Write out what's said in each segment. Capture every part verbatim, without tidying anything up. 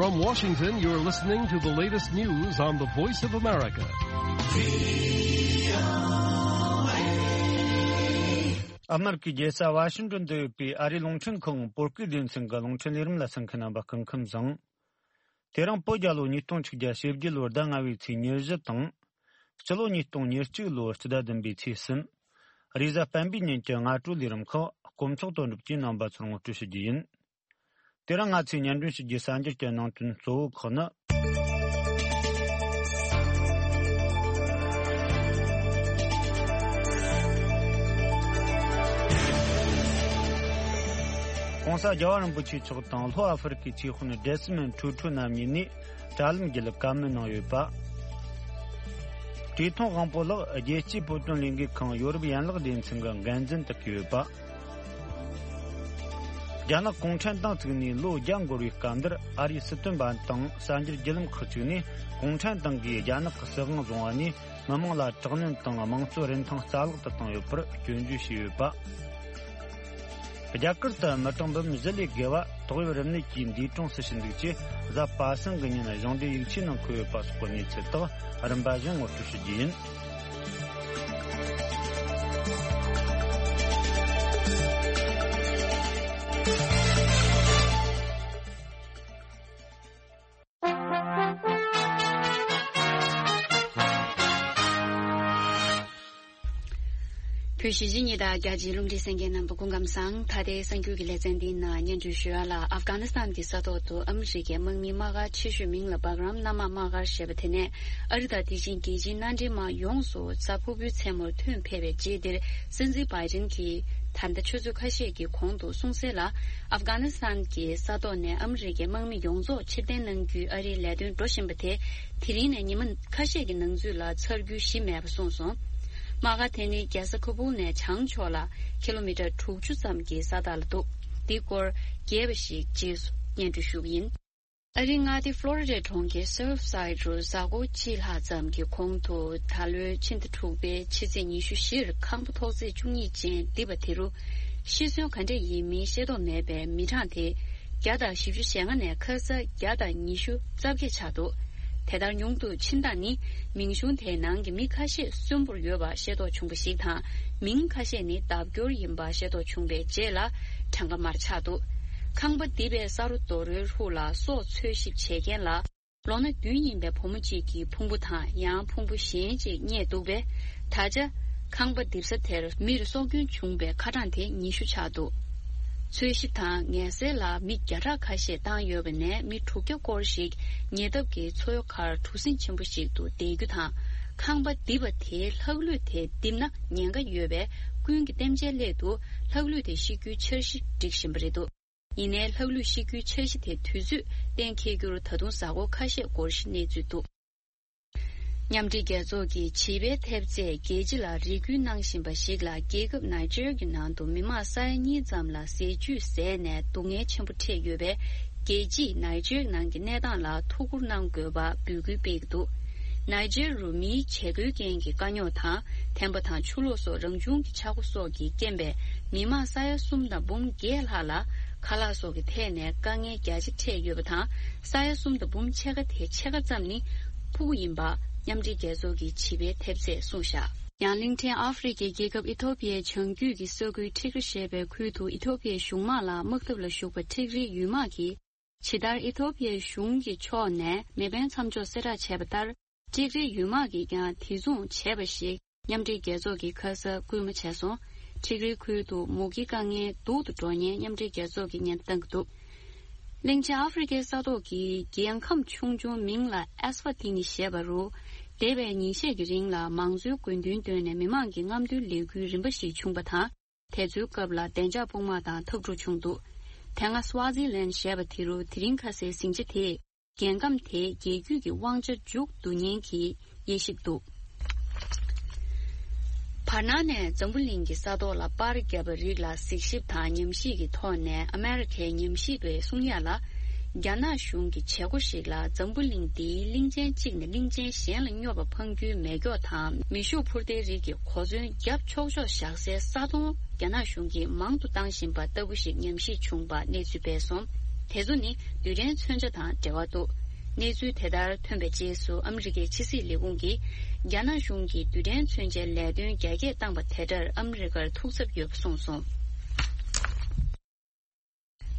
From Washington, you're listening to the latest news on the Voice of America. ཨ་མེ་རི་ཀའི་རྒྱལ་ས་ཝ་ཤིང་ཏོན་དུ་ཡོད་པའི་ཨ་རིའི་རླུང་འཕྲིན་ཁང་བོད་སྐད་སྡེ་ཚན་གྱི་རླུང་འཕྲིན་ལས་རིམ་ལ་གསན་མཁན་རྣམ་པ་སྐུ་ཁམས་བཟང་། དེ་རིང་བོད་རྒྱལ་ལོ་ཉིས་སྟོང་ཆིག་བརྒྱ་ཞེ་བརྒྱད་ལོའི་ཟླ་ལྔ་བའི་ཚེས་ཉེར་བཞི་དང་། སྤྱི་ལོ་ཉིས་སྟོང་ཉེར་གཅིག་ལོའི་སྤྱི་ཟླ་བདུན་པའི་ཚེས་གསུམ། རེས་གཟའ་སྤེན་པའི་ཉིན་གྱི་སྔ་དྲོའི་ལས་རིམ་ཁག་དཀོན་མཆོག་དོན་གྲུབ་ཀྱིས་རྣམ་པ་ཚོར་ངོ་སྤྲོད་ཞུ་རྒྱུ་ཡིན། དེ་རིང་ང་ཚོས་སྙན་སྒྲོན་ཞུ་རྒྱུའི་གསར་འགྱུར་གྱི་ནང་དོན་གཙོ་བོ་ཁག་ནི། ྋགོང་ས་རྒྱལ་བ་རིན་པོ་ཆེ་མཆོག་དང་ལྷོ་ཨ་ཧྥེ་རི་ཁའི་སྲིད་དཔོན་ཌེ་སི་མོན་ཊུ་ཊུ་རྣམ་གཉིས་ནས་དྲ་ལམ་བརྒྱུད་བཀའ་མོལ་གནང་ཡོད་པ། བཀྲས་མཐོང་དབང་པོ་ལགས་རྒྱལ་སྤྱིའི་བོད་དོན་ལས་འགུལ་ཁང་ཡོ་རོབ་ཡན་ལག་སྡེ་ཚན་གྱི་འགན་འཛིན་དུ་བསྐོས་ཡོད་པ། རྒྱ་ནག་གུང་ཁྲན་ཏང་བཙུགས་ནས་ལོ་བརྒྱ་འགོར་བའི་སྐབས་འདིར་ཨ་རིའི་སྲིད་དོན་པ་དང་གསར་འགྱུར་བརྒྱུད་ལམ་ཁག་ཅིག་ནས་གུང་ཁྲན་ཏང་གིས་རྒྱ་ནག་གི་སྲིད་དབང་བཟུང་བ་ནས་མི་དམངས་ལ་དྲག་གནོན་དང་དམངས་གཙོའི་རིན་ཐང་རྩ་བརླག་ཏུ་བཏང་ཡོད་པར་སྐྱོན་བརྗོད་བྱས་ཡོད་པ། རྒྱ་གར་དུ་མི་གྲངས་འབུམ་བཞི་ལས་བརྒལ་བ་ཏོག་དབྱིབས་རིམས་ནད་ཀྱིས་འདས་གྲོངས་སུ་ཕྱིན་འདུག་ཅེས་གཟའ་པ་སངས་ཀྱི་ཉིན་གཞུང་འབྲེལ་ཡིག་ཆའི་ནང་འཁོད་ཡོད་པ་སོགས་ཀྱི་གནས་ཚུལ་དག་རིམ་པ་བཞིན་ངོ་སྤྲོད་ཞུ་རྒྱུ་ཡིན། བོད་གཞིས་བྱེས་གཉིས་དང་རྒྱ་ཆེའི་རླུང་འཕྲིན་གསན་མཁན་རྣམ་པ་སྐུ་ཁམས་བཟང་། ད་ལྟའི་གསར་འགྱུར་གྱི་ལེ་ཚན་འདིའི་ནང་སྙན་སྒྲོན་ཞུ་ཡ་ལ། ཨབ་གྷ་ནི་སི་ཐན་གྱི་ས་ཐོག་ཏུ་ཨ་མི་རི་ཀའི་དམག་མིའི་དམག་སྒར་ཆེ་ཤོས་མིང་ལ་བྷག་རམ་ན་མ་དམག་སྒར་ཞེས་པ་དེ་ནས་ཨ་རི་དང་དེ་བཞིན་རྒྱལ་སྤྱིའི་མནའ་འབྲེལ་དམག་ཡོངས་སུ་གཟའ་ཕུར་བུའི་མཚན་མོར་ཐོན་ཕེབས་པའི་རྗེས་འདིར། སྲིད་འཛིན་བྷའི་ཌེན་གྱིས་ད་ལྟ་ཆུ་ཚོད་ཁ་ཤས་ཀྱི་གོང་དུ་གསུངས་གསལ་ལ། ཨབ་གྷ་ནི་སི་ཐན་གྱི་ས་ཐོག་ནས་ཨ་མི་རི་ཀའི་དམག་མི་ཡོངས་རྫོགས་ཕྱིར་འཐེན་གནང་རྒྱུའི་ཨ་རིའི་ལས་དོན་འགྲོ་བཞིན་པ་དེ། དེ་རིང་ནས་ཉི་མ་ཁ་ཤས་ཀྱི་ནང་ཚུད་ལ་ཚར་རྒྱུའི་གཞི་མེད་པ་གསུངས་སོང་། དམག་སྒར་དེ་ནི་རྒྱལ་ས་ཁ་བུལ་ནས་བྱང་ཕྱོགས་ལ་ཀི་ལོ་མི་ཊར་དྲུག་ཅུ་ཙམ་གྱི་ས་ཐག་ལ་འདུག་འདིའི་སྐོར་རྒྱས་པ་ཞིག་རྗེས་སུ་སྙན་སྒྲོན་ཞུ་གི་ཡིན། ཨ་རིའི་མངའ་སྡེ་ཕློ་རི་ཌའི་གྲོང་ཁྱེར་སརཕ་སའིད་རུ་གཟའ་འཁོར་གཅིག་ལྷག་ཙམ་གྱི་གོང་དུ། ད་ལོའི་ཕྱི་ཟླ་དྲུག་པའི་ཕྱི་ཚེས་ཉི་ཤུ་བཞིར་ཁང་པ་ཐོག་བརྩེགས་བཅུ་གཉིས་ཅན་རྡིབ་པ་དེ་རུ་ཤི་གསོན་ག་འདྲ་ཡིན་མིན་ཤེས་རྟོགས་མེད་པའི་མི་གྲངས་དེ་བརྒྱ་དང་བཞི་བཅུ་ཞེ་ལྔ་ནས་ཁ་སང་བརྒྱ་དང་ཉི་ཤུ་རྩ་བརྒྱད་ཆགས་འདུག་དེ་ལྟར་ཉུང་དུ་ཕྱིན་སྟངས་ནི། མིང་གཞུང་དེའི་ནང་གི་མི་ཁ་ཤས་གསོན་པོར་ཡོད་པ་ཤེས་རྟོགས་བྱུང་བ་ཞིག་དང་། མིང་ཁ་ཤས་ནི་ལྡབ་སྐྱོར་ཡིན་པ་ཤེས་རྟོགས་བྱུང་བའི་རྗེས་ལ་གྲངས་ཀ་མར་ཆག་འདུག་ཁང་པ་རྡིབ་པའི་ས་རོ་རྡོ་རོའི་ཧྲུག་ལ་སྲོག་འཚོལ་ཞིབ་བྱེད་མཁན་ལ། ལོ་ན་བདུན་ཡིན་པའི་བུ་མོ་གཅིག་གི་ཕུང་པོ་དང་། ཡང་ཕུང་པོ་གཞན་གཅིག་རྙེད་འདུག་པས། ད་ཆ་ཁང་པ་རྡིབ་ས་དེར་མིར་སྲོག་སྐྱོན་བྱུང་བའི་ཁ་གྲངས་དེ་ཉི་ཤུ་ཆགས་འདུག་འཚོལ་ཞིབ་དང་ངལ་སེལ་ལ་མི་བརྒྱ་ཕྲག་ཁ་ཤས་བཏང་ཡོད་པ་ནས། མི་དྲུག་བརྒྱ་སྐོར་ཞིག་ཉེ་འདབས་ཀྱི་མཚོའི་ཁར་གྲུ་གཟིངས་ཆེན་པོ་ཞིག་ཏུ་བསྡད་རྒྱུ་དང་། ཁང་པ་རྡིབ་པ་དེའི་ལྷག་ལུས་དེ་རྡིབ་ན་ཉེན་ཁ་ཡོད་པས། ཀུན་གྱིས་གཏན་འཇགས་སླད་དུ་ལྷག་ལུས་དེ་བཤིག་རྒྱུའི་འཆར་གཞི་སྒྲིག་བཞིན་པ་རེད་འདུག་ཡིན་ནའི་ལྷག་ལུས་བཤིག་རྒྱུའི་འཆར་གཞི་དེ་དུས་ཚོད་གཏན་འཁེལ་རྒྱུར་ད་དུང་གཟའ་འཁོར་ཁ་ཤས་འགོར་བཞིན་གནས་ཚུལ་འདུག་མཉམ་འབྲེལ་རྒྱལ་ཚོགས་ཀྱི་བྱིས་པའི་ཐེབས་རྩས་རྒྱལ་སྤྱི་ལ་རེ་སྐུལ་གནང་བཞིན་པ་ཞིག་ལ། རྒྱལ་ཁབ་ནཱི་ཇེར་གྱི་ནང་དུ་མི་མང་ས་ཡ་གཉིས་ཙམ་ལ་ཟས་བཅུད་ཟས་ནས་སྡུག་བསྔལ་ཆེན་པོ་འཕྲད་ཡོད་པས། རྒྱལ་སྤྱིས་ནཱི་ཇེར་ནང་གི་གནས་སྟངས་ལ་ཐུགས་ཁུར་གནང་དགོས་པ་འབོད་སྐུལ་སྤེལ་གྱི་འདུག་ནཱི་ཇེར་རུ་མིའི་བྱེད་སྒོའི་རྐྱེན་གྱིས་དཀའ་རྙོག་དང་། ཐན་པ་དང་ཆུ་ལོག་སོགས་རང་བྱུང་གི་ཆག་སྒོ་སོགས་ཀྱི་རྐྱེན་པས། མི་མང་ས་ཡ་གསུམ་དང་འབུམ་བརྒྱད་ལྷག་ལ་ཁ་ལག་སོགས་ཀྱི་ཐད་ནས་དཀའ་ངལ་རྒྱ་ཆེ་འཕྲད་ཡོད་པ་དང་། ས་ཡ་གསུམ་དང་འབུམ་ཕྱེད་ཀ་དེ་ཕྱེད་ཀ་ཙམ་ནི་ཕྲུ་གུ་ཡིན་པ། མཉམ་འབྲེལ་རྒྱལ་ཚོགས་ཀྱི་བྱིས་པའི་ཐེབས་རྩས་གསུངས་བཞག་ཡང་གླིང་ཕྲན་ཨ་ཧྥེ་རི་ཁའི་རྒྱལ་ཁབ་ཨི་ཐོ་པི་ཡའི་བྱང་རྒྱུད་ཀྱི་ས་ཁུལ་ཁྲིག་རི་ཞེས་པའི་ཁུལ་དུ་ཨི་ཐོ་པི་ཡའི་གཞུང་དམག་ལ་དམག་འཐབ་ལ་ཞུགས་པ་ཁྲིག་རིའི་ཡུལ་དམག་གིས། ཇི་ལྟར་ཨི་ཐོ་པི་ཡའི་གཞུང་གི་ཕྱོགས་ནས་མེ་འཕེན་མཚམས་འཇོག་གསལ་བསྒྲགས་བྱས་པ་ལྟར། ཁྲིག་རིའི་ཡུལ་དམག་གིས་ཀྱང་དེ་མཚུངས་བྱས་པ་ཞིག་མཉམ་འབྲེལ་རྒྱལ་ཚོགས་ཀྱིས་ཁ་ས་སྐུལ་མ་བྱས་སོང་། ཁྲིག་རིའི་ཁུལ་དུ་མུ་གེའི་དཀའ་ངལ་སྡུག་ཏུ་འགྲོ་ཉེན་མཉམ་འབྲེལ་རྒྱལ་ཚོགས་ཀྱིས་སྙན་བཏང་གི་འདུག་གླིང་ཆེན་ཨ་ཧྥེ་རི་ཁའི་ས་ཐོག་གི་རྒྱལ་ཁམས་ཆུང་ཆུང་མིང་ལ་ཨེས་ཝ་ཏི་ནི་ཞེས་པ་རུ། འདས་པའི་ཉིན་ཤས་ཀྱི་རིང་ལ་མང་གཙོའི་དགོས་འདུན་བཏོན་ནས་མི་མང་གི་རྔམ་སྟོན་ལས་འགུལ་རིམ་པ་ཞིག་བྱུང་བ་དང་། དེ་ཚོའི་སྐབས་ལ་བདེ་འཇགས་དཔུང་དམག་དང་འཐབ་འཁྲུག་བྱུང་འདུག་དེ་སྔ་སུའ་ཛི་ལན་ཞེས་པ་དེ་རུ་དེ་རིང་ཁ་སའི་ཟིང་ཆ་དེས་རྒྱལ་ཁམས་དེའི་རྒྱལ་རྒྱུད་ཀྱི་དབང་ཆ་མཇུག་བསྡུ་ཉེན་གྱི་དབྱེ་ཞིབ་འདུག་བར་སྣང་ནས་འཛམ་བུ་གླིང་གི་ས་ཐོག་ལ་པར་བརྒྱབ་པ་རིགས་ལ་གཟིགས་ཞིབ་དང་ཉམས་ཞིབ་ཀྱི་ཐོག་ནས་ཨ་མེ་རི་ཁའི་ཉམས་ཞིབ་པས་གསུང་ཡ་ལ། རྒྱ་ནག་གཞུང་གི་བྱེད་སྒོ་ཞིག་ལ་འཛམ་བུ་གླིང་འདིའི་གླིང་ཆེན་གཅིག་ནས་གླིང་ཆེན་གཞན་ལ་སྙོབ་པ་འཕང་རྒྱུའི་མེ་སྒྱོགས་དང་མེ་ཤུགས་འཕུར་མདེལ་རིགས་ཀྱི་གོ་མཚོན་བརྒྱབ་ཆོག་ཆོག་བཞག་སའི་ས་དོང་རྒྱ་ནག་གཞུང་གིས་མང་དུ་བཏང་བཞིན་པ་ལྟ་བུ་ཞིག་ཉམས་ཞིབ་བྱུང་བ་གནས་ཚུལ་སྤེལ་སོང་། དེ་ཚོ་ནི་རྡུལ་ཕྲན་མཚོན་ཆ་དང་འབྲེལ་བ་འདུག་གནས་ཚུལ་དེ་ལྟར་ཐོན་པའི་རྗེས་སུ་ཨ་མི་རི་ཀའི་ཕྱི་སྲིད་ལས་ཁུངས་ཀྱིས་རྒྱ་ནག་གཞུང་གིས་རྡུལ་ཕྲན་མཚོན་ཆའི་ལས་དོན་རྒྱ་སྐྱེད་བཏང་པ་དེ་འདྲར་ཨ་མི་རི་ཀར་ཐུགས་འཚབ་ཡོད་པ་གསུངས་སོང་།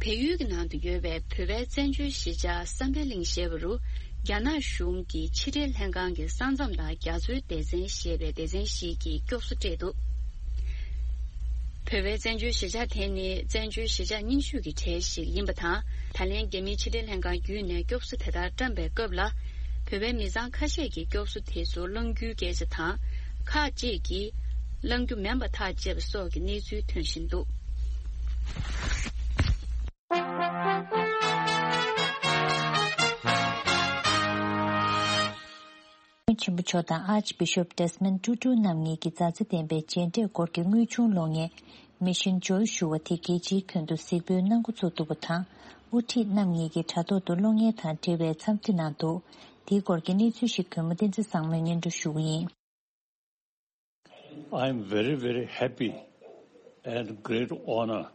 བལ་ཡུལ་གྱི་ནང་དུ་ཡོད་པའི་བོད་པའི་བཙན་བྱོལ་གཞིས་ཆགས་བསམ་འཕེལ་གླིང་ཞེས་པ་རུ། རྒྱ་ནག་གཞུང་གི་ཕྱི་འབྲེལ་ལྷན་ཁང་གི་ས་མཚམས་དང་རྒྱ་མཚོའི་སྡེ་ཚན་ཞེས་པའི་སྡེ་ཚན་ཞིག་གིས་སྐྱོབ་གསོ་སྤྲད་འདུག་བོད་པའི་བཙན་བྱོལ་གཞིས་ཆགས་དེ་ནི་བཙན་བྱོལ་གཞིས་ཆགས་རྙིང་ཤོས་ཀྱི་གྲས་ཤིག་ཡིན་པ་དང་། ད་ལན་རྒྱ་མིའི་ཕྱི་འབྲེལ་ལྷན་ཁང་བརྒྱུད་ནས་སྐྱོབ་གསོ་དེ་ལྟར་བཀྲམ་པའི་སྐབས་ལ། བོད་པའི་མི་ཚང་ཁ་ཤས་ཀྱིས་སྐྱོབ་གསོ་དེ་ཚོ་བླང་རྒྱུའི་སྐད་ཆ་དང་། ཁག་ཅིག་གིས་བླང་རྒྱུ་མིན་པ་ཐག་བཅད་པ་སོགས་ཀྱི་གནས་ཚུལ་ཐོན་བཞིན་འདུག་ཆེན་པོ་མཆོག་དང་Archbishop Desmond Tutu རྣམ་གཉིས་ཀྱི་མཛའ་བརྩེ་ལྡན་པའི་མཇལ་འཕྲད་སྐོར་གྱི་དངོས་བྱུང་གློག་བརྙན་Mission Joy ཞུ་བ་དེ་རྒྱལ་སྤྱིའི་ཁྱོན་དུ་གཟིགས་འབུལ་གནང་འགོ་ཚུགས་འདུག་པ་དང་། དབུ་ཁྲིད་རྣམ་གཉིས་ཀྱིས་དྲ་ཐོག་ཏུ་གློག་བརྙན་དང་འབྲེལ་བའི་འཚམས་འདྲི་གནང་འདུག་དེའི་སྐོར་གྱི་གནས་ཚུལ་ཞིག་གུས་མོ་བསྟན་འཛིན་བཟང་མོས་སྙན་སྒྲོན་ཞུ་གི་ཡིན། I am very, very happy and great honor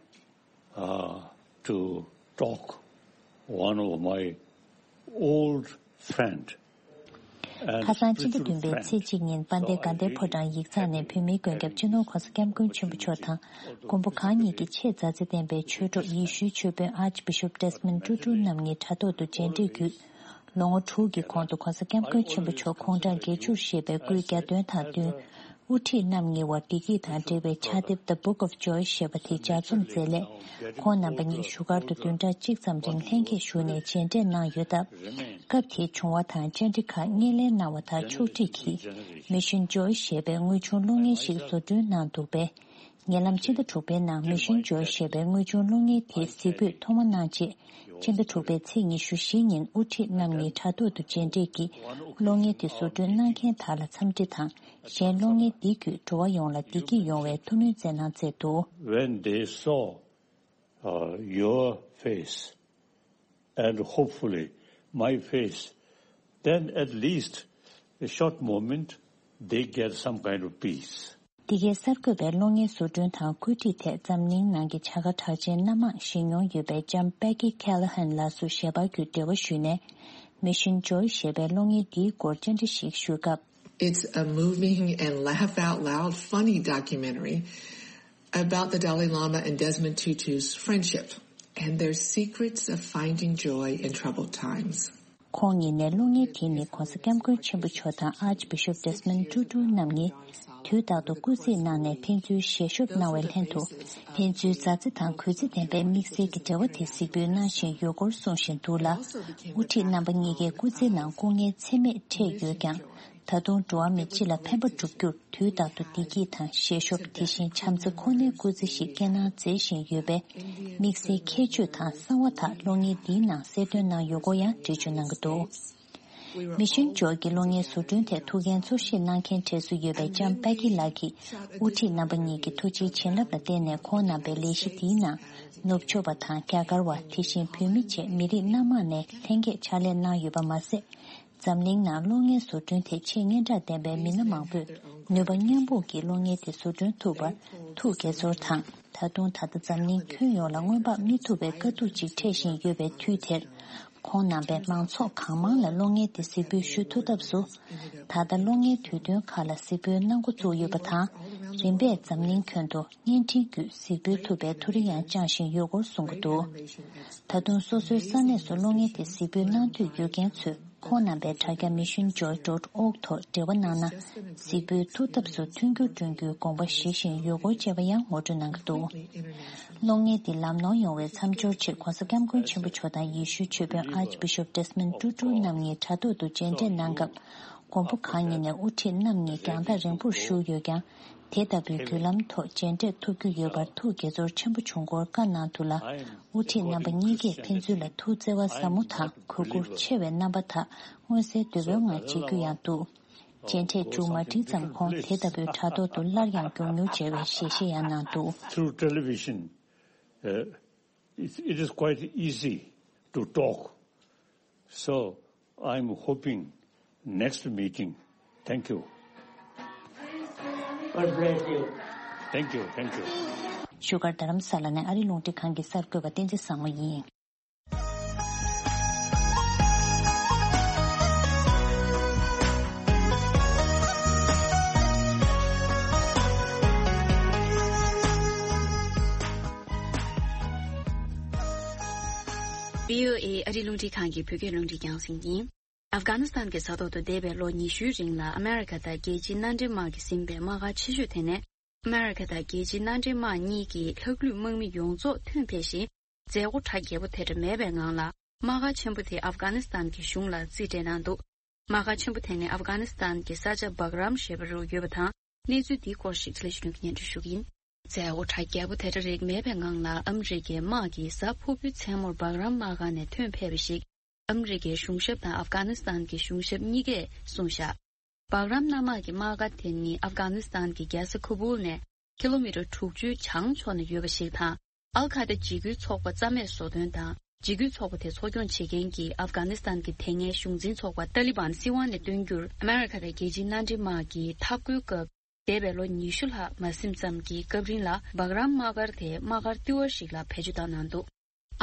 uh, to talk one of my old friend. ཁ་སང་ཕྱི་ཟླ་བདུན་པའི་ཚེས་གཅིག་ཉིན་དཔལ་ལྡན་དགའ་ལྡན་ཕོ་བྲང་ཡིག་ཚང་ནས་བོད་མིའི་མགོན་སྐྱབས་སྤྱི་ནོར་༸གོང་ས་༸སྐྱབས་མགོན་ཆེན་པོ་མཆོག་དང་མགོན་པོ་གང་ཉིད་ཀྱི་ཆེས་མཛའ་བརྩེ་ལྡན་པའི་ཆོས་གྲོགས་ཡེ་ཤུའི་ཆོས་དཔོན་Archbishop Desmond Tutu རྣམ་གཉིས་དྲ་ཐོག་ཏུ་མཇལ་འཕྲད་བརྒྱུད། ལོ་ངོ་དྲུག་གི་གོང་དུ་༸གོང་ས་༸སྐྱབས་མགོན་ཆེན་པོ་མཆོག་དགུང་གྲངས་བརྒྱད་ཅུར་བཞེས་པའི་སྐུའི་གྱ་སྟོན་དང་བསྟུན། དབུ་ཁྲིད་རྣམ་གཉིས་བར་བདེ་སྐྱིད་དང་འབྲེལ་བའི་ཕྱག་དེབ་The Book of Joy ཞེས་པ་དེ་ལྗགས་རྩོམ་མཛད་ལས། ཁོང་རྣམ་པ་གཉིས་བཞུགས་སྒར་དུ་བདུན་ཕྲག་གཅིག་ཙམ་རིང་ལྷན་རྒྱས་བཞུགས་ནས་མཇལ་འཕྲད་གནང་ཡོད་སྟབས། སྐབས་དེའི་བྱུང་བ་དང་བཅར་འདྲི་ཁག་སྣེ་ལེན་གནང་བ་དང་ཕྱོགས་སྒྲིག་གིས་Mission Joy ཞེས་པའི་དངོས་བྱུང་གློག་བརྙན་ཞིག་བཟོ་སྐྲུན་གནང་འདུག་པས། ཉེ་ལམ་ཕྱི་ཟླ་དྲུག་པའི་ནང་Mission Joy ཞེས་པའི་དངོས་བྱུང་གློག་བརྙན་དེའི་གཟིགས་འབུལ་ཐོག་མ་གནང་རྗེས། ཕྱི་ཟླ་དྲུག་པའི་ཚེས་ཉི་ཤུ་བཞི་ཉིན་དབུ་ཁྲིད་རྣམ་གཉིས་དྲ་ཐོག་ཏུ་མཇལ་འཕྲད་ཀྱིས་གློག་བརྙན་དེ་བཟོ་སྐྲུན་གནང་མཁན་དག་ལ་འཚམས་འདྲི་དང་། གཞན་གློག་བརྙན་འདི་བརྒྱུད་འགྲོ་བ་ཡོངས་ལ་བདེ་སྐྱིད་ཡོང་བའི་ཐུགས་སྨོན་བསྩལ་གནང་མཛད་འདུག། When they saw uh, your face and hopefully my face, then at least a short moment they get some kind of peace. འདི་གའི་གསར་འགོད་པའི་གློག་བརྙན་བཟོ་སྐྲུན་དང་བཀོད་སྒྲིག་ཐད་འཛམ་གླིང་ནང་གི་བྱ་དགའ་གྲགས་ཅན་སྣ་མང་བཞེས་མྱོང་ཡོད་པའི་ལྕམ་Becky Callahan ལགས་སུ་ཞལ་པར་བརྒྱུད་འབྲེལ་བ་ཞུས་ནས། Mission Joy ཞེས་པའི་གློག་བརྙན་འདིའི་སྐོར་བཅར་འདྲི་ཞིག་ཞུས་སྐབས། It's a moving and laugh out loud funny documentary about the Dalai Lama and Desmond Tutu's friendship and their secrets of finding joy in troubled times. ཁོང་ཉིད་ནས་གློག་བརྙན་དེ་ནི་༸གོང་ས་༸སྐྱབས་མགོན་ཆེན་པོ་མཆོག་དང་Archbishop Desmond Tutu རྣམ་གཉིས་དུས་རྟག་ཏུ་སྐུ་རྩེད་གནང་ནས་ཕན་ཚུན་ཞལ་ཤོབ་གནང་བའི་ལྷན་དུ། ཕན་ཚུན་མཛའ་བརྩེ་དང་གུས་བརྩེ་ལྡན་པའི་དམིགས་བསལ་གྱི་འབྲེལ་བ་དེ་གཟིགས་འབུལ་གནང་བཞིན་ཡོད་སྐོར་གསུང་བཞིན་འདུག་ལ། དབུ་ཁྲིད་རྣམ་པ་གཉིས་ཀའི་སྐུ་ཚེའི་ནང་སྐུ་ངལ་ཚད་མེད་འཕྲད་ཡོད་ཀྱང་། ད་དུང་འགྲོ་བ་མི་སྤྱི་ལ་ཕན་པ་བསྒྲུབ་རྒྱུར་དུས་རྟག་ཏུ་བདེ་སྐྱིད་དང་ཞལ་ཤོབ། དེ་བཞིན་བྱམས་བརྩེ་ཁོ་ནའི་སྐུ་ཚེ་ཞིག་བསྐྱལ་གནང་མཛད་བཞིན་ཡོད་པས། དམིགས་བསལ་ཁྱད་ཆོས་དང་གསང་བ་དག་གློག་བརྙན་འདིའི་ནང་གསལ་སྟོན་གནང་ཡོད་སྐོར་ཡང་འགྲེལ་བརྗོད་གནང་གི་འདུག། Mission Joy གི་གློག་བརྙན་བཟོ་སྐྲུན་ཐད་ཐུགས་འགན་གཙོ་བཞེས་གནང་མཁན་གྲས་སུ་ཡོད་པའི་ལྕམ་པེ་ཀི་ལགས་ཀྱིས། དབུ་ཁྲིད་རྣམ་པ་གཉིས་ཀྱི་ཐུགས་རྗེའི་བྱིན་རླབས་ལ་བརྟེན་ནས་ཁོང་རྣམ་པའི་ལས་གཞི་འདིའི་ནང་ནུབ་ཕྱོགས་པ་དང་རྒྱ་གར་བ། དེ་བཞིན་བོད་མི་བཅས་མི་རིགས་སྣ་མང་ནས་ལྷན་རྒྱས་ཕྱག་ལས་གནང་ཡོད་པ་མ་ཟད། འཛམ་གླིང་ནང་གློག་བརྙན་བཟོ་སྐྲུན་ཐད་ཆེས་སྙན་གྲགས་ལྡན་པའི་མི་སྣ་མང་པོས་ནུས་པ་མཉམ་སྤུངས་ཀྱིས་གློག་བརྙན་དེ་བཟོ་སྐྲུན་ཐུབ་པར་ཐུགས་དགྱེས་ཚོར་དང་། ད་དུང་ད་ལྟ་འཛམ་གླིང་ཁྱོན་ཡོངས་ལ་སྔོན་དཔག་མི་ཐུབ་པའི་དཀའ་སྡུག་ཅིག་འཕྲད་བཞིན་ཡོད་པའི་དུས་དེར། ཁོང་རྣམ་པས་མང་ཚོགས་གང་མང་ལ་གློག་བརྙན་དེ་གཟིགས་འབུལ་ཞུ་ཐུབ་ཐབས་སུ། ད་ལྟ་གློག་བརྙན་དུས་སྟོན་ཁག་ལ་གཟིགས་འབུལ་གནང་འགོ་བཙུགས་ཡོད་པ་དང་། རིམ་པས་འཛམ་གླིང་ཁྱོན་དུ་བརྙན་འཕྲིན་བརྒྱུད་གཟིགས་འབུལ་ཐུབ་པའི་ཐུགས་རེ་ཡང་བཅངས་བཞིན་ཡོད་སྐོར་གསུང་གི་འདུག། ད་དུང་སོ་སོའི་ས་གནས་སུ་གློག་བརྙན་དེ་གཟིགས་འབུལ་གནང་འདོད་ཡོད་མཁན་ཚོས། ཁོང་རྣམ་པའི་དྲ་རྒྱ་Mission Joy dot org ཐོག་འབྲེལ་བ་གནང་ན། གཟིགས་འབུལ་ཐུབ་ཐབས་སུ་མཐུན་འགྱུར་བསྐྲུན་རྒྱུའི་དགོངས་པ་བཞེས་བཞིན་ཡོད་སྐོར་བཅས་པ་ཡང་ངོ་སྤྲོད་གནང་གི་འདུག། གློག་བརྙན་འདི་ལམ་ནོར་ཡོང་བའི་མཚམས་སྦྱོར་ཆེད་༸གོང་ས་༸སྐྱབས་མགོན་ཆེན་པོ་མཆོག་དང་ཡེ་ཤུའི་ཆོས་དཔོན་Archbishop Desmond Tutu རྣམ་གཉིས་དྲ་ཐོག་ཏུ་མཇལ་འཕྲད་གནང་སྐབས། མགོན་པོ་གང་ཉིད་ནས་དབུ་ཁྲིད་རྣམ་གཉིས་རྒྱང་ཐག་རིང་པོར་བཞུགས་ཡོད་ཀྱང་། དེ་ལྟ་བུའི་བརྒྱུད་ལམ་ཐོག་མཇལ་འཕྲད་ཐུབ་རྒྱུ་ཡོད་པར་ཐུགས་དགྱེས་ཚོར་ཆེན་པོ་བྱུང་སྐོར་བཀའ་གནང་འདུག་ལ། དབུ་ཁྲིད་རྣམ་པ་གཉིས་ཀས་ཕན་ཚུན་ལ་ཐུགས་བརྩེ་བ་ཟབ་མོ་དང་གུས་བཀུར་ཆེ་བའི་རྣམ་པ་དག་མངོན་གསལ་དོད་པོའི་ངང་མཇལ་རྒྱུ་ཡང་འདུག། མཇལ་འཕྲད་མཇུག་མ་སྒྲིལ་ཙམ་ཁོང་དེ་ལྟ་བུའི་དྲ་ཐོག་ཏུ་སླར་ཡང་མགྱོགས་མྱུར་མཇལ་བའི་ཞལ་བཞེས་ཡང་གནང་འདུག། Through television, uh, it, it is quite easy to talk. So I'm hoping next meeting. Thank you. God bless you. Thank you. Thank you. བཞུགས་སྒར་རྡ་རམ་ས་ལ་ནས་ཨ་རིའི་རླུང་འཕྲིན་ཁང་གི་གསར་འགོད་པ་བསྟན་འཛིན་བཟང་མོ་ཡིན། བྷི་ཨོ་ཨེ་ཨ་རིའི་རླུང་འཕྲིན་ཁང་གི་བོད་སྐད་རླུང་འཕྲིན་རྒྱང་སྲིང་ཡིན། ཨབ་གྷ་ནི་སི་ཐན་གྱི་ས་ཐོག་ཏུ་འདས་པའི་ལོ་ཉི་ཤུའི་རིང་ལ་ཨ་མེ་རི་ཁ་དང་རྒྱལ་སྤྱིའི་མནའ་འབྲེལ་དམག་གིས་ཟིན་པའི་དམག་སྒར་ཆེ་ཤོས་དེ་ནས། ཨ་མེ་རི་ཁ་དང་རྒྱལ་སྤྱིའི་མནའ་འབྲེལ་དམག་གཉིས་ཀྱི་ལྷག་ལུས་དམག་མི་ཡོངས་རྫོགས་ཐོན་ཕེབས་ཤིང་། མཛད་སྒོ་གྲ་རྒྱས་པོ་དེ་འདྲ་མེད་པའི་ངང་ལ། དམག་སྒར་ཆེན་པོ་དེ་ཨབ་གྷ་ནི་སི་ཐན་གྱི་གཞུང་ལ་རྩིས་སྤྲད་གནང་འདུག་དམག་སྒར་ཆེན་པོ་དེ་ནི་ཨབ་གྷ་ནི་སི་ཐན་གྱི་ས་ཆ་བྷག་རམ་ཞེས་པ་རུ་ཡོད་པ་དང་། གནས་ཚུལ་འདིའི་སྐོར་ཞིག་ལས་ཞུ་མཁན་གྱི་སྙན་སྒྲོན་ཞུ་གི་ཡིན། མཛད་སྒོ་གྲ་རྒྱས་པོ་དེ་འདྲ་རིགས་མེད་པའི་ངང་ལ། ཨ་མི་རི་ཀའི་དམག་གིས་གཟའ་ཕུར་བུའི་མཚན་མོར་བྷག་རམ་དམག་སྒར་ནས་ཐོན་ཕེབས་པ་ཞིག་ཨ་མི་རི་ཀའི་གཞུང་ཞབས་དང་ཨབ་གྷ་ནི་སི་ཐན་གྱི་གཞུང་ཞབས་གཉིས་ཀས་གསུངས་བཞག་བྷག་རམ་གནམ་དམག་གི་དམག་སྒར་དེ་ནི་ཨབ་གྷ་ནི་སི་ཐན་གྱི་རྒྱལ་ས་ཁ་བུལ་ནས་ཀི་ལོ་མི་ཊར་དྲུག་ཅུའི་བྱང་ཕྱོགས་ན་ཡོད་པ་ཞིག་དང་། ཨལ་ཁ་ད་འཇིགས་སྐུལ་ཚོགས་པ་རྩ་མེད་བཟོ་དོན་དང་། འཇིགས་སྐུལ་ཚོགས་པ་དེ་འཚོ་སྐྱོང་བྱེད་མཁན་གྱི་ཨབ་གྷ་ནི་སི་ཐན་གྱི་དེ་སྔའི་གཞུང་འཛིན་ཚོགས་པ་ཏཱ་ལི་བན་སྲིད་དབང་ནས་བཏོན་རྒྱུར། ཨ་མེ་རི་ཁ་དང་རྒྱལ་སྤྱིའི་མནའ་འབྲེལ་དམག་གིས་འཐབ་རྒོལ་སྐབས། འདས་པའི་ལོ་ཉི་ཤུ་ལྷག་མ་ཟིན་ཙམ་གྱི་སྐབས་རིང་ལ། བྷག་རམ་དམག་སྒར་དེ་དམག་སྒར་ལྟེ་བ་ཞིག་ལ་བེད་སྤྱོད་བཏང་གནང་འདུག་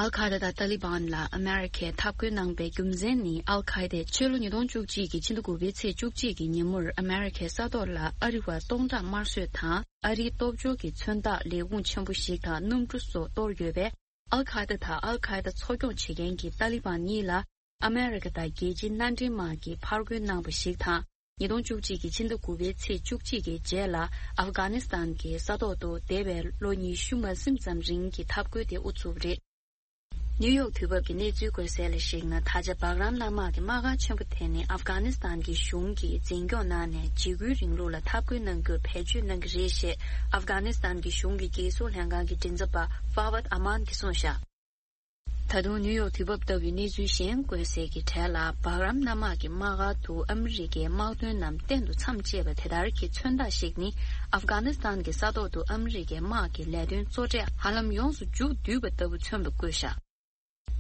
ཨལ་ཁ་ད་དང་ཏཱ་ལི་བན་ལ་ཨ་མེ་རི་ཁས་འཐབ་རྒོལ་གནང་པའི་རྒྱུ་མཚན་ནི། ཨལ་ཁ་ད་ཆེས་ལོ་ཉིས་སྟོང་བཅུ་གཅིག་གི་ཕྱི་ཟླ་དགུ་པའི་ཚེས་བཅུ་གཅིག་གི་ཉིན་མོར་ཨ་མེ་རི་ཁའི་ས་ཐོག་ལ་ཨ་རི་བ་སྟོང་ཕྲག་དམར་གསོད་དང་། ཨ་རིའི་སྟོབས་འབྱོར་གྱི་མཚོན་རྟགས་ལས་ཁུངས་ཆེན་པོ་ཞིག་དང་གནམ་གྲུ་སོགས་གཏོར་ཡོད་པས། ཨལ་ཁ་ད་དང་ཨལ་ཁ་ད་འཚོ་སྐྱོང་བྱེད་མཁན་གྱི་ཏཱ་ལི་བན་གཉིས་ལ། ཨ་མེ་རི་ཁ་དང་རྒྱལ་སྤྱིའི་མནའ་འབྲེལ་དམག་གིས་ཕར་རྒོལ་གནང་བ་ཞིག་དང་། ཉིས་སྟོང་བཅུ་གཅིག་གི་ཕྱི་ཟླ་དགུ་པའི་ཚེས་བཅུ་གཅིག་གི་རྗེས་ལ། ཨབ་གྷ་ནི་སི་ཐན་གྱི་ས་ཐོག་ཏུ་འདས་པའི་ལོ་ཉི་ཤུ་མ་ཟིན་ཙམ་རིང་གི་འཐབ་རྒོལ་དེ་དབུ་ཚུགས་པ་རེད། ནིའུ་ཡོག་དུས་བབ་ཀྱི་གནས་ཚུལ་བཀོད་གསལ་ལ་གཞིགས་ན། ད་ཆ་བྷག་རམ་གནམ་དམག་གི་དམག་སྒར་ཆེན་པོ་དེ་ནི་ཨབ་གྷ་ནི་སི་ཐན་གྱི་གཞུང་གིས་འཛིན་སྐྱོང་གནང་ནས་འཇིགས་སྐུལ་རིང་ལུགས་ལ་འཐབ་རྒོལ་གནང་རྒྱུར་བེད་སྤྱོད་གནང་གི་རེད་ཞེས་ཨབ་གྷ་ནི་སི་ཐན་གྱི་གཞུང་གི་རྒྱལ་སྲུང་ལྷན་ཁང་གི་མགྲིན་ཚབ་པ་ཧྥ་ཝད་ཨ་མན་གྱིས་གསུངས་བཞག་ད་དུང་ནིའུ་ཡོག་དུས་བབ་ལྟ་བུའི་གནས་ཚུལ་གཞན་བཀོད་གསལ་གྱི་གྲས་ལ། བྷག་རམ་གནམ་དམག་གི་དམག་སྒར་དུ་ཨ་མི་རི་ཀའི་དམག་དོན་རྣམས་གཏན་དུ་མཚམས་བཅད་པ་དེ་ལྟར་གྱི་མཚོན་རྟགས་ཤིག་ནི། ཨབ་གྷ་ནི་སི་ཐན་གྱི་ས་ཐོག་ཏུ་ཨ་མི་རི་ཀའི་དམག་གི་ལས་དོན་གཙོ་གྲས་ཧ་ལམ་ཡོངས་སུ་མཇུག་བསྡུས་པ་ལྟ་བུ་མཚོན་པ་བཀོད་བཞག་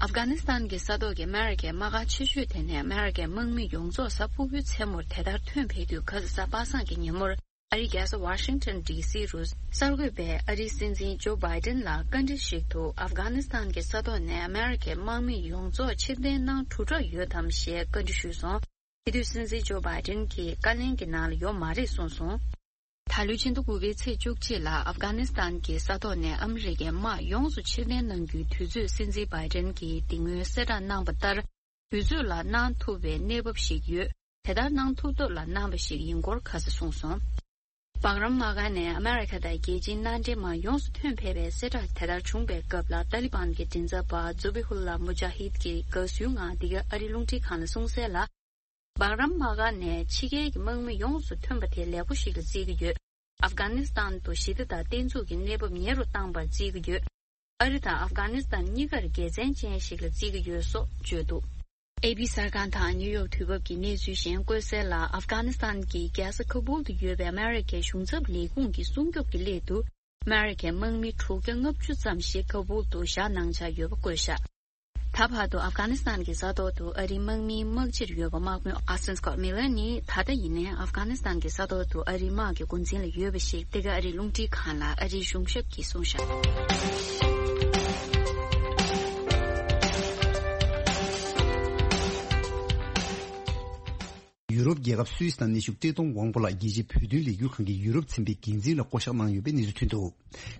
ཨབ་གྷ་ནི་སི་ཐན་གྱི་ས་ཐོག་གི་ཨ་མེ་རི་ཀའི་དམག་སྒར་ཆེ་ཤོས་དེ་ནས་ཨ་མེ་རི་ཀའི་དམག་མི་ཡོངས་རྫོགས་གཟའ་ཕུར་བུའི་མཚན་མོར་དེ་ལྟར་ཐོན་ཕེབས་དུས། ག་ས་གཟའ་པ་སངས་ཀྱི་ཉིན་མོར། ཨ་རིའི་རྒྱལ་ས་ཝ་ཤིང་ཊོན་ཌི་སི་རུ་གསར་འགོད་པས་ཨ་རིའི་སྲིད་འཛིན་ཇོ་བྷའི་ཏིན་ལ་བཀའ་འདྲི་ཞིག་ཏུ། ཨབ་གྷ་ནི་སི་ཐན་གྱི་ས་ཐོག་ནས་ཨ་མེ་རི་ཁའི་དམག་མི་ཡོངས་རྫོགས་ཕྱིར་འཐེན་གནང་གྲུབ་གྲབས་ཡོད་དམ་ཞེས་བཀའ་འདྲི་ཞུས་སོང་། དེ་དུས་སྲིད་འཛིན་ཇོ་བྷའི་ཏིན་གྱིས་བཀའ་ལན་གྱི་ནང་ལ་ཡོད་མ་རེད་གསུངས་སོང་། ད་ལོའི་ཕྱི་ཟླ་དགུ་པའི་ཚེས་བཅུ་གཅིག་ལ་ཨབ་གྷ་ནི་སི་ཐན་གྱི་ས་ཐོག་ནས་ཨ་མི་རི་ཀའི་དམག་ཡོངས་སུ་ཕྱིར་འཐེན་གནང་རྒྱུའི་དུས་ཚོད་སྲིད་འཛིན་བྷའི་ཏིན་གྱིས་དེ་སྔོན་གསལ་བསྒྲགས་གནང་བ་ལྟར། དུས་ཚོད་ལ་གནང་ཐུབ་པའི་གནས་བབ་ཞིག་ཡོད། དེ་ལྟར་གནང་ཐུབ་ཐབས་ལ་གནང་བ་ཞིག་ཡིན་སྐོར་ཁ་སང་གསུངས་སོང་། བྷག་རམ་དམག་སྒར་ནས་ཨ་མེ་རི་ཁ་དང་རྒྱལ་སྤྱིའི་མནའ་འབྲེལ་དམག་ཡོངས་སུ་ཐོན་ཕེབས་པའི་གསལ་བསྒྲགས་དེ་ལྟར་བྱུང་བའི་སྐབས་ལ། ཏཱ་ལི་བན་གྱི་མགྲིན་ཚབ་པ་ཛུ་བི་ཧུ་ལ་མུ་ཇཱ་ཧིད་ཀྱིས་དགའ་བསུའི་ངང་འདི་ག་ཨ་རིའི་རླུང་འཕྲིན་ཁང་ལ་གསུངས་གསལ་ལ། བྷག་རམ་དམག་སྒར་ནས་ཕྱི་རྒྱལ་གྱི་དམག་མི་ཡོངས་སུ་ཐོན་པ་དེ་ལེགས་པོ་ཞིག་ལ་བརྩི་གི་ཡོད། ཨབ་གྷ་ནི་སི་ཐན་དུ་ཞི་བདེ་དང་བརྟན་ཚུགས་ཀྱི་གནས་བབ་ཉེ་རུ་བཏང་བར་བརྩི་གི་ཡོད། ཨ་རི་དང་ཨབ་གྷ་ནི་སི་ཐན་གཉིས་ཀར་དགེ་མཚན་ཅན་ཞིག་ལ་བརྩི་གི་ཡོད་སོགས་བརྗོད་འདུག་ཨེ་པི་གསར་ཁང་དང་ནིའུ་ཡོག་དུས་བབ་ཀྱི་གནས་ཚུལ་གཞན་བཀོད་གསལ་ལ། ཨབ་གྷ་ནི་སི་ཐན་གྱི་རྒྱལ་ས་ཁ་བུལ་དུ་ཡོད་པའི་ཨ་མེ་རི་ཁའི་གཞུང་ཚབ་ལས་ཁུངས་ཀྱི་སྲུང་སྐྱོབ་ཀྱི་སླད་དུ། ཨ་མེ་རི་ཁའི་དམག་མི་དྲུག་བརྒྱ་ལྔ་བཅུ་ཙམ་ཞིག་ཁ་བུལ་དུ་བཞག་གནང་འཆར་ཡོད་པ་བཀོད་བཞག་ད་བར་དུ་ཨབ་གྷ་ནི་སི་ཐན་གྱི་ས་ཐོག་ཏུ་ཨ་རིའི་དམག་མིའི་དམག་སྤྱིར་ཡོད་པ་དམག་དཔོན་ཨ་སྟན་སྐོཊ་མི་ལར་ནི། ད་ལྟ་ཡིན་ནའི་ཨབ་གྷ་ནི་སི་ཐན་གྱི་ས་ཐོག་ཏུ་ཨ་རིའི་དམག་གི་འགོ་འཛིན་ལ་ཡོད་པ་ཞིག་འདི་ག་ཨ་རིའི་རླུང་འཕྲིན་ཁང་ལ་ཨ་རིའི་གཞུང་ཞབས་ཀྱིས་གསུངས་བཞག་ཡུ་རོབ་རྒྱལ་ཁབ་སུད་སི་ནང་གནས་བཞུགས་བཀྲས་མཐོང་དབང་པོ་ལགས་རྒྱལ་སྤྱིའི་བོད་དོན་ལས་འགུལ་ཁང་གི་ཡུ་རོབ་ཚན་པའི་འགན་འཛིན་ལ་བསྐོ་གཞག་གནང་ཡོད་པའི་གནས་ཚུལ་ཐོན་འདུག་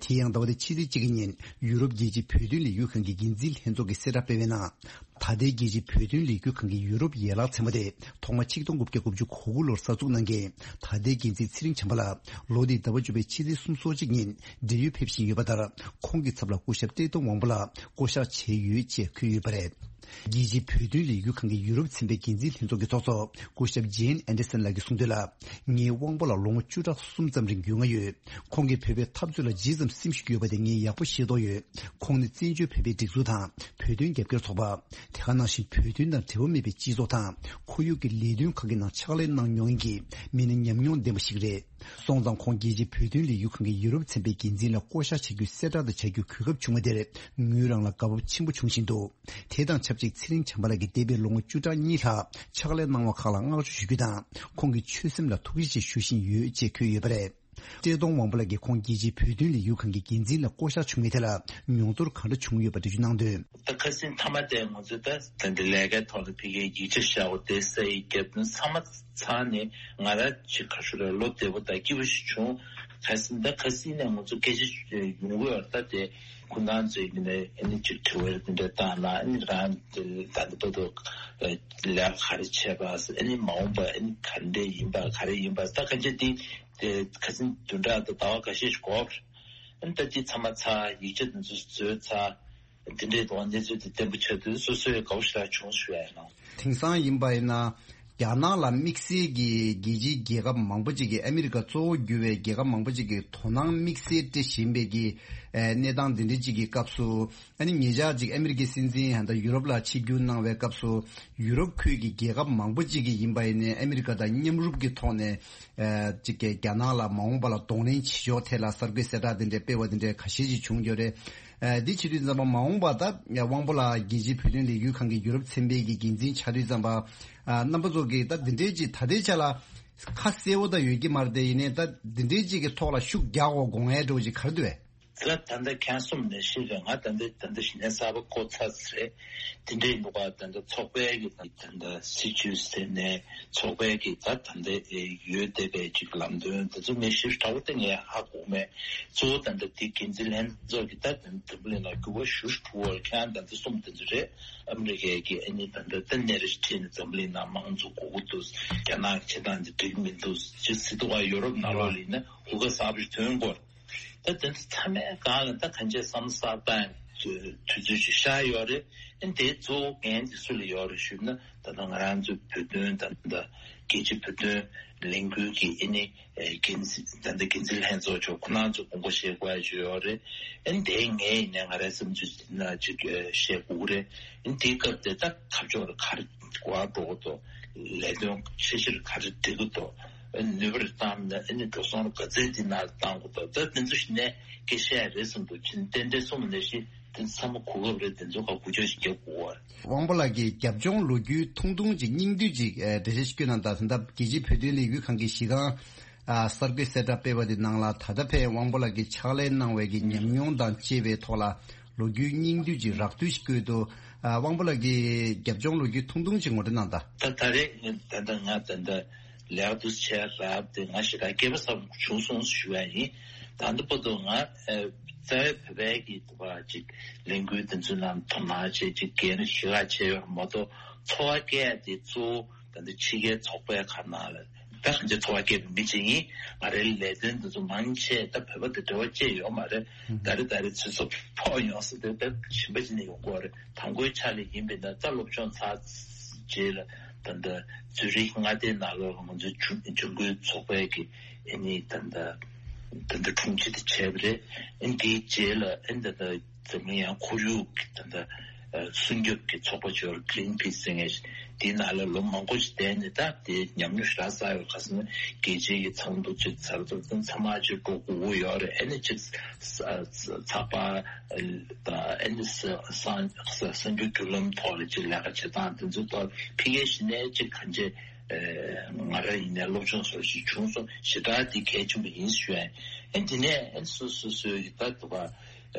དེ་ཡང་ཟླ་བ་འདིའི་ཕྱི་ཚེས་གཅིག་གི་ཉིན་ཡུ་རོབ་རྒྱལ་སྤྱིའི་བོད་དོན་ལས་འགུལ་ཁང་གི་འགན་འཛིན་ལྷན་ཚོགས་ཀྱིས་གསལ་བསྒྲགས་སྤེལ་བའི་ནང་། ད་ལྟའི་རྒྱལ་སྤྱིའི་བོད་དོན་ལས་འགུལ་ཁང་གི་ཡུ་རོབ་ཡན་ལག་ཚན་པ་དེ་ཐོག་མ་ཆིག་སྟོང་དགུ་བརྒྱ་དགུ་བཅུ་གོ་དགུ་ལོར་གསར་འཛུགས་གནང་མཁན་ད་ལྟའི་འགན་འཛིན་ཚེ་རིང་བྱམས་པ་ལགས་ལོ་འདིའི་ཟླ་བ་བཅུ་པའི་ཕྱི་ཚེས་སོ་གཅིག་ཉིན་འབྲེལ་ཡོད་ཕེབས་བཞིན་ཡོད་པ་ལྟར། ཁོང་གི་ཚབ་ལ་སྐུ་ཞབས་བཀྲས་མཐོང་དབང་པོ་ལགས་བསྐོ་གཞག་བྱས་ཡོད་ཅེས་འཁོད་ཡོད་པ་རེད། རྒྱལ་སྤྱིའི་བོད་དོན་ལས་འགུལ་ཁང་གི་ཡུ་རོབ་ཚན་པའི་འགན་འཛིན་ལྷན་ཚོགས་ཀྱི་ཚོགས་གཙོ་སྐུ་ཞབས་ཇེན་ཨན་ཌར་སན་ལགས་ཀྱིས་གསུངས་དོན་ལ། ངའི་དབང་པོ་ལགས་ལོ་ངོ་བཅུ་ཕྲག་གསུམ་ཙམ་རིང་རྒྱུས་མངའ་ཡོད། ཁོང་གིས་བོད་པའི་འཐབ་རྩོད་ལ་ཇི་ཙམ་སེམས་ཤུགས་ཡོད་པ་དེ་ངས་ཡག་པོ་ཤེས་རྟོགས་ཡོད། ཁོང་ནི་བཙན་བྱོལ་བོད་པའི་སྒྲིག་འཛུགས་དང་བོད་དོན་རྒྱབ་སྐྱོར་ཚོགས་པ། དེ་ག་ནང་བཞིན་བོད་དོན་དང་འབྲེལ་བ་མེད་པའི་སྤྱི་ཚོགས་དང་ཁོར་ཡུག་གི་ལས་དོན་ཁག་གི་ནང་ཕྱག་ལས་གནང་མྱོང་མཁན་གྱི་མི་སྣ་ཉམས་མྱོང་ལྡན་པ་ཞིག་རེད། སོང་ཙང་ཁོང་རྒྱལ་སྤྱིའི་བོད་དོན་ལས་འགུལ་ཁང་གི་ཡུ་རོབ་ཚན་པའི་འགན་འཛིན་ལ་བསྐོ་གཞག་བྱ་རྒྱུའི་གསལ་བསྒྲགས་དང་བྱ་རྒྱུའི་གོ་སྐབས་བྱུང་བ་དེར་ངོས་རང་ལ་དགའ་སྤོབས་ཆེན་པོ་བྱུང་བཞིན་འདུག་དེ་དང་ཆབས་ཅིག་ཚེ་རིང་བྱམས་པ་ལགས་ཀྱིས་འདས་པའི་ལོ་ངོ་བཅུ་ཕྲག་གཉིས་ལྷག་ཕྱག་ལས་གནང་བ་ཁག་ལ་བསྔགས་བརྗོད་ཞུ་རྒྱུ་དང་ཁོང་གི་ཆོད་སེམས་ལ་ཐུགས་རྗེ་ཆེ་ཞུ་བཞིན་ཡོད་ཅེས་འཁོད་ཡོད་པ་རེད། བཀྲས་མཐོང་དབང་པོ་ལགས་ཀྱིས་ཁོང་རྒྱལ་སྤྱིའི་བོད་དོན་ལས་འགུལ་ཁང་གི་འགན་འཛིན་ལ་བསྐོ་གཞག་བྱུང་བའི་ཐད་ལ་མྱོང་ཚོར་ག་འདྲ་བྱུང་ཡོད་པ་འགྲེལ་བརྗོད་གནང་དོན། ད་ཁ་སང་མཐའ་མ་དེ་ང་ཚོས་ད་ད་འདི་ལས་ཀའི་ཐོག་ལ་ཕ་གིའི་ཡིག་ཆ་བཞག་པ་དེ་ས་ཡི་རྒྱབ་དོན་ཚང་མ་ཚང་ནས་ང་རང་ཅིག་ག་ཞུ་ར་བློ་བདེ་པོ་དང་སྐྱིད་པོ་ཞིག་བྱུང་། ཁ་སང་ད་ཁ་སང་ནས་ང་ཚོ་སྐད་ཆ་ཡོང་གི་ཡོད་རེད། ད་དེ་ཁོ་རང་ཚོའི་ནས་ཨ་ནི་ཅིག་དྲི་བ་དེ་འདྲ་བཏང་ན། ཨ་ནི་རང་དེ་ད་ལྟ་བར་དུ་ལས་ཀ་ག་རེ་བྱས་པ། ཨ་ནི་མ་འོངས་པ་ཨ་ནི་ག་འདྲ་ཡིན་པ་ག་རེ་ཡིན་པ། ད་གང་ཅི་དེ་དེ་ཁ་སང་བདུན་ཕྲག་དང་ཟླ་བ་འགའ་ཤས་ཤིག་འགོར། ཨ་ནི་ད་དེ་ཚང་མ་ཚར། ཡིག་ཆ་དེ་ཚོ་བཟོས་ཚར། འདི་འདྲའི་ཐོག་གནས་ཚུལ་དེ་བརྟན་པོ་ཆགས་དུས་སོ་སོའི་དགའ་བོ་ཞེ་དྲག་བྱུང་ཞུ་ཡ་ཡིན་ནོ། དེང་སང་ཡིན་པ་ཡིན་ན། རྒྱ་ནག་ལ་དམིགས་བསལ་གྱི་རྒྱལ་སྤྱིའི་རྒྱལ་ཁབ་མང་པོ་ཅིག་གིས། ཨ་མི་རི་ཀ་གཙོ་བོ་གྱུར་བའི་རྒྱལ་ཁབ་མང་པོ་ཅིག་གིས་དོ་སྣང་དམིགས་བསལ་སྤྲད་བཞིན་པའི་གི་ཨེ་གནས་སྟངས་འདི་འདྲ་ཅིག་གི་སྐབས་སུ། ཨ་ནི་ཉེ་ཆར་ཅིག་ཨ་མི་རི་ཀའི་སྲིད་འཛིན་ད་ཡུ་རོབ་ལ་ཆིབས་བསྒྱུར་གནང་བའི་སྐབས་སུ། ཡུ་རོབ་ཁུལ་གྱི་རྒྱལ་ཁབ་མང་པོ་ཅིག་གིས་ཡིན་པ་ཡིན་ནའི་ཨ་མི་རི་ཀ་དང་མཉམ་རུབ་ཀྱི་ཐོག་ནས་ཨེ་ཅིག་གི་རྒྱ་ནག་ལ་མ་འོངས་པ་ལ་གདོང་ལེན་བྱེད་ཕྱོགས་ཐད་ལ་གསར་འགོད་གསལ་བསྒྲགས་འདི་འདྲ་སྤེལ་བ་འདི་འདྲ་ཁ་ཤས་ཅིག་བྱུང་ཡོད་རེད། ཨ་འདི་བྱེད་དུས་ཙམ་པ་མ་འོངས་པ་ད་དབང་པོ་ལགས་རྒྱལ་སྤྱིའི་བོད་དོན་ལས་འགུལ་ཁང་གི་ཡུ་རོབ་ཚན་པའི་གི་འགན་འཛིན་ཆགས་དུས་ཙམ་པ། ཨ་རྣམ་པ་ཚོ་གིས་ད་འདི་འདྲའི་ཅིག་ད་ལྟའི་ཆ་ལ་ཁ་གསལ་བོ་ད་ཡོད་ཀྱི་མ་རེད་དེ། ཡིན་ནའི་ད་འདི་འདྲའི་ཅིག་གི་ཐོག་ལ་ཤུགས་རྒྱག་དགོས་དགོངས་ཡས་འདྲ་བོ་ཅིག་ག་རེ་འདུག་བས། ད་ད་ལྟ་ཁྱེད་གསུམ་ནས་ཤེས་རེད། ང་ད་ལྟ་ད་ལྟ་གཞི་ནས་གསར་པ་བསྐོ་ཚར་ཟེར་རེད། དེ་འདྲའི་འདུག་ག་ད་ལྟ་ཚོགས་པའི་གི་ད་ལྟ་སྲིད་བྱུས་ཟེར་ནས་ཚོགས་པའི་གི་ད་ད་ལྟ་ཡོད་བསྡད་པའི་ཅིག་ལམ་སྟོན་དེ་ཚོ་ངས་ཞིབ་ཕྲ་བོ་ད་ངས་ཧ་གོ་མེད། གཙོ་བོ་ད་ལྟ་དེ་འགན་འཛིན་ལྷན་ཚོགས་ཀྱི་ད་ད་ལྟ་འཛམ་གླིང་ནང་འགྱུར་བ་ཞེ་པོ་ཅིག་འགྲོ་གི་རེད། ཁྱེད་རང་ད་ལྟ་གསུམ་དེ་ཚོ་རེད། ཨ་མི་རི་ཀའི་གི་ཨ་ནི་ད་ལྟ་ད་གནས་རེ་ཁྲིད་ནས་འཛམ་གླིང་ནང་དམངས་གཙོ་དགོས་ཀྱི་འདུག་རྒྱ་ནག་གི་བྱེད་སྟངས་དེ་འགྲིག་གི་མི་འདུག་ཅེས་ཟེར་འདུག་ག་ཡོ་རོབ་ནང་ལོགས་ལ་ཡིན་ན་གོ་སྐབས་གསར་པ་ཞིག་ཐོན་དགོས། ད་དེ་ཚོ་ཚང་མའི་སྒང་ལ་ད་གང་ཅི་བསམ་བསགས་སྟངས་དུས་ཚོད་ཅིག་ཤར་ཡོད་རེད། ཨ་ནི་དེའི་གཙོ་བོ་འགན་དེ་སུ་ལ་ཡོད་རེད་ཞུས་ན། ད་ལྟ་ང་རང་ཚོའི་བོད་དོན་ད་ལྟ་རྒྱལ་སྤྱིའི་བོད་དོན་ལས་འགུལ་གྱི་ཨ་ནི་འགན་འཛིན་ད་ལྟ་འགན་འཛིན་ལྷན་ཚོགས་ཚོ་ཁོ་རང་ཚོ་དགོངས་པ་བཞེས་དགོས་ཡ་ཅིག་ཡོད་རེད། ཨ་ནི་དེ་ངས་ཡིན་ནའི་ང་རའི་བསམ་ཚུལ་ཅིག་བཤད་དགོས་ཀྱི་རེད། ཨ་ནི་དེའི་སྐབས་དེ་ད་འཐབ་ཕྱོགས་ལ་ག་རེ་གོ་བ་འགྲོ་གི་འདུག་ལས་དོན་འཆར་གཞི་ལ་ག་རེ་འགྲིག་གི་འདུག་ནུས་པ་རེ་བཏང་ནས་ཨ་ནི་འགྲོ་སོང་རེ་ག་ཚད་འདི་ནང་བཏང་དགོས་འདུག་ད་དེ་ཚོ་ཞིག་ནས་སྐད་ཆ་རེད་བསམ་འདུག་ཕྱིན་ཏན་ཏན་གསུངས་ནས་ཤི་དེ་ཚང་མ་གོ་སྐབས་རེད། དེ་ཚོ་ག་འགུལ་སྐྱོད་ཞིག་རྒྱག་དགོས་པ་རེད། དབང་པོ་ལགས་ཀྱིས་རྒྱབ་ལྗོངས་ལོ་རྒྱུས་ཐུང་ཐུང་ཅིག་སྙིང་བསྡུས་ཅིག་འགྲེལ་བཤད་ཞིག་བསྐྱོན་གནང་དང་། ད་ལྟ་རྒྱལ་སྤྱིའི་བོད་དོན་ལས་འགུལ་ཁང་གི་གཞི་རྐང་གསར་འགོད་གསལ་བསྒྲགས་སྤེལ་བ་དེ་ནང་ལ། ད་ལྟ་ཕན་དབང་པོ་ལགས་ཀྱིས་ཕྱག་ལས་གནང་བའི་གི་ཉམས་མྱོང་དང་བཅས་པའི་ཐོག་ལ་ལོ་རྒྱུས་སྙིང་བསྡུས་ཅིག་རགས་བསྡུས་ཤིག་བཀོད་འདུག་ཨ་དབང་པོ་ལགས་ཀྱིས་རྒྱབ་ལྗོངས་ལོ་རྒྱུས་ཐུང་ཐུང་ཅིག་ངོ་སྤྲོད་གནང་དང་། ད་ད་རེས་ད་ལྟ་ང་ད་ལྟ་ལས་ཀ་འདུག་སེ་བྱས་རབས་དེ་ང་ཞེ་དྲག་སྐལ་པ་བཟང་པོ་བྱུང་སོང་ཞུ་ཡ་ཡིན། ད་ལྟ་བར་དུ་ང་རྩ་བའི་བོད་པའི་གི་འདུག་པ་ཅིག་ལས་འགུལ་དེ་ཚོའི་ནང་དོ་སྣང་བྱས་ཅིག་འགན་ཞེ་དྲག་བྱས་ཡོད་མ་གཏོགས། འཚོ་བ་སྐྱེལ་ཡ་དེ་གཙོ་བོ་ད་ལྟ་ཕྱི་རྒྱལ་ཚོགས་པའི་ཁ་ནང་ལ་ད་གང་ཅི་འཚོ་བ་སྐྱེལ་བའི་མི་ཅིག་ཡིན། ང་རའི་ལས་དོན་དེ་ཚོ་མང་ཆེ་ད་བོད་པ་དང་འབྲེལ་བ་བཅད་ཡོད་མ་རེད། ད་རེ་ད་རེ་ཚོད་སོ་ཕོག་ཡོང་ས་དེ་ད་གཞན་པ་ཅིག་ནས་ཡོང་གི་ཡོད་རེད། དང་པོའི་ཆ་ལ་ཡིན་པས་ན་ད་སློབ་སྦྱོང་ཚར་རྗེས་ལ་ད་ལྟ་ཛུ་རིག་མངའ་སྡེའི་ནང་ལོགས་ལ་ང་ཚོའི་ཇུས་འགོད་ཚོགས་པའི་གི་ཨ་ནི་ད་ལྟ་ད་ལྟ་དྲུང་ཆེ་དེ་བྱས་པ་རེད། ཨ་ནི་དེའི་རྗེས་ལ་ཨ་ནི་ད་ལྟ་འཛམ་གླིང་ཡང་ཁོར་ཡུག་གི་ད་ལྟ་སྲུང་སྐྱོབ་ཀྱི་ཚོགས་པ་ཅིག་ཡོད་རེད། Greenpeace ཟེར་མཁན་ཞིག་དེའི་ནང་ལ་ལོ་མང་པོ་ཞིག་བསྡད་ནས་ད་དེ་ཉམས་མྱོང་ཞེ་དྲག་བསགས་ཡོད། ག་ཟེར་ན་རྒྱལ་སྤྱིའི་གི་ཚོགས་འདུ་ཅིག་ཚར་ཚར་ཚང་མ་ཅིག་འགྲོ་དགོས་ཀྱི་ཡོད་རེད། ཨ་ནི་ཅིག་ཚགས་པར་དང་ཨ་ནི་གསར་འགྱུར་བརྒྱུད་ལམ་ཐོག་ལ་ཅིག་ལས་ཀ་བྱེད་སྟངས་དེ་ཚོའི་ཐོག་ཕ་གིའི་གཞི་ནས་ཅིག་གང་ཅི་ང་རང་ཡིན་ནའི་སློབ་སྦྱོང་སོགས་ཤིག་བྱུང་སོང་། ཞེ་དྲག་དེ་གལ་ཆེན་པོ་ཡིན་ཞུ་ཡ་ཡིན། ཨ་ནི་དེ་ནས་ཨ་ནི་སོ་སོ་སོའི་གི་ད་འདུག་པ་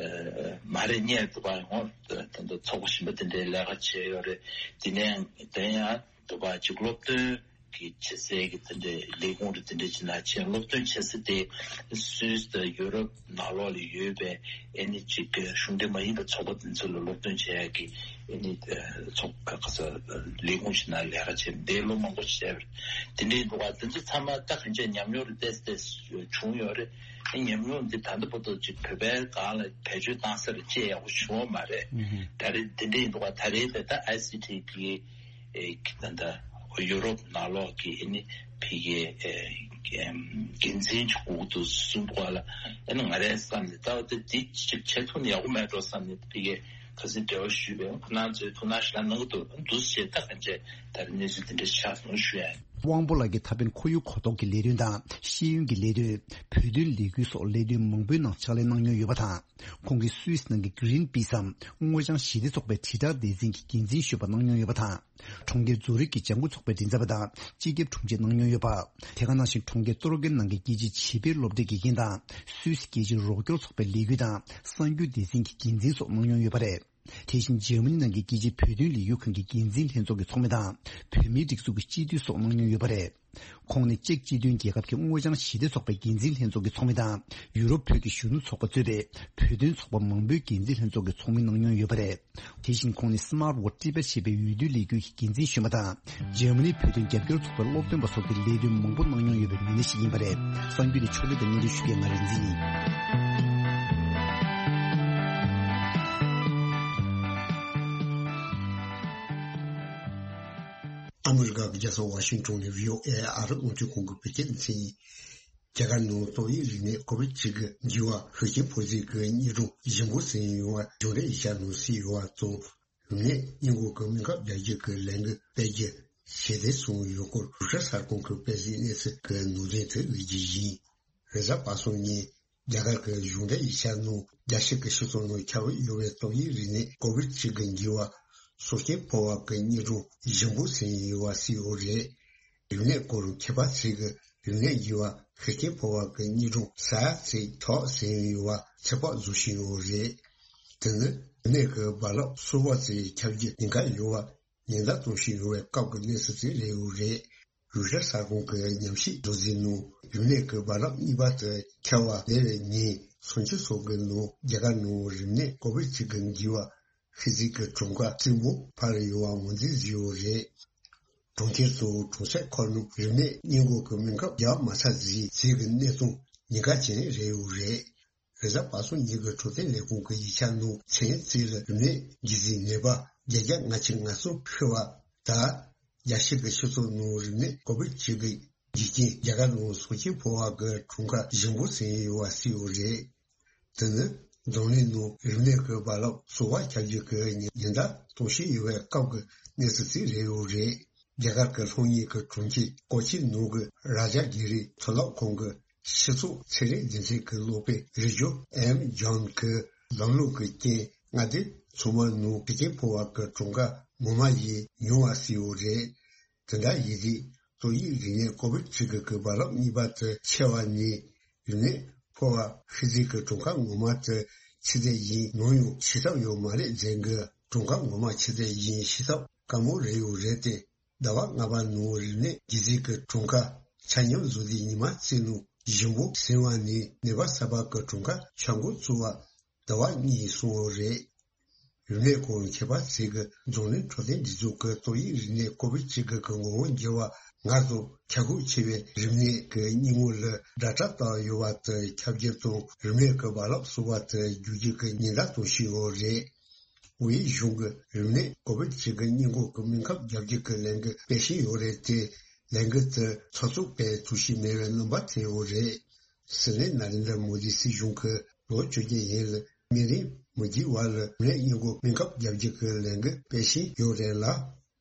མ་རེད་ཉེ་འདུག་པ་ཡོང་ད་ད་ཚོགས་པ་གཞན་པ་དེ་འདྲའི་ལས་ཀ་བྱས་ཡོད་རེད། དེ་ནས་དེ་ཡང་འདུག་པ་ཅིག་སློབ་སྟོན་གྱི་བྱེད་སའི་གི་དེ་འདྲའི་ལས་ཁུངས་རེད། དེ་འདྲ་ཅིག་ནང་ཕྱིན། སློབ་སྟོན་བྱེད་ས་དེ་སུད་སི་དང་ཡུ་རོབ་ནང་ལོགས་ལ་ཡོད་པའི་ཨ་ནི་ཅིག་གཞུང་འབྲེལ་མ་ཡིན་པའི་ཚོགས་པ་དེ་ཚོ་ལ་སློབ་སྟོན་བྱེད་ཡག་གི་ཨ་ནི་ཚོགས་ཁ་ས་ལས་ཁུངས་ཤིག་ནང་ལས་ཀ་བྱས་འདས་ལོ་མང་པོ་ཞིག་བྱས་པ་རེད། དེ་འདྲའི་འདུག་ག་དེ་ཚོ་ཚང་མ་ད་གང་ཅི་ཉམས་མྱོང་རེ་ཏོག་ཙམ་བྱུང་ཡོད་རེད། ཨ་ཉམས་མྱོང་འདི་ད་ལྟ་བར་དུ་ཅིག་བོད་པའི་སྒང་ལ་བེད་སྤྱོད་བཏང་ས་རེ་ཅིག་ཡག་པོ་བྱུང་བ་མ་རེད། ད་རེས་འདི་འདྲའི་འདུག་ག་ད་རེས་དེ་ད་ཨའི་སི་ཊི་གི་ཨེ་ད་ལྟ་ཡུ་རོབ་ནང་ལོགས་ཀྱི་ཨ་ནི་ཕ་གིའི་ཨེ་འགན་འཛིན་གྱི་འོག་ཏུ་སོང་འདུག་ག་ལ། ཨ་ནི་ང་རའི་བསམ་ནས་ད་འོ་ད་འདི་ཅིག་བྱེད་ཐུབ་ན་ཡག་པོ་མེད་འགྲོ་བསམ་ནས་ཕ་གིའི་ཁ་སང་འབྲེལ་བ་ཞུས་པས་ཁོ་རང་ཚོས་ཐུགས་སྣང་ཞེ་དྲག་གནང་གི་འདུག་འདུག་སེ་བྱས་ད་གང་བྱས་ད་རེས་གནས་ཚུལ་འདི་འདྲ་ཆགས་སོང་ཞུ་ཡ་ཡིན། དབང་པོ་ལགས་ཀྱིས་ད་ཕན་ཁོར་ཡུག་གོ་རྟོགས་ཀྱི་ལས་དོན་དང་ཤེས་ཡོན་གྱི་ལས་དོན། བོད་དོན་ལས་འགུལ་སོགས་ལས་དོན་མང་པོའི་ནང་ཕྱག་ལས་གནང་མྱོང་ཡོད་པ་དང་། ཁོང་གིས་སུད་སི་ནང་གི་Greenpeace་འམ་སྔོ་ལྗང་ཞི་བདེ་ཚོགས་པའི་དྲིལ་བསྒྲགས་སྡེ་ཚན་གྱི་འགན་འཛིན་གཞོན་པ་གནང་མྱོང་ཡོད་པ་དང་། གྲོང་ཁྱེར་ཛུ་རིག་གི་ལྗང་ཁུ་ཚོགས་པའི་མགྲིན་ཚབ་པ་དང་སྤྱི་ཁྱབ་དྲུང་ཆེ་གནང་མྱོང་ཡོད་པ། དེ་ག་ནང་བཞིན་གྲོང་ཁྱེར་ཏོ་རོ་ཀེན་ནང་གི་རྒྱལ་སྤྱིའི་བྱིས་པའི་སློབ་གྲྭའི་དགེ་རྒན་དང་སུད་སི་རྒྱལ་སྤྱིའི་རོགས་སྐྱོར་ཚོགས་པའི་ལས་འགུལ་དང་གསར་འགྱུར་སྡེ་ཚན་གྱི་འགན་འཛིན་སོགས་གནང་མྱོང་ཡོད་པ་རེད། དེ་བཞིན་འཇར་མ་ནི་ནང་གི་རྒྱལ་སྤྱིའི་བོད་དོན་ལས་འགུལ་ཁང་གི་འགན་འཛིན་ལྷན་ཚོགས་ཀྱི་ཚོགས་མི་དང་། བོད་མིའི་སྒྲིག་འཛུགས་ཀྱི་སྤྱི་འཐུས་སོགས་གནང་མྱོང་ཡོད་པ་རེད། ཁོང་ནི་ཅེཀ་སྤྱི་མཐུན་རྒྱལ་ཁབ་ཀྱི་དངོས་བྱང་ཞི་བདེ་ཚོགས་པའི་འགན་འཛིན་ལྷན་ཚོགས་ཀྱི་ཚོགས་མི་དང་། ཡུ་རོབ་བོད་ཀྱི་གཞོན་ནུ་ཚོགས་པ་གཙོས་པའི་བོད་དོན་ཚོགས་པ་མང་པོའི་འགན་འཛིན་ལྷན་ཚོགས་ཀྱི་ཚོགས་མི་གནང་མྱོང་ཡོད་པ་རེད། དེ་བཞིན་ཁོང་ནི་Smart World Tibet ཞེས་པའི་འོས་བསྡུ་ལས་འགུལ་གྱི་འགན་འཛིན་གཞོན་པ་དང་། འཇར་མ་ནིའི་བོད་དོན་རྒྱབ་སྐྱོར་ཚོགས་པའི་སློབ་སྟོན་པ་སོགས་ཀྱི་ལས་དོན་མང་པོ་གནང་མྱོང་ཡོད་པའི་མི་སྣ་ཞིག་ཡིན་པ་རེད། གསར་འགྱུར་དེ་ཕྱོགས་སྒྲིག་དང་སྙན་སྒྲོན་ཞུ་མཁན་ང་རིག་འཛིན་ཡིན། ཨ་མི་རི་ཀ་གི་རྒྱལ་ས་ཝ་ཤིང་ཊོན་ནས་བྷི་ཨོ་ཨེ་ཨ་རི་རླུང་འཕྲིན་ཁང་གི་བོད་སྐད་སྡེ་ཚན་ཡིན། རྒྱ་གར་ནང་ཏོག་དབྱིབས་རིམས་ནད་ཀོ་བིད་བཅུ་དགུ་འགོས་པ་ཤུགས་རྐྱེན་ཕོག་ཚད་ཀྱི་གཉིས་སྒྲོམ་ཞིབ་འགོད་ཟིན་ཡོང་བ་གཞུང་འབྲེལ་ཡིག་ཆ་ནང་གསལ་ཡོད་པ་དང་། རིམས་ནད་སྔོན་འགོག་གི་སྨན་ཁབ་རྒྱག་རྒྱུ་གི་ལས་འགུལ་སྤེལ་རྒྱུ་ཞལ་འདེབས་སོང་ཡོད་སྐོར་རུ་ཤ་གསར་ཁང་གི་དཔེ་གཟིགས་གནས་ཚུལ་གྱི་ནང་དོན་དུ་ཡོད་རྒྱུ་ཡིན། རེས་གཟའ་པ་སངས་ཉིན་རྒྱ་གར་གྱི་གཞུང་འབྲེལ་ཡིག་ཆ་ནང་རྒྱལ་སྤྱི་གི་སྤྱི་ཚོགས་ནང་ཁྱབ་ཡོད་པའི་ཏོག་དབྱིབས་རིམས་ནད་ཀོ་བིད་བཅུ་དགུ་འགོས་པ་སྲོག་སྐྱོན་ཕོག་པ་གི་གཉིས་སྒྲོམ་ཞིབ་འགོད་ཟིན་ཡོད་པ་གསལ་ཡོད་རེད། རིམས་ནད་སྐོར་མཁས་པ་ཚོས་ཀྱི་རིམས་ནད་འགོས་པ་ཤུགས་རྐྱེན་ཕོག་པ་གི་གཉིས་སྒྲོམ་ས་ཡ་ཚོད་དྲུག་ཟིན་ཡོད་པ་ཚོད་དཔག་བཟོ་བཞིན་ཡོད་རེད། དེ་ནི་རིམས་ནད་ཀྱི་རྦ་རླབས་གསར་པ་ཚོ་ཁྱབ་རྒྱུ་ཉེན་ཁ་ཡོད་པ་ཉེན་བརྡ་གཏོང་བཞིན་ཡོད་པའི་སྐབས་ཀྱི་གནས་ཚུལ་ཞིག་རེད་ཡོད་རེད། རུ་ཤ་གསར་ཁང་གི་ཉམས་ཞིབ་མདོར་བསྡུས་ནང་རིམས་ནད་ཀྱི་རྦ་རླབས་གཉིས་པ་དེ་འཁེལ་བ་སླེབས་པའི་ཉིན་སུམ་ཅུ་སོ་དགུ་ནང་རྒྱ་གར་ནང་རིམས་ནད་ཀོ་བིད་བཅུ་དགུ་འགོས་པ་ཤི་རྩིས་ཀྱི་གྲངས་ཀ་བཙུན་པོ་འཕར་ཡོད་པ་ངོས་འཛིན་བཟོས་ཡོད་རེད། གྲོང་ཁྱེར་དང་གྲོང་གསེབ་ཁག་ནང་རིམས་ནད་སྔོན་འགོག་གི་སྨན་ཁབ་རྒྱག་མ་ཚར་རྩིས་གི་གནས་སྟངས་ཉེན་ཁ་ཅན་རེད་ཡོད་རེད། རེས་གཟའ་པ་སངས་ཉིན་གྱི་འཕྲོད་བསྟེན་ལས་ཁུངས་ཀྱི་ཡིག་ཆ་ནང་མཚན་རྩིས་ལ་རིམས་ནད་འགོས་རྩིས་ནད་པ་བརྒྱད་བརྒྱ་ལྔ་བཅུ་ང་གསུམ་འཕེལ་བ་དང་། རྒྱལ་སྤྱི་གི་སྤྱི་ཚོགས་ནང་རིམས་ནད་ཀོ་བིད་བཅུ་དགུ་འགོས་རྐྱེན་རྒྱ་གར་ནང་སྲོག་སྐྱོན་ཕོག་པ་གི་གྲངས་ཀ་ཞིབ་འགོད་ཟིན་ཡོད་པ་གསལ་ཡོད་རེད། དེ་ནི་འཛམ་གླིང་ནང་རིམས་ནད་ཀྱི་རྦ་རླབས་གསར་པ་ཁྱབ་རྒྱུ་གི་ཉེན་བརྡ་གཏོང་བཞིན་ཡོད་པའི་སྐབས་ཀྱི་གནས་ཚུལ་ཞིག་རེད་ཡོད་རེད། རྒྱ་གར་གྱི་ལྷོ་ངོས་ཀྱི་གྲོང་ཁྱེར་ཀོ་ཅི་ནང་གི་རཱ་ཇ་གི་རི་མཐོ་སློབ་ཁང་གི་སྤྱི་ཚོགས་ཚན་རིག་སྡེ་ཚན་གྱི་སློབ་དཔོན་རི་ཇོ་ཨེམ་ཇོན་གྱིས་ལམ་ལུགས་ཀྱི་རྐྱེན་མངའ་སྡེ་ཚང་མ་ནང་ཤུགས་རྐྱེན་ཕོག་པ་གི་གྲངས་ཀ་ངོ་མ་ཡིས་ཉུང་བ་ཞིག་ཡོད་རེད། དེ་འདྲ་ཡིན་དུས་ཏོག་དབྱིབས་རིམས་ནད་ཀོ་བིད་བཅུ་དགུ་གི་རྦ་རླབས་གཉིས་པ་དེ་འཁེལ་བ་ནས་རིམས་ནད་ཕོག་པ་ཤི་རྩིས་ཀྱི་གྲངས་ཀ་ངོ་མ་དེ་ཆེ་ཚད་ཡིན་ན་ཡང་ཤེས་ཐབས་ཡོད་མ་རེད་ཟེར་གི་གྲངས་ཀ་ངོ་མ་ཆེ་ཚད་ཡིན་ཤེས་ཐབས་དཀའ་མོ་རེད་ཡོད་རེད་དེ། ཟླ་བ་ལྔ་པ་ནང་རིམས་ནད་འགོས་རྩིས་ཀྱི་གྲངས་ཀ་ཆ་སྙོམས་བཟོ་དུས་ཉི་མ་གཅིག་ནང་ཞིབ་འཇུག་ཟིན་པ་ནས་ནད་པ་གསར་པ་གི་གྲངས་ཀ་ཆ་འགོད་བཙུགས་པ་ཟླ་བ་གཉིས་སོང་བ་རེད། རིམས་ནད་སྐོར་མཁས་པ་ཚོས་ཀྱི་འཛམ་གླིང་འཕྲོད་བསྟེན་སྒྲིག་འཛུགས་ཀྱི་ཏོག་དབྱིབས་རིམས་ནད་ཀོ་བིད་བཅུ་དགུ་གི་ངོ་བོ་འགྱུར་བ་སྔར་དང་ཁྱབ་ཁོངས་ཆེ་བའི་རིམས་ནད་ཀྱི་སྙིང་བོ་ལ་སྒྲ་གྲགས་བཏང་ཡོད་པ་དེ་ཁྱབ་རྒྱུ་དང་རིམས་ནད་ཀྱི་རྦ་རླབས་གསར་པ་དེ་འགྱུར་རྒྱུ་གི་ཉེན་བརྡ་གཏོང་བཞིན་ཡོད་རེད། ཝེ་གཞུང་གིས་རིམས་ནད་ཀོ་བིད་བཅུ་དགུ་སྔོན་འགོག་གི་སྨན་ཁབ་རྒྱག་རྒྱུ་གི་ལས་འགུལ་སྤེལ་བཞིན་ཡོད་རེད་དེ། ལས་འགུལ་དེ་ཚགས་ཚུད་སྤེལ་ཐུབ་བཞིན་མེད་པའི་རྣམ་པ་ཐོན་ཡོད་རེད། སྲིད་བློན་ན་རེན་དྲ་མོ་དི་སྲིད་གཞུང་གིས་ལོ་བཅོ་བརྒྱད་ཡན་ལ་སྨན་རིན་མི་དགོས་པ་ལ་རིམས་ནད་སྔོན་འགོག་སྨན་ཁབ་རྒྱག་རྒྱུ་གི་ལས་འགུལ་སྤེལ་བཞིན་ཡོད་རེད་ལ།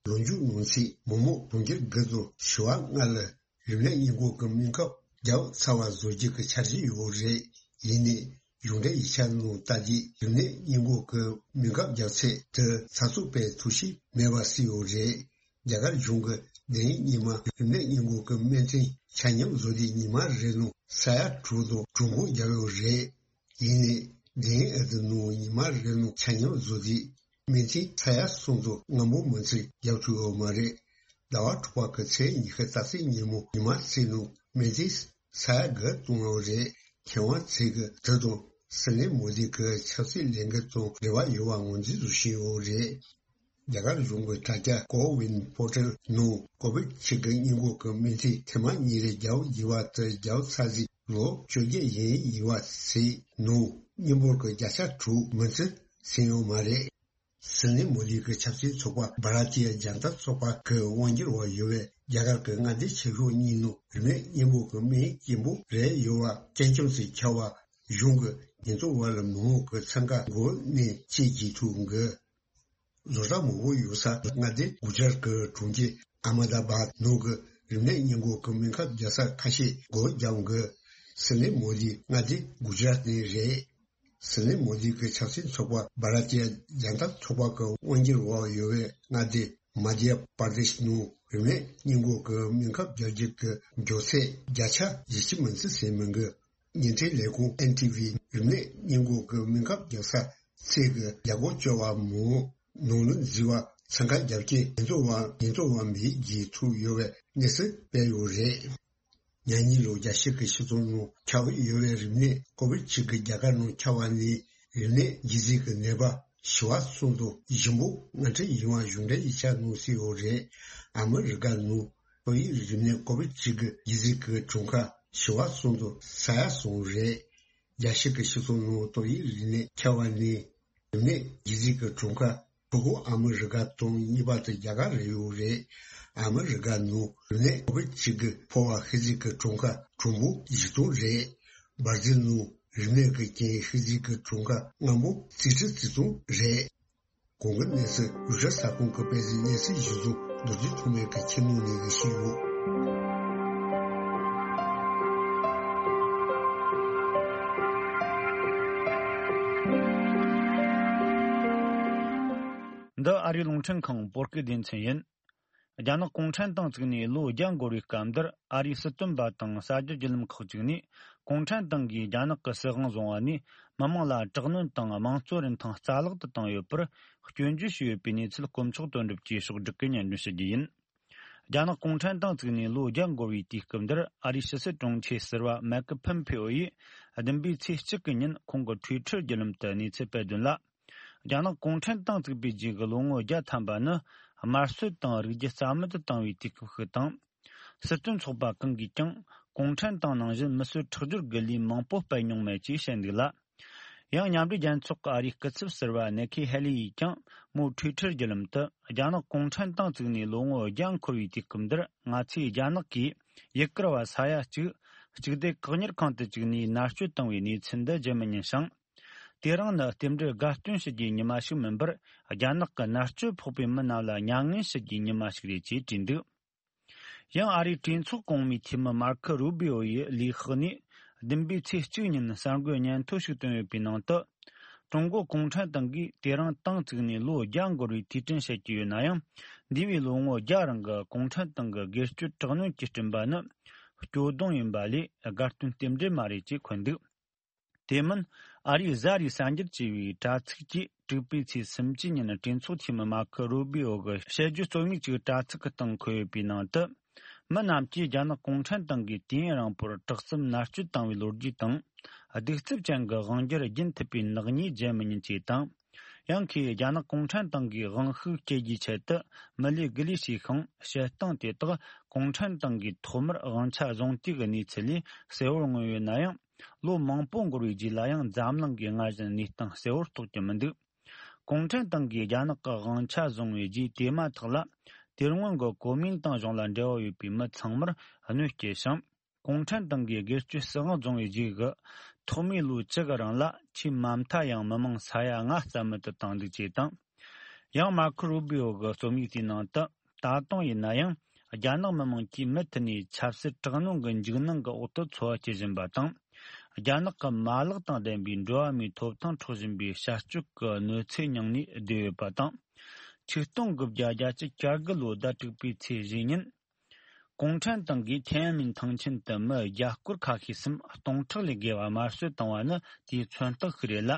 ལོ་མཇུག་ནང་ཚེས་མི་མང་གྲོང་ཁྱེར་དགུ་དང་བྱེ་བ་ལྔ་ལ་རིམས་ནད་སྔོན་འགོག་གི་སྨན་ཁབ་བརྒྱབ་ཚར་བ་བཟོ་རྒྱུ་གི་འཆར་གཞི་ཡོད་རེད། ཡིན་ནའི་གཞུང་འབྲེལ་ཡིག་ཆ་ནང་ལྟར་གྱི་རིམས་ནད་སྔོན་འགོག་གི་སྨན་ཁབ་རྒྱག་ཚད་དེ་ཚགས་ཚུད་སྤེལ་ཐུབ་བཞིན་མེད་པ་གསལ་ཡོད་རེད། རྒྱ་གར་གཞུང་གིས་འདི་ཡིན་ཉི་མ་རིམས་ནད་སྔོན་འགོག་གི་སྨན་ཐུན་ཆ་སྙོམས་བཟོ་དུས་ཉི་མ་རེ་ནང་ས་ཡ་དྲུག་དང་དྲུག་འབུམ་བརྒྱབ་ཡོད་རེད། ཡིན་ནའི་འདི་ཡིན་ཨ་ཏི་ནང་ཉི་མ་རེ་ནང་ཆ་སྙོམས་བཟོ་དུས་སྨན་ཐུན་ས་ཡ་གསུམ་དང་ལྔ་འབུམ་མི་ཚད་རྒྱག་ཐུབ་ཡོད་མ་རེད། ཟླ་བ་དྲུག་པ་གི་ཚེས་ཉི་ཤུ་རྩ་གཅིག་ཉིན་མོ་ཉི་མ་གཅིག་ནང་སྨན་ཐུན་ས་ཡ་དགུ་བཏང་ཡོད་རེད། མཁས་དབང་ཚོས་ཀྱིས་དེ་དང་སྲིད་བློན་མོ་དི་གི་ཆབ་སྲིད་ལས་འགུལ་དང་འབྲེལ་བ་ཡོད་པ་ངོས་འཛིན་བཟོ་བཞིན་ཡོད་རེད། རྒྱ་གར་གཞུང་གི་དྲ་རྒྱ་ཀོ་ཝིན་པོར་ཊལ་ནང་ཀོ་བིད་བཅུ་དགུ་སྔོན་འགོག་གི་སྨན་ཐུན་ཐེངས་མ་གཉིས་རེ་རྒྱག་དགོས་པ་དེ་བརྒྱབ་ཚར་རྗེས་ལོ་བཅོ་བརྒྱད་ཡན་ཡིན་པ་ཞིག་ནང་མི་འབོར་གྱི་བརྒྱ་ཆ་དྲུག་མི་ཚོད་ཟིན་ཡོད་མ་རེད། སྲིད་བློན་མོ་དི་གི་ཆབ་སྲིད་ཚོགས་པ་བྷ་ར་ཏི་ཡ་ཇན་ཏ་ཚོགས་པ་གི་དབང་སྒྱུར་འོག་ཡོད་པའི་རྒྱ་གར་གྱི་མངའ་སྡེ་ཆེ་ཤོས་གཉིས་ནང་རིམས་ནད་སྔོན་འགོག་གི་སྨན་སྐྱེན་པོ་རེ་ཡོད་པ་སྐྱེ་ཁམས་སུ་ཁྱབ་པ་གཞུང་གི་ཉེན་རྟོག་པ་ལ་མི་མང་གི་འཚང་ཁ་འགུལ་ནས་ཅི་བྱེད་ཐུབ་འགི། བཟོ་གྲྭ་མང་པོ་ཡོད་ས་མངའ་སྡེ་གུ་ཇ་རཱཏ་གི་གྲོང་ཁྱེར་ཨ་མ་ད་བཱད་ནང་གི་རིམས་ནད་སྔོན་འགོག་གི་སྨན་ཁབ་རྒྱག་ས་ཁ་ཤས་སྒོ་བརྒྱབ་འགི། སྲིད་བློན་མོ་དི་མངའ་སྡེ་གུ་ཇ་རཱཏ་ནས་རེད། སྲིད་བློན་མོ་དི་གི་ཆབ་སྲིད་ཚོགས་པ་བྷ་ར་ཏི་ཡ་ཇན་ཏ་ཚོགས་པ་གི་དབང་སྒྱུར་འོག་ཡོད་པའི་མངའ་སྡེ་མ་དྷྱ་པར་དེཤ་ནང་རིམས་ནད་སྔོན་འགོག་གི་སྨན་ཁབ་རྒྱག་རྒྱུ་གི་མགྱོགས་ཚད་བརྒྱ་ཆ་བཞི་བཅུ་མི་ཚོད་ཟིན་མི་འགི། བརྙན་འཕྲིན་ལས་ཁུངས་ཨེན་ཊི་ཝི་རིམས་ནད་སྔོན་འགོག་གི་སྨན་ཁབ་རྒྱག་ས་ ཚད་ཀྱི་རྒྱལ་སྒོ་བཅོལ་བ་མང་ནང་ལ་འཛུལ་བ་ཚང་ཁ་རྒྱབ་རྐྱེན་ཉེན་རྟོག་པ་ཉེན་རྟོག་པ་མེད་རྒྱུ་ཐུག་ཡོད་པའི་གནས་ཚུལ་སྤེལ་ཡོད་རེད། ཉ་གཉིས་ལོ་རྒྱལ་སྤྱི་གི་སྤྱི་ཚོགས་ནང་ཁྱབ་ཡོད་པའི་རིམས་ནད་ཀོ་བིད་བཅུ་དགུ་རྒྱ་གར་ནང་ཁྱབ་པ་ནས་རིམས་ནད་ལྗིད་ཚད་ཀྱི་ནད་པ་ཞི་བ་གསུམ་དང་ཞིམ་པོ་ང་ཁྲི་ཡིན་པ་གཞུང་འབྲེལ་ཡིག་ཆ་ནང་གསལ་ཡོད་རེད། ཨ་མི་རི་ཀ་ནང་ཏོག་དབྱིབས་རིམས་ནད་ཀོ་བིད་བཅུ་དགུ་ལྗིད་ཚད་ཀྱི་གྲངས་ཀ་ཞི་བ་གསུམ་དང་ས་ཡ་གསུམ་རེད། རྒྱལ་སྤྱི་གི་སྤྱི་ཚོགས་ནང་ཏོག་དབྱིབས་རིམས་ནད་ཁྱབ་པ་ནས་རིམས་ནད་ལྗིད་ཚད་ཀྱི་གྲངས་ཀ་ཕྲུ་གུ་ཨ་མི་རི་ཀ་དང་གཉིས་པ་དེ་རྒྱ་གར་རེད་ཡོད་རེད། ཨ་མི་རི་ཀ་ནང་རིམས་ནད་ཀོ་བིད་བཅུ་དགུ་ཕོ་བ་ཤི་རྫས་ཀྱི་གྲངས་ཀ་གྲངས་འབོར་བཞི་སྟོང་རེད། འབར་རྫས་ནང་རིམས་ནད་ཀྱི་རྐྱེན་ཤི་རྫས་ཀྱི་གྲངས་ཀ་ལྔ་འབོར་རྩིས་ཁྲི་རྩིས་སྟོང་རེད། གོང་གི་གནས་ཚུལ་རུ་ཤར་ས་ཁོངས་ཀྱི་དཔེ་མཛོད་གནས་ཚུལ་གཞི་བཟུང་རྡོ་རྗེ་ཐོགས་མེད་ཀྱི་ཁྱིམ་ནང་ནས་ཞུས་ཡོད། འདི་ཨ་རིའི་རླུང་འཕྲིན་ཁང་བོད་སྐད་སྡེ་ཚན་ཡིན། རྒྱ་ནག་གུང་ཁྲན་ཏང་བཙུགས་ནས་ལོ་བརྒྱ་འགོར་བའི་སྐབས་འདིར། ཨ་རིའི་སྲིད་དོན་པ་དང་གསར་འགྱུར་བརྒྱུད་ལམ་ཁག་ཅིག་ནས། གུང་ཁྲན་ཏང་གིས་རྒྱ་ནག་གི་སྲིད་དབང་བཟུང་བ་ནས། མི་དམངས་ལ་དྲག་གནོན་དང་དམངས་གཙོ་རིན་ཐང་རྩ་བརླག་ཏུ་བཏང་ཡོད་པར་སྐྱོན་བརྗོད་བྱས་ཡོད་པའི་གནས་ཚུལ། དཀོན་མཆོག་དོན་གྲུབ་ཀྱིས་ཕྱོགས་བསྒྲིགས་ཀྱིས་སྙན་སྒྲོན་ཞུ་རྒྱུ་ཡིན། རྒྱ་ནག་གུང་ཁྲན་ཏང་བཙུགས་ནས་ལོ་བརྒྱ་འགོར་བའི་དུས་སྐབས་འདིར། ཨ་རིའི་ཕྱི་སྲིད་དྲུང་ཆེ་ཟུར་པ་མེག་ཕམ་ཕེ་ཨོ་ཡིས་བདུན་པའི་ཚེས་གཅིག་གི་ཉིན་ཁོང་གི་ཊུའི་ཊར་བརྒྱུད་ལམ་དུ་གནས་ཚུལ་སྤེལ་དོན་ལ། རྒྱ་ནག་གུང་ཁྲན་ཏང་བཙུགས་པའི་རྗེས་ཀྱི་ལོ་ངོ་བརྒྱ་ཐམ་པ་ནི་དམར་གསོད་དང་རིགས་རྒྱུད་རྩ་མེད་དུ་བཏང་བའི་དུས་སྐབས་ཤིག་དང་། སྲིད་དོན་ཚོགས་པ་གང་གིས་ཀྱང་གུང་ཁྲན་ཏང་ནང་བཞིན་མི་གསོད་ཁྲག་སྦྱོར་གྱི་ལས་མང་པོ་སྤེལ་མྱོང་མེད་ཅེས་བཤད་འདུག་ལ། ཡང་མཉམ་འབྲེལ་རྒྱལ་ཚོགས་ཀྱི་ཨ་རིའི་སྐུ་ཚབ་ཟུར་པ་ནེ་ཁི་ཧེ་ལི་ཡིས་ཀྱང་མོའི་ཊུའི་ཊར་བརྒྱུད་ལམ་དུ། རྒྱ་ནག་གུང་ཁྲན་ཏང་བཙུགས་ནས་ལོ་ངོ་བརྒྱ་འཁོར་བའི་དུས་སྐབས་འདིར། ང་ཚོས་རྒྱ་ནག་གིས་ཡུ་གུར་བ་ས་ཡ་གཅིག་གཅིག་སྡུད་བཀག་ཉར་ཁང་དུ་བཅུག་ནས་མནར་གཅོད་བཏང་བའི་གནས་ཚུལ་འདི་བརྗེད་མི་ཉན་ཞིང་། དེ་རིང་ནི་རྟེན་འབྲེལ་དགའ་སྟོན་ཞུ་རྒྱུའི་ཉི་མ་ཞིག་མིན་པར། རྒྱ་ནག་གི་མནར་གཅོད་ཕོག་པའི་མི་རྣམས་ལ་མྱ་ངན་ཞུ་རྒྱུའི་ཉི་མ་ཞིག་རེད་ཅེས་བྲིས་འདུག། ཡང་ཨ་རིའི་གྲོས་ཚོགས་གོང་མའི་འཐུས་མི་མར་ཁོ་རུ་བི་ཨོ་ཡི་ལས་ཁག་ནས་བདུན་པའི་ཚེས་གཅིག་ཉིན་གསར་འགོད་སྙན་ཐོ་ཞིག་བཏོན་ཡོད་པའི་ནང་དུ། ཀྲུང་གོ་གུང་ཁྲན་ཏང་གིས་དེ་རིང་ཏང་བཙུགས་ནས་ལོ་བརྒྱ་འགོར་བའི་དུས་དྲན་བྱེད་ཀྱི་ཡོད་ན་ཡང་། འདས་པའི་ལོ་ངོ་བརྒྱ་རིང་གི་གུང་ཁྲན་ཏང་གི་སྒེར་གཅོད་དྲག་གནོན་གྱི་སྤྲིན་པ་ནི་སྐྱོ་གདུང་ཡིན་པ་ལས་དགའ་སྟོན་རྟེན་འབྲེལ་མ་རེད་ཅེས་འཁོད་འདུག། དེ་མིན། ཨ་རིའི་གཟའ་རིས་གསར་འགྱུར་ཅེས་པའི་དྲ་ཚིགས་ཀྱིས་དྲུག་པའི་ཚེས་སུམ་ཅུ་ཉིན་གྲོས་ཚོགས་འཐུས་མི་མར་ཁོ་རུ་བི་ཨོ་གི་བཤད་རྒྱུ་རྩོམ་ཡིག་ཅིག་དྲ་ཚིགས་ཀྱི་སྟེང་འཁོད་ཡོད་པའི་ནང་དུ། མི་རྣམས་ཀྱིས་རྒྱ་ནག་གུང་ཁྲན་ཏང་གིས་དུས་ཡུན་རིང་པོར་དྲག་གསུམ་མནར་གཅོད་བཏང་བའི་ལོ་རྒྱུས་དང་། གདུག་རྩུབ་ཅན་གྱི་དབང་སྒྱུར་རྒྱུན་མཐུད་པའི་ནག་ཉེས་བརྗེད་མི་ཉན་ཅེས་དང་། ཡང་ཁོས་རྒྱ་ནག་གུང་ཁྲན་ཏང་གིས་དབང་ཤུགས་སྐྱེད་རྒྱུའི་ཆེད་དུ་མི་ལས་དགུ་ལས་བྱས་ཤིང་། བྱེད་སྟངས་དེ་དག་གུང་ཁྲན་ཏང་གིས་ཐོག་མར་དབང་ཆ་བཟུང་དུས་ཀྱི་གནས་ཚུལ་ལས་གསལ་བོར་མངོན་ཡོད་ན་ཡང་། ལོ་མང་པོ་འགོར་བའི་རྗེས་ལ་ཡང་འཛམ་གླིང་གིས་སྔར་བཞིན་གནས་སྟངས་གསལ་བོར་རྟོགས་ཀྱི་མི་འདུག། གུང་ཁྲན་ཏང་གིས་རྒྱ་ནག་གི་དབང་ཆ་བཟུང་བའི་རྗེས། དེ་མ་ཐག་ལ་དེ་སྔོན་གྱི་གོ་མིན་ཏང་གཞུང་ལ་འབྲེལ་བ་ཡོད་པའི་མི་ཚང་མར་གནོད་སྐྱེལ་ཞིང་། གུང་ཁྲན་ཏང་གིས་སྒེར་གཅོད་སྲིད་དབང་བཟུང་བའི་རྗེས་ཀྱི་ཐོག་མའི་ལོ་བཅུ་གི་རིང་ལ། ཆེས་མ་མཐའ་ཡང་མི་མང་ས་ཡ་ལྔ་རྩ་མེད་དུ་བཏང་འདུག་ཅེས་དང་། ཡང་མར་ཁོ་རུ་བི་ཨོ་གི་རྩོམ་ཡིག་དེའི་ནང་དུ། ད་དུང་ཡིན་ན་ཡང་རྒྱ་ནག་མི་དམངས་ཀྱིས་མུ་མཐུད་ནས་ཆབ་སྲིད་དྲག་གནོན་གྱི་འཇིགས་སྣང་གི་འོག་ཏུ་འཚོ་བ་སྐྱེལ་བཞིན་པ་དང་། རྒྱ་ནག་གི་མ་ལག་དང་ལྡན་པའི་འགྲོ་བ་མིའི་ཐོབ་ཐང་འཕྲོག་བཞིན་པའི་བྱ་སྤྱོད་ཀྱི་གནོད་འཚེ་མྱངས་ནས་བསྡད་ཡོད་པ་དང་། ཆིག་སྟོང་དགུ་བརྒྱ་བརྒྱད་ཅུ་གྱ་དགུ་ལོའི་ཟླ་དྲུག་པའི་ཚེས་བཞི་ཉིན། གུང་ཁྲན་ཏང་གིས་ཐེན་ཨན་མིན་ཐང་ཆེན་དུ་མི་བརྒྱ་སྐོར་ཁ་ཤས་སམ་སྟོང་ཕྲག་ལས་བརྒལ་བ་དམར་གསོད་བཏང་བ་ནི་དེའི་མཚོན་རྟགས་ཤིག་རེད་ལ།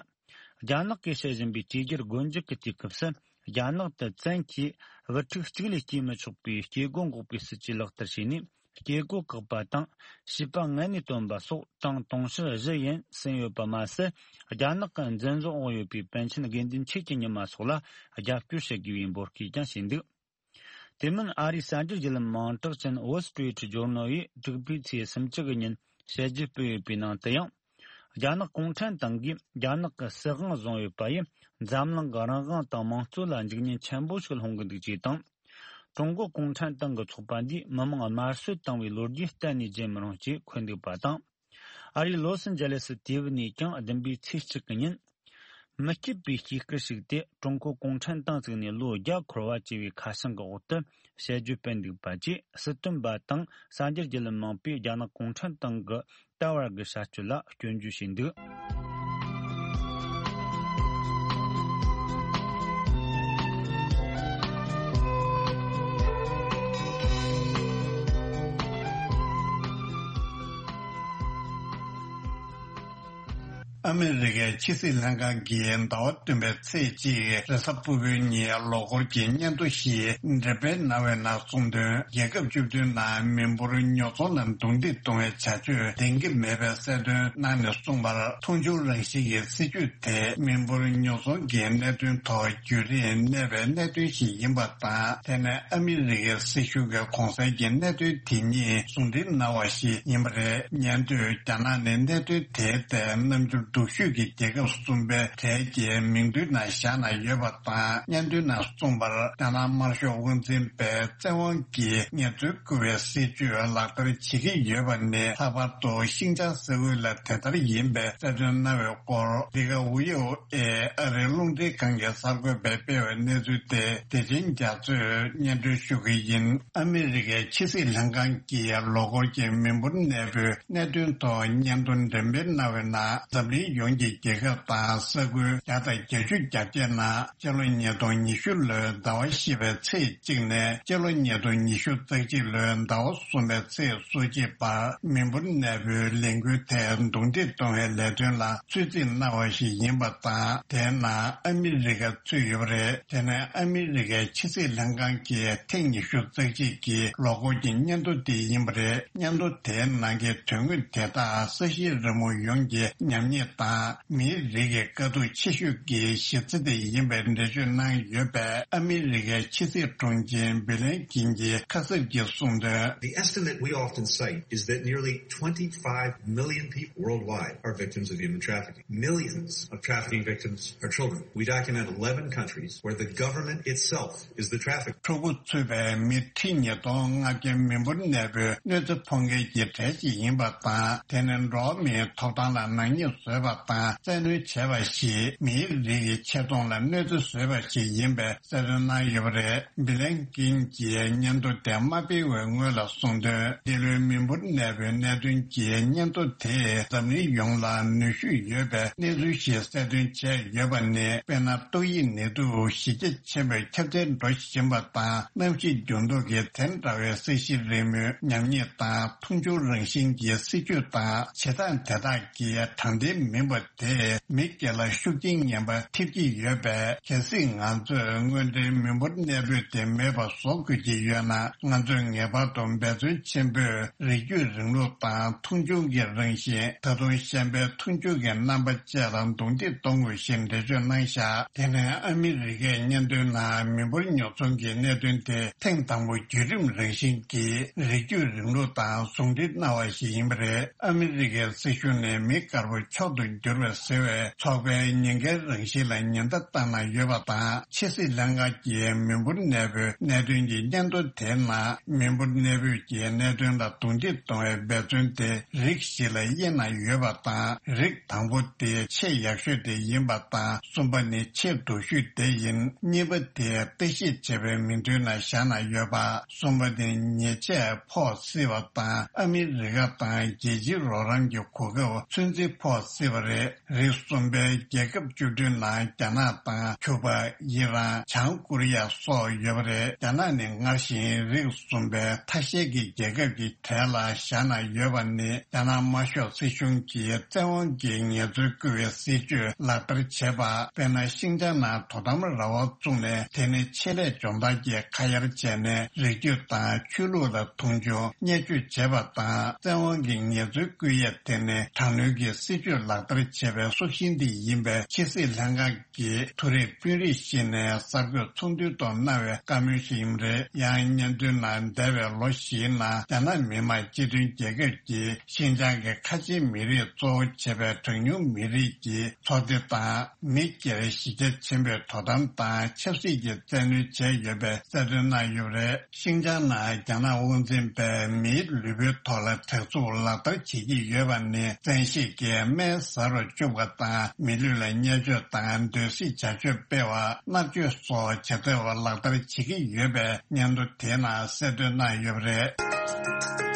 རྒྱ་ནག་གིས་བྱེད་བཞིན་པའི་བཅོས་བསྒྱུར་སྒོ་འབྱེད་ཀྱི་དུས་སྐབས་སུ། རྒྱ་ནག་ཏུ་བཙན་གྱིས་བུ་ཕྲུག་གཅིག་ལས་སྐྱེས་མི་ཆོག་པའི་སྐྱེ་སྒོ་འགོག་པའི་སྲིད་ཇུས་ལག་བསྟར་བྱས་ནས། སྐྱེ་སྒོ་བཀག་པ་དང་། བྱིས་པ་ངལ་ནས་བཏོན་པ་སོགས་གྲངས་དུང་ཕྱུར་བཞི་ཡན་ཟིན་ཡོད་པ་མ་ཟད། རྒྱ་ནག་གི་འཛིན་བཟུང་འོག་ཡོད་པའི་པཎ་ཆེན་དགེ་འདུན་ཆོས་ཀྱི་ཉི་མ་སོགས་ལ་རྒྱབ་སྐྱོར་བྱེད་དགོས་པའི་འབོད་སྐུལ་ཀྱང་བྱས་འདུག། དེ་མིན། ཨ་རིའི་གསར་འགྱུར་བརྒྱུད་ལམ་མིང་གྲགས་ཅན་Wall Street Journal ཡིས་དྲུག་པའི་ཚེས་སུམ་ཅུ་གི་ཉིན་དཔྱད་བརྗོད་སྤེལ་ཡོད་པའི་ནང་དུ་ཡང་། རྒྱ་ནག་གུང་ཁྲན་ཏང་གིས་རྒྱ་ནག་གི་སྲིད་དབང་བཟུང་ཡོད་པ་ཡིས། འཛམ་གླིང་གི་རང་དབང་དང་དམངས་གཙོ་ལ་འཇིགས་ཉེན་ཆེན་པོ་ཞིག་སློང་གི་འདུག་ཅེས་དང་། ཀྲུང་གོ་གུང་ཁྲན་ཏང་གི་ཚོགས་པ་འདིས་མི་དམངས་དམར་གསོད་བཏང་བའི་ལོ་རྒྱུས་གཏན་ནས་བརྗེད་མི་རུང་ཅེས་འཁོད་འདུག་པ་དང་། ཨ་རིའི་ལོ་སི་ཨན་ཇེ་ལེ་སི་དེབ་ནས་ཀྱང་བདུན་པའི་ཚེས་གཅིག་གི་ཉིན། མི་སྐྱིད་པའི་སྐྱིད་སྐར་ཞིག་སྟེ། ཀྲུང་གོ་གུང་ཁྲན་ཏང་བཙུགས་ནས་ལོ་བརྒྱ་འཁོར་བ་ཅེས་པའི་ཁ་བྱང་གི་འོག་ཏུ་དཔྱད་བརྗོད་སྤེལ་འདུག་པ་བཅས། སྲིད་དོན་པ་དང་གསར་འགྱུར་བརྒྱུད་ལམ་མང་པོས་རྒྱ་ནག་གུང་ཁྲན་ཏང་གི་ད་བར་གྱི་བྱ་སྤྱོད་ལ་སྐྱོན་བརྗོད་བྱས་འདུག། ཨ་མི་རི་ཀའི་ཕྱི་སྲིད་ལྷན་ཁང་གིས་ཟླ་བ་བདུན་པའི་ཚེས་གཅིག་རེས་གཟའ་ཕུར་བུའི་ཉིན་ལོ་འཁོར་གྱི་སྙན་ཐོ་ཞིག་འགྲེམས་སྤེལ་གནང་བའི་ནང་གསུངས་དོན། རྒྱལ་ཁབ་བཅུ་བདུན་ནང་མི་འབོར་ཉོ་ཚོང་ལ་རྡུང་རྡེག་གཏོང་བའི་བྱ་སྤྱོད་ལྡན་གྱི་མེད་པའི་གསལ་སྟོན་གནང་ནས་གསུངས་པར། མཐོང་ཆུང་རང་བཞིན་གྱི་སྲིད་བྱུས་དེས་མི་འབོར་ཉོ་ཚོང་གི་གནད་དོན་ཐོག་བརྒྱུད་རིམ་གནས་པའི་གནད་དོན་ཞིག་ཡིན་པ་དང་། དེ་ནི་ཨ་མི་རི་ཀའི་སྲིད་གཞུང་གི་གོང་གསལ་གྱི་གནད་དོན་དེ་ཉིད་ཟུང་འབྲེལ་གནང་བ་ཞིག་ཡིན་པ་རེད། ཉན་ཐོས་རྒྱ་ནག་ནས་གནད་དོན་དེའི་ཐད་རྣམ་འགྱུར་སྡུག་ཤོས་ཀྱི་རྒྱལ་ཁབ་གསུམ་པའི་གྲས་ཀྱི་མིང་ཐོའི་ནང་བཞག་གནང་ཡོད་པ་དང་། སྙན་ཐོའི་ནང་གསུངས་པར། རྒྱ་ནག་དམར་ཤོག་དབང་འཛིན་པས་བཙན་དབང་གིས་ངལ་རྩོལ་བཀོལ་བའི་སྲིད་བྱུས་ལག་བསྟར་བྱེད་ཀྱི་ཡོད་པ་ནི། ལྷག་པར་དུ་ཤིན་ཅང་ས་ཁུལ་ལ་དེ་ལྟར་ཡིན་པའི་གསལ་སྟོན་གནང་བའི་སྐོར། འདི་ག་ཝི་ཨོ་ཨེ་ཨ་རིའི་རླུང་འཕྲིན་ཁང་གི་གསར་འགོད་པས་སྤེལ་བའི་གནས་ཚུལ་དེ་བདེ་ཆེན་རྒྱ་མཚོས་སྙན་སྒྲོན་ཞུ་གི་ཡིན། ཨ་མི་རི་ཀའི་ཕྱི་སྲིད་ལྷན་ཁང་གིས་ལོ་འཁོར་གྱི་མི་འབོར་གནས་སྤོའི་གནད་དོན་ཐོག་སྙན་ཐོ་འགྲེམས་སྤེལ་གནང་བའི་ནང་། འཛམ་གླིང་ཡོངས་ཀྱི་རྒྱལ་ཁབ་དང་ས་ཁུལ་བརྒྱ་དང་བརྒྱད་ཅུ་གྱ་བརྒྱད་ནང་སྤྱི་ལོ་ཉིས་སྟོང་ཉི་ཤུ་ལོའི་ཟླ་བ་བཞི་པའི་ཚེས་གཅིག་ནས་སྤྱི་ལོ་ཉིས་སྟོང་ཉི་ཤུ་རྩ་གཅིག་ལོའི་ཟླ་བ་གསུམ་པའི་ཚེས་སོ་གཅིག་བར་མི་འབོར་གནས་སྤོའི་ལས་འགུལ་དེ་རྡུང་རྡེག་གཏོང་བའི་ལས་དོན་ལ་ཚོད་རྩིས་གནང་བ་ཞིག་ཡིན་པ་དང་། དེའི་ནང་ཨ་མི་རི་ཀ་ཚུད་ཡོད་པ་རེད། དེ་ནི་ཨ་མི་རི་ཀའི་ཕྱི་སྲིད་ལྷན་ཁང་གི་ཐེངས་ཉི་ཤུ་རྩ་གཅིག་གི་ལོ་འཁོར་གྱི་སྙན་ཐོ་དེ་ཡིན་པ་རེད། སྙན་ཐོ་དེའི་ནང་གི་དོན་དངོས་དེ་དག་ས་གཞིའི་རི་མོ་ཡོངས་ཀྱི་ཉམས་ཉེས་དང་། མིའི་རིགས་ཀྱི་དཀའ་སྡུག་ཆེ་ཤོས་ཀྱི་གཞི་རྩ་དེ་ཡིན་པའི་འགྲེལ་བརྗོད་གནང་ཡོད་པས། ཨ་མི་རི་ཀའི་ཕྱི་སྲིད་དྲུང་ཆེ་བྷི་ལན་ཀིན་གྱིས་ཁ་གསབ་ཀྱིས་གསུངས་དོན། The estimate we often cite is that nearly twenty-five million people worldwide are victims of human trafficking. Millions of trafficking victims are children. We document eleven countries where the government itself is the trafficker. ཕྲུ་གུ་ཚུད་པའི་མི་ཁྲི་ཉིས་སྟོང་ལྔ་བརྒྱ་མི་འབོར་གནས་སྤོའི་གནོད་འཚེ་ཕོག་མཁན་གྱི་གྲས་ཤིག་ཡིན་པ་དང་། དེ་ནི་འགྲོ་བ་མིའི་ཐོབ་ཐང་ལ་ནག་ཉེས་བཟོས་པ་དང་བཙན་གནོན་བྱས་པ་ཞིག་མིའི་རིགས་ཀྱི་ཆེ་མཐོང་ལ་གནོད་འཚེ་བཟོས་པ་ཞིག་ཡིན་པའི་གསལ་སྟོན་གནང་ཡོད་པ་རེད། བྷི་ལན་ཀིན་གྱིས་སྙན་ཐོ་དེ་མ་སྤེལ་བའི་སྔོན་ལ་གསུངས་དོན། འདི་ལོའི་མི་འབོར་གནས་སྤོའི་གནད་དོན་གྱི་སྙན་ཐོ་དེས་འཛམ་གླིང་ཡོངས་ལ་ནུས་ཤུགས་ཡོད་པའི་གནས་ཚུལ་ཞིག་གསལ་སྟོན་བྱས་ཡོད་པ་ནི། དཔེར་ན། ཏོག་དབྱིབས་ནད་དུག་གཞི་རྒྱ་ཆེན་པོས་ཁྱབ་གདལ་འགྲོ་བཞིན་པ་དང་། གནམ་གཤིས་འགྱུར་ལྡོག་གིས་དེ་འདྲ་བའི་ས་གཞིའི་རི་མོའི་ཉམས་ཉེས་དང་། མཐོང་ཆུང་རང་བཞིན་གྱི་སྲིད་བྱུས་དང་བྱེད་སྟངས་དེ་དག་གིས་དྲང་བདེན་མིན་པ་དེས་མི་སྒེར་ལ་ཤུགས་རྐྱེན་ངན་པ་ཐེབས་ཀྱི་ཡོད་པས། གལ་སྲིད་ང་ཚོས་དངོས་འབྲེལ་མི་འབོར་གནས་སྤོས་དེ་མེད་པ་བཟོ་དགོས་ཀྱི་ཡོད་ན། ང་ཚོས་ངེས་པར་དུ་འབད་བརྩོན་ཆེན་པོས་རིགས་རྒྱུད་རིང་ལུགས་དང་མཐོང་ཆུང་གི་རང་བཞིན། ད་དུང་གཞན་པའི་མཐོང་ཆུང་གི་རྣམ་པ་བཅས་ལ་རྡུང་རྡེག་གཏོང་དགོས་ཞེས་འགྲེལ་བརྗོད་གནང་བཞག་དེ་ནས་ཨ་མི་རི་ཀས་སྙན་ཐོའི་ནང་མི་འབོར་ཉོ་ཚོང་གི་གནད་དོན་དེ་ཐེངས་དང་པོ་བརྒྱུད་རིམ་རང་བཞིན་གྱིས་རིགས་རྒྱུད་རིང་ལུགས་དང་ཟུང་འབྲེལ་གནང་བ་ཞིག་ཡིན་པ་རེད། ཨ་མི་རི་ཀའི་སྲིད་གཞུང་ནས་མི་དཀར་པོ་མཆོག་ཏུ་གྱུར་པ་ཟེར་བའི་ཚོགས་པའི་ཉེན་ཁའི་རང་བཞིན་ལ་ཉེན་བརྡ་བཏང་གནང་ཡོད་པ་དང་། ཕྱི་སྲིད་ལྷན་ཁང་གིས་མི་འབོར་གནས་སྤོའི་གནད་དོན་གྱི་སྙན་ཐོ་དེའི་ནང་མི་འབོར་གནས་སྤོས་ཀྱི་གནད་དོན་ལ་རྡུང་རྡེག་གཏོང་བའི་འབད་བརྩོན་དེ་རིགས་བཞི་ལ་དབྱེ་གནང་ཡོད་པ་དང་། རིགས་དང་པོ་དེ་ཆེས་ཡག་ཤོས་དེ་ཡིན་པ་དང་། གསུམ་པ་ནི་ཆེས་སྡུག་ཤོས་དེ་ཡིན། གཉིས་པ་དེ་ལྟ་ཞིབ་བྱས་པའི་མིང་ཐོའི་ནང་བཞག་གནང་ཡོད་པ། གསུམ་པ་ནི་ཉེས་ཆད་ཕོག་སྲིད་པ་དང་། ཨ་མི་རི་ཀ་དང་རྒྱལ་སྤྱིའི་རོགས་རམ་གྱི་གོ་སྐབས་ཚོད་འཛིན་ཕོག་སྲིད་པ་རེད། རིགས་གསུམ་པའི་རྒྱལ་ཁབ་བཅུ་བདུན་ནང་རྒྱ་ནག་དང་ཁྱུ་པ། ཨི་རན། བྱང་ཀོ་རི་ཡ་སོགས་ཡོད་པ་རེད། རྒྱ་ནག་ནི་སྔར་བཞིན་རིགས་གསུམ་པའི་ཐ་ཤལ་གྱི་རྒྱལ་ཁབ་ཀྱི་གྲས་ལ་བཞག་གནང་ཡོད་པ་ནི། རྒྱ་ནག་དམར་ཤོག་སྲིད་གཞུང་གིས་བཙན་དབང་གིས་ངལ་རྩོལ་བཀོལ་བའི་སྲིད་བྱུས་ལག་བསྟར་བྱས་པ། དཔེར་ན། ཤིན་ཅང་ནང་དོ་དམ་ར་བ་བཙུགས་ནས། དེ་ནི་ཆེད་ལས་སྦྱོང་བརྡར་གྱིས་ཁ་གཡར་བྱས་ནས། རིགས་རྒྱུད་དང་ཆོས་ལུགས་ལ་མཐོང་ཆུང་བརྙས་བཅོས་བྱས་པ་དང་། བཙན་དབང་གིས་ངལ་རྩོལ་བཀོལ་ཡས་དེ་ནི་དྲག་གནོན་གྱི་སྲིད་བྱུས་ལག་བསྟར་བྱས་པའི་སྲོག་ཤིང་དེ་ཡིན་པས། ཕྱི་སྲིད་ལྷན་ཁང་གིས་མཐོ་རིམ་དཔོན་རིགས་ཤིག་ནས་གསར་འགོད་ཚོགས་འདུའི་ཐོག་གནང་བའི་བཀའ་མོལ་ཞིག་ཡིན་པ་རེད། ཡང་སྙན་ཐོའི་ནང་འདས་པའི་ལོ་བཞིའི་ནང་རྒྱ་ནག་མི་དམངས་སྤྱི་མཐུན་རྒྱལ་ཁབ་ཀྱིས་ཤིན་ཅང་གི་ཁ་ཆེའི་མི་རིགས་གཙོ་བོ་བྱས་པའི་གྲངས་ཉུང་མི་རིགས་ཀྱི་ཚོགས་སྡེ་དང་། མི་སྒེར་གཞི་རྒྱ་ཆེན་པོས་དོ་དམ་དང་ཆབ་སྲིད་ཀྱི་བཙན་གནོན་བྱས་ཡོད་པའི་གསལ་སྟོན་གནང་ཡོད་པ་རེད། ཤིན་ཅང་ནང་རྒྱ་ནག་དབང་འཛིན་པས་མིའི་ལུས་པོའི་ཐོག་ལ་དྲག་རྩུབ་ལག་བསྟར་བྱེད་ཀྱི་ཡོད་པ་ནི། བཙན་ཤེད་ཀྱིས་སྨན་ཟ་རུ་བཅུག་པ་དང་། མི་ལུས་ལ་བརྙས་བཅོས་དང་། སྡོད་སྲེག་བྱ་སྤྱོད་སྤེལ་བ། མནར་གཅོད་སོགས་བྱེད་ཐབས་ལག་བསྟར་བྱེད་ཀྱི་ཡོད་པའི་སྙན་ཐོ་དེའི་ནང་གསལ་སྟོན་གནང་ཡོད་པ་རེད།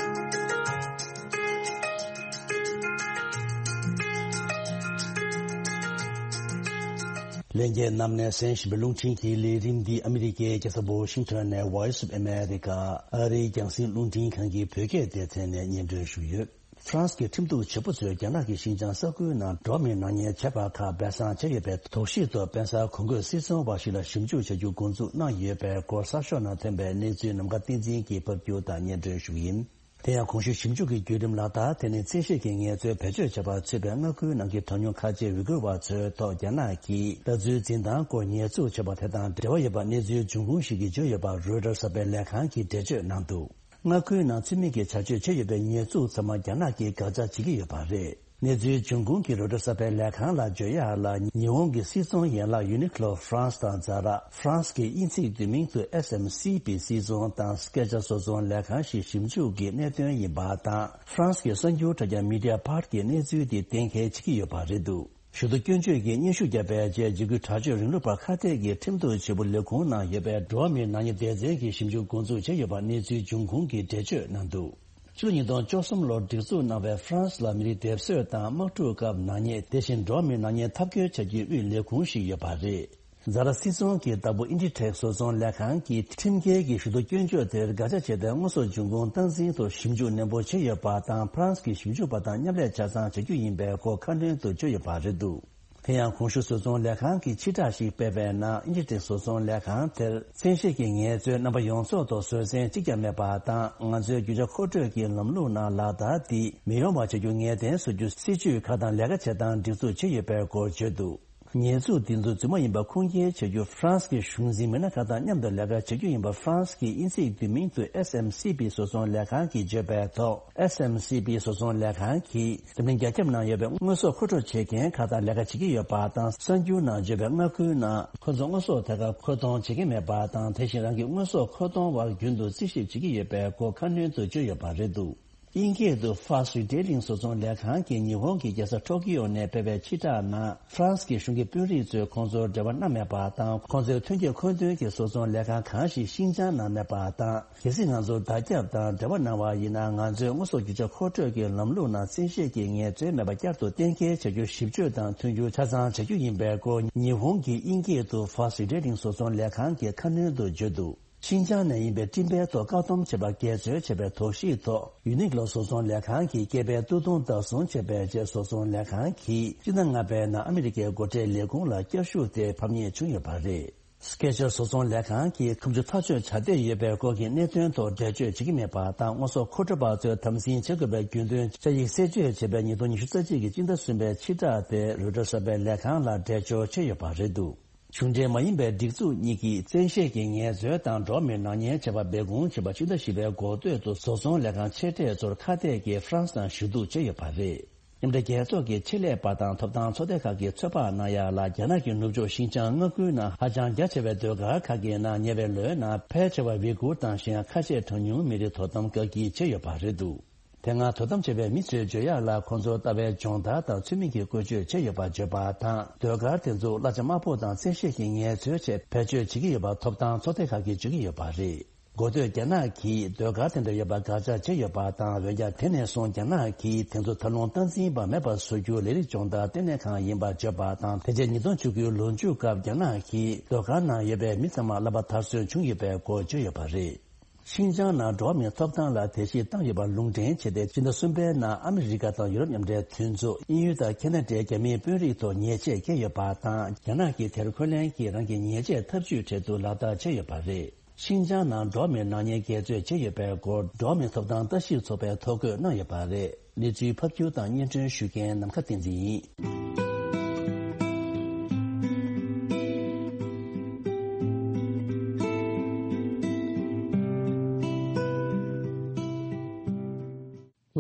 ལྷན་རྒྱས་རྣམས་ནས་གསན་བཞིན་པའི་རླུང་འཕྲིན་གྱི་ལས་རིམ་འདི་ཨ་མི་རི་ཀའི་རྒྱལ་ས་ཝ་ཤིང་ཊོན་ནས་Voice of America ཨ་རིའི་རྒྱང་སྲིང་རླུང་འཕྲིན་ཁང་གི་བོད་སྐད་སྡེ་ཚན་ནས་སྙན་སྒྲོན་ཞུས་ཡོད། ཧྥ་རན་སི་གི་ཁྲིམས་གཏུག་བྱེད་པོ་ཚོས་རྒྱ་ནག་གི་ཞིང་ཆེན་ས་ཁུལ་ནང་འགྲོ་བ་མིའི་ནག་ཉེས་བྱས་པ་ཁག་སྦས་གསང་བྱས་ཡོད་པའི་དོགས་གཞི་ཐོག་དཔེ་གསར་གོང་འཁོད་སྲིད་ཚོང་བ་ཞིག་ལ་ཞིབ་འཇུག་བྱ་རྒྱུ་འགོ་འཛུགས་གནང་ཡོད་པའི་སྐོར་གསར་ཤོག་ནང་ཐོན་པའི་གནས་ཚུལ་ནམ་མཁའ་བསྟན་འཛིན་གྱིས་ཕབ་སྒྱུར་དང་སྙན་སྒྲོན་ཞུ་གི་ཡིན། དེ་ཡང་གོང་ཞུས་ཞིབ་འཇུག་གི་བརྒྱུད་རིམ་ལག་བསྟར་དེ་ནི་བཙན་ཤེད་ཀྱི་ངལ་རྩོལ་བེད་སྤྱོད་བྱས་པ་ཚུད་པའི་མངའ་ཁུལ་ནང་གི་གྲངས་ཉུང་ཁ་ཆེ་ཝི་གུར་བ་ཚོའི་ཐོག་རྒྱ་ནག་གིས་ལྟ་ཚུལ་འཛིན་སྟངས་སྐོར་ཉེས་འཛུགས་བྱས་པ་དེ་དང་འབྲེལ་བ་ཡོད་པ་གནས་ཚུལ་འབྱུང་ཁུངས་ཤིག་གིས་བརྗོད་ཡོད་པ་རོའི་ཊར་གསར་པའི་ལས་ཁང་གིས་འགྲེལ་བརྗོད་གནང་འདུག་མངའ་ཁུལ་ནང་ཚུལ་མིན་གྱི་བྱ་སྤྱོད་བྱས་ཡོད་པའི་ཉེས་འཛུགས་ཚང་མ་རྒྱ་ནག་གིས་དགག་བྱ་བྱེད་ཀྱི་ཡོད་པ་རེད། གནས་ཚུལ་འབྱུང་ཁུངས་ཀྱིས་རོའི་ཊར་གསར་པའི་ལས་ཁང་ལ་བརྗོད་ཡག་ལ། ཉི་ཧོང་གི་སྲིད་ཚོང་ཡན་ལག་ཡུ་ནི་ཀློ་ཧྥ་རན་སི་དང་ཛ་ར། ཧྥ་རན་སི་གི་དབྱིན་ཚིག་བསྡུས་མིང་དུ་ཨེས་ཨེམ་སི་བི་སྲིད་ཚོང་དང་སྐེ་ཆ་བཟོ་ཚོང་ལས་ཁང་ཞིག་ཞིབ་འཇུག་གི་གནད་དོན་ཡིན་པ་དང་། ཧྥ་རན་སི་གི་གསར་འགྱུར་དྲ་རྒྱ་མི་ཌི་ཡ་པར་གྱིས་གནས་ཚུལ་དེ་གཏན་འཁེལ་བྱེད་ཀྱི་ཡོད་པ་རེད་འདུག་ཞུ་གཏུག་སྐྱོན་བརྗོད་ཀྱིས་སྙན་ཞུ་བརྒྱབ་པའི་རྗེས། འཇིགས་སྐུལ་དྲག་སྤྱོད་རིང་ལུགས་པར་ཁ་གཏད་ཀྱི་ཁྲིམས་གཏུག་བྱེད་པོ་ལས་ཁུངས་ནང་ཡོད་པའི་འགྲོ་བ་མིའི་ནག་ཉེས་སྡེ་ཚན་གྱིས་ཞིབ་འཇུག་འགོ་འཛུགས་བྱས་ཡོད་པ་གནས་ཚུལ་འབྱུང་ཁུངས་ཀྱིས་འགྲེལ་བརྗོད་གནང་འདུག་ཕྱི་ལོ་ཉིས་སྟོང་བཅུ་གསུམ་ལོར་སྒྲིག་འཛུགས་གནང་བའི་ཧྥ་རན་སི་ལ་མི་རིགས་སྡེབ་གསོད་དང་དམག་འཁྲུག་སྐབས་ནག་ཉེས། དེ་བཞིན་འགྲོ་བ་མིའི་ནག་ཉེས་འཐབ་རྒོལ་བྱ་རྒྱུའི་དབུས་ལས་ཁུངས་ཤིག་ཡོད་པ་རེད། ཛ་ར་སྲིད་ཚོང་གི་བདག་པོ་ཨིན་ཌི་ཊེག་བཟོ་ཚོང་ལས་ཁང་གིས་ཁྲིམས་འགལ་གྱི་ཞུ་གཏུག་སྐྱོན་བརྗོད་དེར་དགག་བྱ་བྱས་ཏེ། དངོས་ཟོག་འབྱུང་ཁུངས་སྟངས་འཛིན་ཐོག་ཞིབ་འཇུག་ནན་པོ་བྱས་ཡོད་པ་དང་། ཧྥ་རན་སི་གི་ཞིབ་འཇུག་པ་དང་མཉམ་ལས་ཆ་ཚང་བྱ་རྒྱུ་ཡིན་པའི་སྐོར་ཁ་སྣོན་དུ་བརྗོད་ཡོད་པ་རེད་འདུག་དེ་ཡང་གོང་ཞུས་བཟོ་ཚོང་ལས་ཁང་གིས་ཕྱིར་བསྒྲགས་ཤིག་སྤེལ་བའི་ནང་། ཨིན་ཇི་ཊེག་བཟོ་ཚོང་ལས་ཁང་དེར་བཙན་ཤེད་ཀྱི་ངལ་རྩོལ་རྣམ་པ་ཡོངས་རྫོགས་ཐོག་བཟོད་བསྲན་གཅིག་ཀྱང་མེད་པ་དང་། ང་ཚོའི་རྒྱུ་ཆ་མཁོ་སྤྲོད་ཀྱི་ལམ་ལུགས་ནང་ལག་བསྟར་འདི་མི་ཡོང་བ་བྱ་རྒྱུ་ངེས་གཏན་བཟོ་རྒྱུ་སྲིད་ཇུས་ཁག་དང་ལས་ཀ་བྱེད་སྟངས་སྒྲིག་འཛུགས་བྱས་ཡོད་པའི་སྐོར་བརྗོད་འདུག་ཉེས་འཛུགས་འདི་ཚོ་རྫུན་མ་ཡིན་པ་ཁུངས་སྐྱེལ་བྱ་རྒྱུ། ཧྥ་རན་སི་གི་གཞུང་འཛིན་མི་སྣ་ཁག་དང་མཉམ་དུ་ལས་ཀ་བྱ་རྒྱུ་ཡིན་པ། ཧྥ་རན་སི་གི་དབྱིན་ཚིག་བསྡུས་མིང་དུ་ཨེས་ཨེམ་སི་བི་བཟོ་ཚོང་ལས་ཁང་གིས་བརྗོད་པའི་ཐོག་ཨེས་ཨེམ་སི་བི་བཟོ་ཚོང་ལས་ཁང་གིས་འཛམ་གླིང་རྒྱ་ཁྱབ་ནང་ཡོད་པའི་དངོས་ཟོག་མཁོ་སྤྲོད་བྱེད་མཁན་ཁག་དང་ལས་ཀ་བྱེད་ཀྱི་ཡོད་པ་དང་། གསར་འགྱུར་ནང་བརྗོད་པའི་མངའ་ཁུལ་ནང་ཁོ་ཚོ་དངོས་ཟོག་དེ་ག་མཁོ་གཏོང་བྱེད་ཀྱི་མེད་པ་དང་། དེ་བཞིན་རང་གི་དངོས་ཟོག་མཁོ་གཏོང་བར་རྒྱུན་དུ་རྩིས་ཞིབ་བྱེད་ཀྱི་ཡོད་པའི་སྐོར་ཁ་སྣོན་དུ་བརྗོད་ཡོད་པ་རེད་འདུག་དབྱིན་སྐད་དུ་Fast Retailing་བཟོ་ཚོང་ལས་ཁང་གིས་ཉི་ཧོང་གི་རྒྱལ་ས་ཊོ་ཀི་ཡོ་ནས་སྤེལ་བའི་ཕྱིར་བསྒྲགས་ནང་། ཧྥ་རན་སི་གི་གཞུང་གི་དཔོན་རིགས་ཚོས་ཁོང་ཚོར་འབྲེལ་བ་གནང་མེད་པ་དང་། ཁོང་ཚོའི་ཐོན་སྐྱེད་མཁོ་འདོན་གྱི་བཟོ་ཚོང་ལས་ཁང་གང་ཞིག་ཤིན་ཅང་ནང་མེད་པ་དང་། གལ་སྲིད་ང་ཚོར་བརྡ་བརྒྱབ་དང་འབྲེལ་བ་གནང་བ་ཡིན་ན། ང་ཚོས་དངོས་ཟོག་རྒྱུ་ཆ་མཁོ་སྤྲོད་ཀྱི་ལམ་ལུགས་ནང་བཙན་ཤེད་ཀྱི་ངལ་རྩོལ་མེད་པ་བསྐྱར་དུ་གཏན་འཁེལ་བྱ་རྒྱུ། ཞིབ་དཔྱོད་དང་མཐུན་འགྱུར་ཆ་ཚང་བྱ་རྒྱུ་ཡིན་པའི་སྐོར། ཉི་ཧོང་གི་དབྱིན་སྐད་དུ་Fast Retailing་བཟོ་ཚོང་ལས་ཁང་གིས་ཁ་སྣོན་དུ་བརྗོད་འདུག་ཤིན་ཅང་ནས་ཡིན་པའི་སྤྲིན་པའི་ཐོག་བཀག་སྡོམ་བྱས་པར་འགལ་འཛོལ་བྱས་པའི་དོགས་གཞིའི་ཐོག་ཡུ་ནིག་ལོ་བཟོ་ཚོང་ལས་ཁང་གིས་སྐྱེས་པའི་སྟོད་ཐུང་བདག་བཟུང་བྱས་པའི་རྗེས། བཟོ་ཚོང་ལས་ཁང་གིས་སྤྱི་ཟླ་ལྔ་པའི་ནང་ཨ་མི་རི་ཀའི་སྒོ་ཁྲལ་ལས་ཁུངས་ལ་བསྐྱར་ཞུ་དེ་ཕབ་ཉེས་བྱུང་ཡོད་པ་རེད། སྐེ་ཆ་བཟོ་ཚོང་ལས་ཁང་གིས་ཁ་མཆུ་ཐག་ཆོད་བྱ་བསྡད་ཡོད་པའི་སྐོར་གྱི་གནད་དོན་ཐོག་འགྲེལ་བརྗོད་བྱེད་ཀྱི་མེད་པ་དང་། དངོས་ཟོག་མཁོ་སྤྲོད་པ་ཚོས་དམ་འཛིན་བྱེད་དགོས་པའི་རྒྱུན་དོན་བཅའ་ཡིག་གསལ་བརྗོད་བྱས་པའི་ཉིས་སྟོང་ཉི་ཤུ་རྩ་གཅིག་གི་སྤྱི་ཟླ་གསུམ་པའི་ཕྱིར་བསྒྲགས་དེ་རོའི་ཊར་གསར་པའི་ལས་ཁང་ལ་འགྲེལ་བརྗོད་བྱས་ཡོད་པ་རེད་འདུག་གཞུང་འབྲེལ་མ་ཡིན་པའི་སྒྲིག་འཛུགས་གཉིས་ཀྱིས་བཙན་ཤེད་ཀྱི་ངལ་རྩོལ་དང་འགྲོ་བ་མིའི་ནག་ཉེས་བྱས་པ་སྦས་སྐུང་བྱས་པ། ཕྱི་ཟླ་བཞི་པའི་འགོ་སྟོད་དུ་བཟོ་ཚོང་ལས་ཁང་ཆེ་གྲས་ཚོར་ཁ་གཏད་ཀྱིས་ཧྥ་རན་སི་ནང་ཞུ་གཏུག་བྱས་ཡོད་པ་རེད། མཉམ་འབྲེལ་རྒྱལ་ཚོགས་ཀྱི་ཆེད་ལས་པ་དང་ཐོབ་ཐང་ཚོགས་སྡེ་ཁག་གིས་ཚོད་དཔག་གནང་ཡག་ལ། རྒྱ་ནག་གི་ནུབ་ཕྱོགས་ཤིན་ཅང་མངའ་ཁུལ་ནང་ཧ་ཅང་རྒྱ་ཆེ་བའི་ཟློས་གར་ཁག་གི་ནང་ཉེ་བའི་ལོའི་ནང་ཕལ་ཆེ་བ་ཝི་གུར་དང་གཞན་ཁ་ཤས་གྲངས་ཉུང་མི་རིགས་དོ་དམ་བཀག་སྐྱིལ་བྱས་ཡོད་པ་རེད་འདུག་དེ་སྔ་དོ་དམ་བྱས་པའི་མི་ཚོས་བརྗོད་ཡག་ལ། ཁོང་ཚོར་ལྟ་བའི་སྦྱོང་བརྡར་དང་ཚུལ་མིན་གྱི་བཀོལ་སྤྱོད་བྱས་ཡོད་པ་བརྗོད་པ་དང་། ཟློས་གར་དེ་ཚོ་གླ་ཆ་དམའ་པོ་དང་བཙན་ཤེད་ཀྱི་ངལ་རྩོལ་ཆེད་བེད་སྤྱོད་བྱེད་ཀྱི་ཡོད་པ་ཐོབ་ཐང་ཚོགས་སྡེ་ཁག་གིས་བརྗོད་ཀྱི་ཡོད་པ་རེད། འགོ་སྟོད་རྒྱ་ནག་གིས་ཟློས་གར་དེ་འདྲ་ཡོད་པ་དགག་བྱ་བྱས་ཡོད་པ་དང་། འོན་ཀྱང་དེ་ནས་བཟུང་རྒྱ་ནག་གིས་དེ་ཚོ་ད་རུང་སྟངས་འཛིན་པ་མེད་པར་བཟོ་རྒྱུ་ལས་རིགས་སྦྱོང་བརྡར་ལྟེ་གནས་ཁང་ཡིན་པ་བརྗོད་པ་དང་། དེ་རྗེས་ཉིས་སྟོང་བཅུ་དགུའི་ལོ་མཇུག་སྐབས་རྒྱ་ནག་གིས་ཟློས་གར་ནང་ཡོད་པའི་མི་ཚང་མ་བསླབ་པ་མཐར་སོན་བྱུང་ཡོད་པའི་སྐོར་བརྗོད་ཡོད་པ་རེད། ཤིན་ཅང་ནང་འགྲོ་བ་མིའི་ཐོབ་ཐང་ལ་བརྡལ་བཤིག་བཏང་ཡོད་པར་ལུང་འདྲེན་བྱས་ཏེ། སྤྱི་ཟླ་གསུམ་པའི་ནང་ཨ་མི་རི་ཀ་དང་ཡུ་རོབ་མཉམ་འབྲེལ་མཐུན་ཚོགས། དབྱིན་ཡུལ་དང་ཁེ་ན་ཌའི་རྒྱ་མིའི་དཔོན་རིགས་ཐོག་ཉེས་ཆད་བཀལ་ཡོད་པ་དང་། རྒྱ་ནག་གིས་དེར་འཁོན་ལན་གྱིས་རང་གི་ཉེས་ཆད་ཐབས་ཇུས་འཕྲལ་དུ་ལག་བསྟར་བྱས་ཡོད་པ་རེད། ཤིན་ཅང་ནང་འགྲོ་བ་མིའི་ནག་ཉེས་འགལ་རྩོད་བྱས་ཡོད་པའི་སྐོར། འགྲོ་བ་མིའི་ཐོབ་ཐང་ལྟ་ཞིབ་ཚོགས་པས་ཐོ་འགོད་གནང་ཡོད་པ་རེད། གནས་ཚུལ་ཕབ་སྒྱུར་དང་སྙན་སྒྲོན་ཞུ་མཁན་ནམ་མཁའ་བསྟན་འཛིན་ཡིན།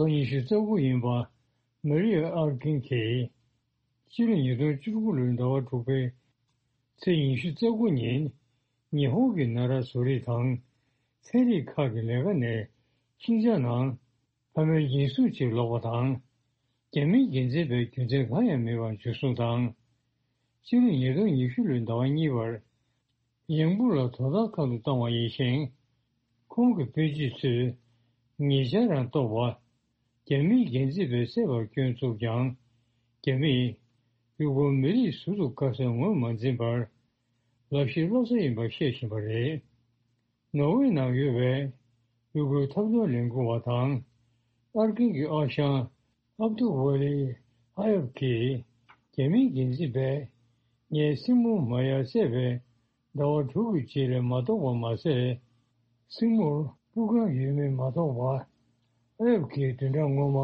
ལོ་ཉི་ཤུ་རྩ་དགུ་ཡིན་པ་མ་རི་ཨ་ཨར་ཀིན་གྱིས། སྤྱི་ལོ་ཉིས་སྟོང་བཅུ་དགུ་ལོའི་ཟླ་བ་དྲུག་པའི་ཚེས་ཉི་ཤུ་རྩ་དགུ་ཉིན། ཉི་ཧོང་གི་ན་ར་བཟོ་རིག་དང་ཚན་རིག་ཁག་གི་ལས་ཀ་ནས་ཤིན་ཅང་ནང་ཕ་མའི་འཇིགས་སུ་ཆེ་ལོག་པ་དང་། རྒྱ་མིའི་འགན་འཛིན་པའི་རྒྱུ་མཚན་གང་ཡང་མེད་པར་འཇུ་བཟུང་དང་། སྤྱི་ལོ་ཉིས་སྟོང་ཉི་ཤུ་ལོའི་ཟླ་བ་གཉིས་པར། ཡང་བུ་ལ་དོ་བདག་ཁང་དུ་བཏང་བ་ཡིན་ཞིང་། ཁོང་གི་དཔོན་རིགས་ཚོས་ཉེ་ཆར་རང་རྟོགས་པ། རྒྱ་མིའི་འགན་འཛིན་པས་བསད་པར་སྐྱོན་བཙུགས་ཀྱང་། རྒྱ་མིས་ཡུ་གུར་མི་རིགས་ཟུར་དུ་དཀར་ཟས་ངོས་མ་འཛིན་པར། ལག་ཤེས་སློབ་གསོ་ཡིན་པར་བཤད་བཞིན་པ་རེད། ནོར་ཝེ་ནང་ཡོད་པའི་ཡུ་གུར་ཐབས་འདོན་ལས་འགུལ་བ་དང་། ཨར་ཀིན་གྱི་ཨ་ཞང་ཨབ་ཏུ་ཝ་ལི་ཨ་ཡབ་ཀྱིས་རྒྱ་མིའི་འགན་འཛིན་པས་ངའི་སྲིང་མོ་མ་ཡར་བསད་པའི་ཟླ་བ་དྲུག་གི་རྗེས་ལ་མ་ཐོགས་པ་མ་ཟད། སྲིང་མོར་སྤུ་རྐང་ཡོད་མེད་མ་ཐོགས་པ། ཨ་ཡབ་ཀྱིས་བདུན་ཕྲག་སྔོན་མ་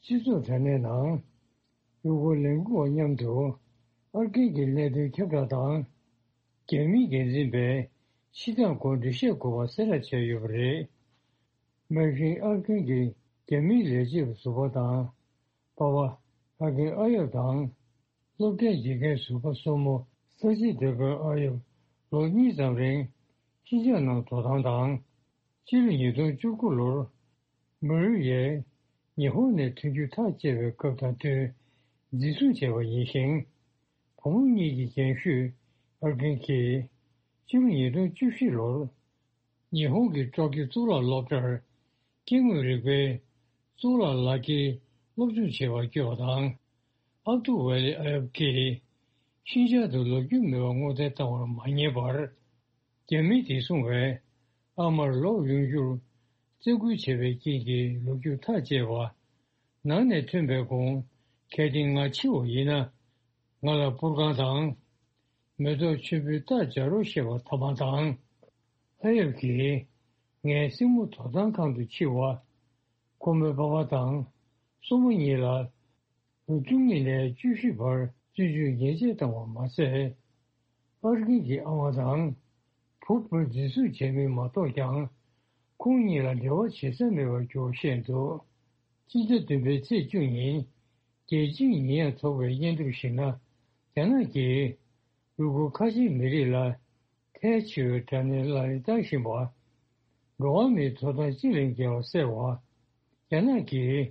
སྤྱི་ཚོགས་དྲ་གནས་ནང་ཡུལ་སྐོར་ལས་འགུལ་བ་མཉམ་དུ་ཨར་ཀིན་གྱི་གནད་དོན་ཁྱབ་བསྒྲགས་དང་། རྒྱ་མིའི་འགན་འཛིན་པས་ཕྱི་ཐག་སྒོ་འདྲི་བཤད་དགོས་པ་གསལ་བསྒྲགས་བྱས་ཡོད་པ་རེད། མ་གཞི་ཨར་ཀིན་གྱི་རྒྱ་མིའི་ལས་བྱེད་པ་ཟུར་པ་དང་། པ་ཕ་ཨར་ཀིན་ཨ་ཡབ་དང་། སློབ་གྲྭའི་དགེ་རྒན་ཟུར་པ་སོར་མོ་ས་ཆེན་སྡེ་དཔོན་ཨ་ཡབ་ལོ་གཉིས་ཙམ་རིང་ཤིན་ཅང་ནང་དོ་དམ་དང་། སྤྱི་ལོ་ཉིས་སྟོང་བཅུ་དགུ་ལོར་མུ་རུ་ཡས་ཉི་ཧོང་ནས་ཐོན་རྒྱུ་ཐག་བཅད་པའི་སྐབས་དང་བསྟུན་འཛིན་བཟུང་བྱས་པ་ཡིན་ཞིང་། བུ་མོ་གཉིས་ཀྱི་རྒན་ཤོས་ཨར་ཀིན་གྱིས་སྤྱི་ལོ་ཉིས་སྟོང་བཅུ་བཞི་ལོར་ཉི་ཧོང་གི་ཀྲོ་ཀིའོ་གཙུག་ལག་སློབ་གྲྭར་སྐྱེ་དངོས་རིག་པའི་གཙུག་ལག་ལག་འཁྱེར་སློབ་སྦྱོང་བྱེད་པར་བསྐྱོད་པ་དང་། ཨབ་ཏུ་ཝེ་ལི་ཨ་ཡབ་ཀྱིས་ཤིན་ཅང་དུ་ལོ་རྒྱུས་མེད་པར་སྔོག་འདོན་བཏང་བར་མ་ཉན་པར། རྒྱ་མིའི་བདེ་སྲུང་བས་ཨ་མར་ལོག་ཡོང་རྒྱུར་བཙན་སྐུལ་བྱས་པའི་རྐྱེན་གྱིས་ལོ་རྒྱུས་ཐག་བཅད་པ། ནང་ནས་ཐོན་པའི་གོང་གལ་ཏེ་ང་འཆི་བ་ཡིན་ན། ང་ལ་སྤུར་ཁང་དང་། མེ་ཏོག་ཆུན་པོའི་རྟ་བྱ་རོག་བཤད་པ་ཐ་མ་དང་། ཨ་ཡབ་ཀྱིས་ངའི་སྲིང་མོ་དོ་དམ་ཁང་དུ་འཁྱེར་བ། ཁོ་མོའི་པ་ཕ་དང་སྲུ་མོ་གཉིས་ལ་ལོ་བཅུ་གཉིས་ནས་བཅུ་བཞི་བར་བཙོན་འཇུག་ཉེས་ཆད་བཏང་བ་མ་ཟད། ཨར་ཀིན་གྱི་ཨ་མ་དང་བུ་སྤུན་འཛིན་བཟུང་བྱས་མིན་མ་རྟོགས་ཀྱང་། ཁོང་གཉིས་ལ་འབྲེལ་བ་བྱེད་ས་མེད་པར་གྱུར་བ་བཤད་འདུག་སྤྱི་ཟླ་བདུན་པའི་ཚེས་བཅུ་ཉིན། རྒྱལ་སྤྱིའི་ཉེས་ཡངས་ཚོགས་པའི་སྙན་ཐོར་ཞིག་ན། རྒྱ་ནག་གིས་ཡུལ་སྐོར་ཁ་ཆེའི་མི་རིགས་ལ་གལ་ཆེ་བའི་དྲག་གནོན་ལག་ལེན་བསྟར་བཞིན་པ། འགྲོ་བ་མིའི་ཐོབ་ཐང་སྤྱི་ལས་འགལ་བ་སེལ་བ། རྒྱ་ནག་གིས་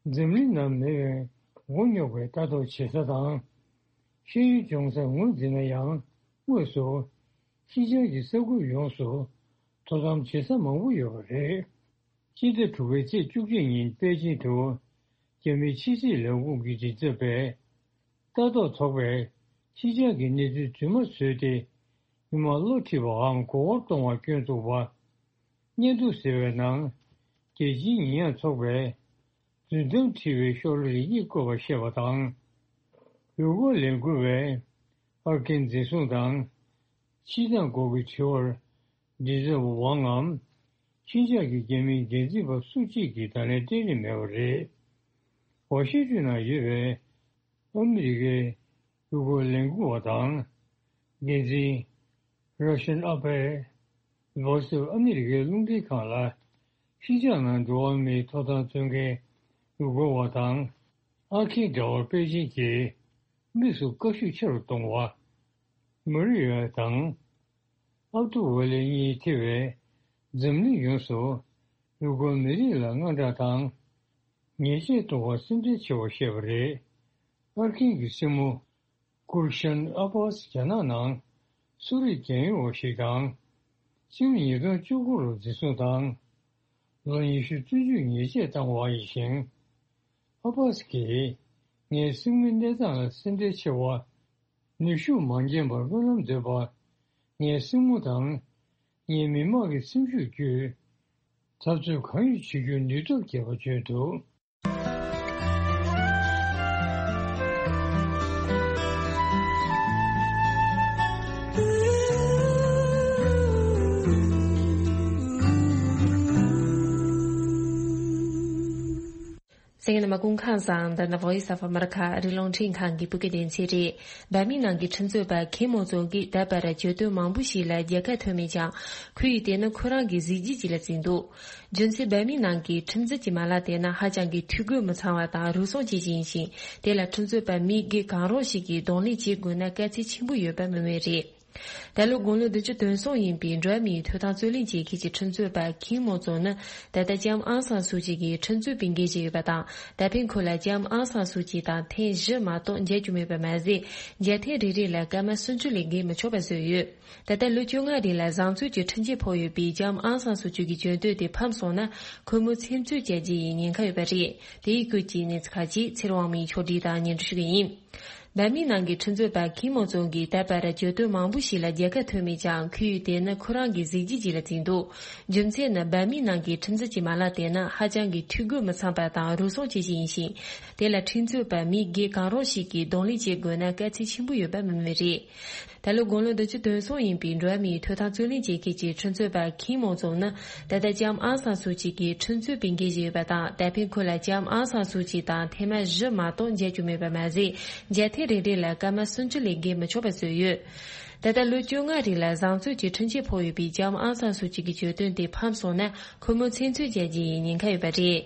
འཛམ་གླིང་ནང་མི་མང་མགོ་རྙོག་པའི་ལྟ་རྟོག་བྱེད་ས་དང་། ཤེས་ཡོན་སྦྱོང་སར་ངོས་འཛིན་ན་ཡང་དངོས་སུ་ཤིན་ཅང་གི་ས་ཁུལ་ཡོངས་སུ་དོ་དམ་བྱེད་ས་མང་པོ་ཡོད་པ་རེད། སྤྱི་ཟླ་དྲུག་པའི་ཚེས་བཅུ་གཅིག་ཉིན་པེ་ཅིང་དུ་རྒྱ་མིའི་ཕྱི་སྲིད་ལས་ཁུངས་ཀྱི་མགྲིན་ཚབ་པས་ལྟ་རྟོག་ཚོགས་པས་ཕྱི་འཆར་གྱི་གནས་ཚུལ་རྫུན་མ་བཟོས་ཏེ་མི་མང་བློ་ཁྲིད་པའམ་གོ་བབ་གཏོང་བར་སྐྱོན་བཙུགས་པ། སྙན་ཐོ་ཟེར་བའི་ནང་རྒྱལ་སྤྱིའི་ཉེས་ཡངས་ཚོགས་པས་རྫུན་གཏམ་བྲིས་པའི་ཤོག་ལྷེ་རེ་གཉིས་བཀོད་པར་བཤད་པ་དང་། ཡུལ་སྐོར་ལས་འགུལ་བས་ཨར་ཀིན་འཛིན་བཟུང་དང་། ཕྱིར་བཏང་སྐོར་གྱི་དྲི་བར་མགྲིན་ཚབ་པ་ཝང་ངམ། ཕྱིན་ཆད་ཀྱི་རྒྱ་མིའི་འགན་འཛིན་པ་སུ་གཅིག་གིས་ད་ལན་སྤྲད་རིན་མེད་པ་རེད། ཝ་ཤིང་ཏོན་ནང་ཡོད་པའི་ཨ་མི་རི་ཀའི་ཡུལ་སྐོར་ལས་འགུལ་བ་དང་། འགན་འཛིན་Russian Affairs Voice of America རླུང་འཕྲིན་ཁང་ལ་ཤིན་ཅང་ནང་འགྲོ་བ་མིའི་ཐོབ་ཐང་རྩོད་མཁན་ཡུལ་སྐོར་བ་དང་། ཨ་ཁིན་དྲ་བར་པེ་ཅིང་གིས་དམིགས་སུ་བཀའ་ཤོག་ཆེ་རུ་གཏོང་བ། མུ་རི་ཡོན་དང་། ཨབ་ཏུ་ཝ་ལི་གཉིས་ཐེ་བའི་འཛམ་གླིང་ཡོངས་སུ་ཡུལ་སྐོར་མི་རིགས་ལ་དངངས་སྐྲག་དང་ཉེས་ཆད་གཏོང་བར་སེམས་ཁྲལ་ཆེ་བར་བཤད་པ་རེད། ཨར་ཀིན་གྱི་སྲིང་མོ་གུར་ཤན་ཨ་པཱས་རྒྱ་ནག་ནང་གསོ་རིག་རྒྱལ་ཡོངས་པ་ཞིག་དང་སྤྱི་ལོ་ཉིས་སྟོང་བཅུ་དགུ་ལོར་འཛིན་བཟུང་དང་ལོ་ཉི་ཤུ་བཙོན་འཇུག་ཉེས་ཆད་བཏང་བ་ཡིན་ཞིང་། ཨ་པཱས་ཀྱིས་ངའི་སྲིང་མོའི་གནས་སྟངས་ལ་སེམས་ཁྲལ་ཆེ་བ། ནུས་ཤུགས་མ་འགྱངས་པར་སྨོན་ལམ་འདེབས་པ། ངའི་སྲིང་མོ་དང་ངའི་མི་མང་གི་སེམས་ཤུགས་བརྒྱུད། འཐབ་རྩོད་གང་ཡང་བྱེད་རྒྱུར་ནུས་སྟོབས་བསྐྱེད་པ་བརྗོད་འདུག་གསན་མཁན་རྣམ་པ་སྐུ་ཁམས་བཟང་། འདི་ནི་Voice of America ཨ་རིའི་རླུང་འཕྲིན་ཁང་གི་བོད་སྐད་སྡེ་ཚན་རེད། འབར་མའི་ནང་གི་ཁྲིམས་རྩོད་པ་ཁེ་མོ་ཙོང་གིས་ད་བར་གྱོད་དོན་མང་པོ་ཞིག་ལ་རྒྱལ་ཁ་ཐོབ་མེད་ཀྱང་། ཁོ་ཡིས་དེ་ནི་ཁོ་རང་གི་གཟི་བརྗིད་ཅིག་ལ་བརྩིས་འདུག་རྒྱུ་མཚན་འབར་མའི་ནང་གི་ཁྲིམས་རྩོད་ཀྱི་མ་ལག་དེ་ནི་ཧ་ཅང་གི་འཐུས་སྒོ་མི་ཚང་བ་དང་རུལ་སུངས་ཆེ་ཞིང་ཞིང་། དེ་ལ་ཁྲིམས་རྩོད་པ་མི་སྒེར་གང་རུང་ཞིག་གིས་གདོང་ལེན་བྱེད་དགོས་ན་དཀའ་ཚེགས་ཆེན་པོ་ཡོད་པ་མི་ངོས་རེད། ད་ལོ་དགུང་ལོ་བདུན་ཅུ་དོན་གསུམ་ཡིན་པའི་འགྲོ་བ་མིའི་ཐོབ་ཐང་རྩོད་ལེན་བྱེད་མཁན་གྱི་ཁྲིམས་རྩོད་པ་ཁིམ་མོ་ཙོང་ནི་ད་ལྟ་ལྕམ་ཨང་སང་སུ་ཅི་གི་ཁྲིམས་རྩོད་པའི་འགན་བཞེས་ཡོད་པ་དང་། ད་ཕན་ཁོ་ལ་ལྕམ་ཨང་སང་སུ་ཅི་དང་ཐེངས་བཞི་མ་གཏོགས་མཇལ་རྒྱུ་མེད་པ་མ་ཟད། མཇལ་ཐེངས་རེ་རེ་ལ་སྐར་མ་སུམ་ཅུ་ལས་བརྒལ་མི་ཆོག་པ་བཟོས་ཡོད། ད་ལྟ་ལོ་བཅོ་ལྔ་རིང་ལ་བཟང་སྤྱོད་ཀྱི་ཁྲིམས་ཆད་ཕོག་ཡོད་པའི་ལྕམ་ཨང་སང་སུ་ཅི་གི་གྱོད་དོན་དེ་ཕམ་སོང་ན། ཁོ་མོ་ཚིག་མཛོད་བཅར་རྒྱུ་ཡི་ཉེན་ཁ་ཡོད་པ་རེད། དེའི་སྐོར་གྱི་གནས་ཚུལ་ཁག་ཅིག་ཚེ་རིང་དབང་མོས་ཕྱོགས་སྒྲིག་དང་སྙན་སྒྲོན་ཞུ་གི་ཡིན། འབར་མའི་ནང་གི་ཁྲིམས་རྩོད་པ་ཁིམ་མོ་ཙོང་གིས་ད་བར་གྱོད་དོན་མང་པོ་ཞིག་ལ་རྒྱལ་ཁ་ཐོབ་མེད་ཀྱང་། ཁོས་དེ་ནི་ཁོ་རང་གི་གཟི་བརྗིད་ཅིག་ལ་བརྩིས་འདུག་རྒྱུ་མཚན་ནི། འབར་མའི་ནང་གི་ཁྲིམས་རྩོད་ཀྱི་མ་ལག་དེ་ནི་ཧ་ཅང་གི་འཐུས་སྒོ་མི་ཚང་བ་དང་རུལ་སུངས་ཆེ་ཤོས་ཡིན་ཞིང་། དེ་ལ་ཁྲིམས་རྩོད་པ་མི་སྒེར་གང་རུང་ཞིག་གིས་གདོང་ལེན་བྱེད་དགོས་ན་དཀའ་ཚེགས་ཆེན་པོ་ཡོད་པ་མིན་མི་རེད། ད་ལོ་དགུང་ལོ་བདུན་ཅུ་དོན་གསུམ་ཡིན་པའི་འགྲོ་བ་མིའི་ཐོབ་ཐང་རྩོད་ལེན་བྱེད་མཁན་གྱི་ཁྲིམས་རྩོད་པ་ཁིམ་མོ་ཙོང་ནི། ད་ལྟ་ལྕམ་ཨང་སང་སུའུ་ཅི་གི་ཁྲིམས་རྩོད་པའི་འགན་བཞེས་ཡོད་པ་དང་། ད་ཕན་ཁོ་ལ་ལྕམ་ཨང་སང་སུའུ་ཅི་དང་ཐེངས་མ་བཞི་མ་གཏོགས་མཇལ་རྒྱུ་མེད་པ་མ་ཟད། མཇལ་ཐེངས་རེ་རེ་ལ་སྐར་མ་སུམ་ཅུ་ལས་བརྒལ་མི་ཆོག་པ་བཟོས་ཡོད། ད་ལྟ་ལོ་བཅོ་ལྔ་རིང་ལ་བཟང་སྤྱོད་ཀྱི་འཕྲུལ་ཆས་ཕོག་ཡོད་པའི་ལྕམ་ཨང་སང་སུའུ་ཅི་གི་གྱོད་དོན་དེ་ཕམ་སོང་ན། ཁོ་མོ་ཚེ་བཙོན་བཅད་རྒྱུ་ཡི་ཉེན་ཁ་ཡོད་པ་རེད།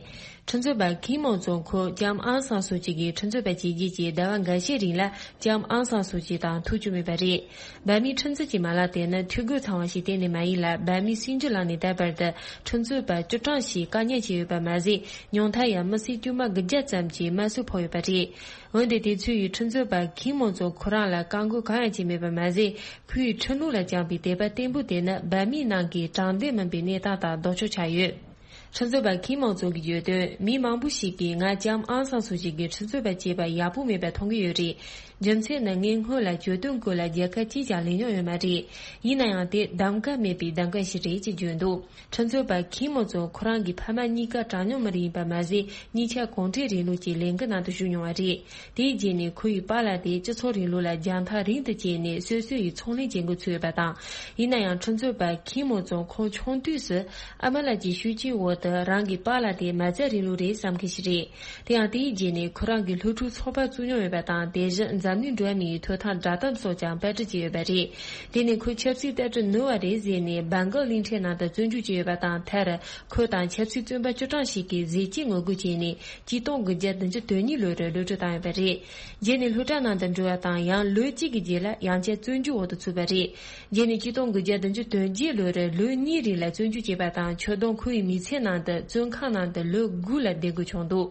ཁྲིམས་རྩོད་པ་ཁིམ་མོ་ཙོང་ཁོ་ལྕམ་ཨང་སང་སུའུ་ཅི་གི་ཁྲིམས་རྩོད་པ་བྱས་རྗེས་ཀྱི་ཟླ་བ་འགའ་ཤས་རིང་ལ་ལྕམ་ཨང་སང་སུའུ་ཅི་དང་ཐུག་རྒྱུ་མེད་པ་རེད། འབར་མའི་ཁྲིམས་རྩོད་ཀྱི་མ་ལག་དེ་ནི་འཐུས་སྒོ་ཚང་བ་ཞིག་གཏན་ནས་མ་ཡིན་ལ། འབར་མའི་སྲིད་འཛིན་ལངས་ནས་ད་བར་དུ་ཁྲིམས་རྩོད་པ་བཅུ་གྲངས་ཤིག་བཀག་ཉར་བྱས་ཡོད་པ་མ་ཟད། ཉུང་མཐར་ཡང་མི་སེར་དཀྱུས་མ་དགུ་བརྒྱ་ཙམ་གྱི་དམར་གསོད་ཕོག་ཡོད་པ་རེད། འོན་ཏེ་དེ་ཚོའི་ཁྲིམས་རྩོད་པ་ཁིམ་མོ་ཙོང་ཁོ་རང་ལ་བཀག་འགོག་གང་ཡང་བྱས་མེད་པ་མ་ཟད། ཁོའི་ཁྲིམས་ལུགས་ལ་བཅངས་པའི་དད་པ་བརྟན་པོ་དེ་ནི་འབར་མའི་ནང་གི་དྲང་བདེན་མིན་པའི་གནས་སྟངས་དང་ལྡོག་ཕྱོགས་ཆགས་ཡོད། ཁྲིམས་རྩོད་པ་ཁིམ་མོ་ཙོང་གི་གྱོད་དོན། མི་མང་པོ་ཞིག་གིས་ང་ལྕམ་ཨང་སང་སུའུ་ཅི་གིས་ཁྲིམས་རྩོད་པ་བྱས་པ་ཡག་པོ་མེད་པ་མཐོང་གི་ཡོད་རེད། རྒྱུ་མཚན་ནི་ངས་སྔོན་ལ་གྱོད་དོན་སྐོར་ལ་རྒྱལ་ཁ་གཅིག་ཀྱང་ལེན་མྱོང་ཡོད་མ་རེད། ཡིན་ན་ཡང་དེ་གདམ་ག་མེད་པའི་གདམ་ག་ཞིག་རེད་ཅེས་བརྗོད་འདུག་ཁྲིམས་རྩོད་པ་ཁིམ་མོ་ཙོང་ཁོ་རང་གི་ཕ་མ་གཉིས་ཀ་གྲངས་ཉུང་མི་རིགས་ཡིན་པ་མ་ཟད། གཉིས་ཆ་གུང་ཁྲན་རིང་ལུགས་ཀྱི་ལས་འགུལ་ནང་དུ་ཞུགས་མྱོང་བ་རེད། དེའི་རྗེས་ནས་ཁོ་ཡི་པཱ་ལགས་དེ་སྤྱི་ཚོགས་རིང་ལུགས་ལ་རྒྱང་ཐག་རིང་དུ་བསྐྱལ་ནས་སོ་སོ་ཡི་ཚོང་ལས་བྱེད་འགོ་ཚུགས་ཡོད་པ་དང་། ཡིན་ན་ཡང་ཁྲིམས་རྩོད་པ་ཁིམ་མོ་ཙོང་ཁོང་ཆུང་དུས་སུ་ཨ་མ་ལགས་ཀྱི་ཤུགས་རྐྱེན་འོག་ཏུ་རང་གི་པཱ་ལགས་དེ་མ་རྩ་རིང་ལུགས་རེད་བསམ་མཁན་ཞིག་རེད། དེ་ཡང་དེའི་རྗེས་ནས་ཁོ་རང་གིས་སློབ་ཕྲུག་ཚོགས་པ་བཙུགས་མྱོང་ཡོད་པ་དང་། དེ་བཞིན་འཛམ་གླིང་འགྲོ་བ་མིའི་ཐོབ་ཐང་བསྒྲགས་གཏམ་སོགས་ཀྱང་པར་སྐྲུན་བྱས་ཡོད་པ་རེད། དེ་ནས་ཁོས་ཆབ་སྲིད་ལྟ་གྲུབ་ནོར་བ་རེད་ཟེར་ནས་སྦེང་གོག་གླིང་ཕྲན་ནང་དུ་བཙོན་འཇུག་བྱས་ཡོད་པ་དང་། མཐར་ཁོ་དང་ཆབ་སྲིད་བཙོན་པ་བཅུ་གྲངས་ཤིག་གིས་ཟས་བཅད་ངོ་རྒོལ་བྱས་ནས་ཆིག་སྟོང་དགུ་བརྒྱ་བདུན་ཅུ་དོན་གཉིས་ལོར་གློད་བཀྲོལ་བཏང་ཡོད་པ་རེད། རྗེས་ནས་སློབ་གྲྭ་ནང་དུ་འགྲོ་བ་དང་། ཡང་ལོ་གཅིག་གི་རྗེས་ལ་ཡང་བསྐྱར་བཙོན་འཇུག་འོག་ཏུ་ཚུད་པ་རེད། རྗེས་ནས་ཆིག་སྟོང་དགུ་བརྒྱ་བདུན་ཅུ་དོན་བརྒྱད་ལོར་ལོ་གཉིས་རིང་ལ་བཙོན་འཇུག་བྱས་པ་དང་། ཁྱོན་བསྡོམས་ཁོ་ཡི་མི་ཚེ་ནང་དུ་བཙོན་ཁང་ནང་དུ་ལོ་དགུ་ལ་བསྡད་དགོས་བྱུང་འདུག་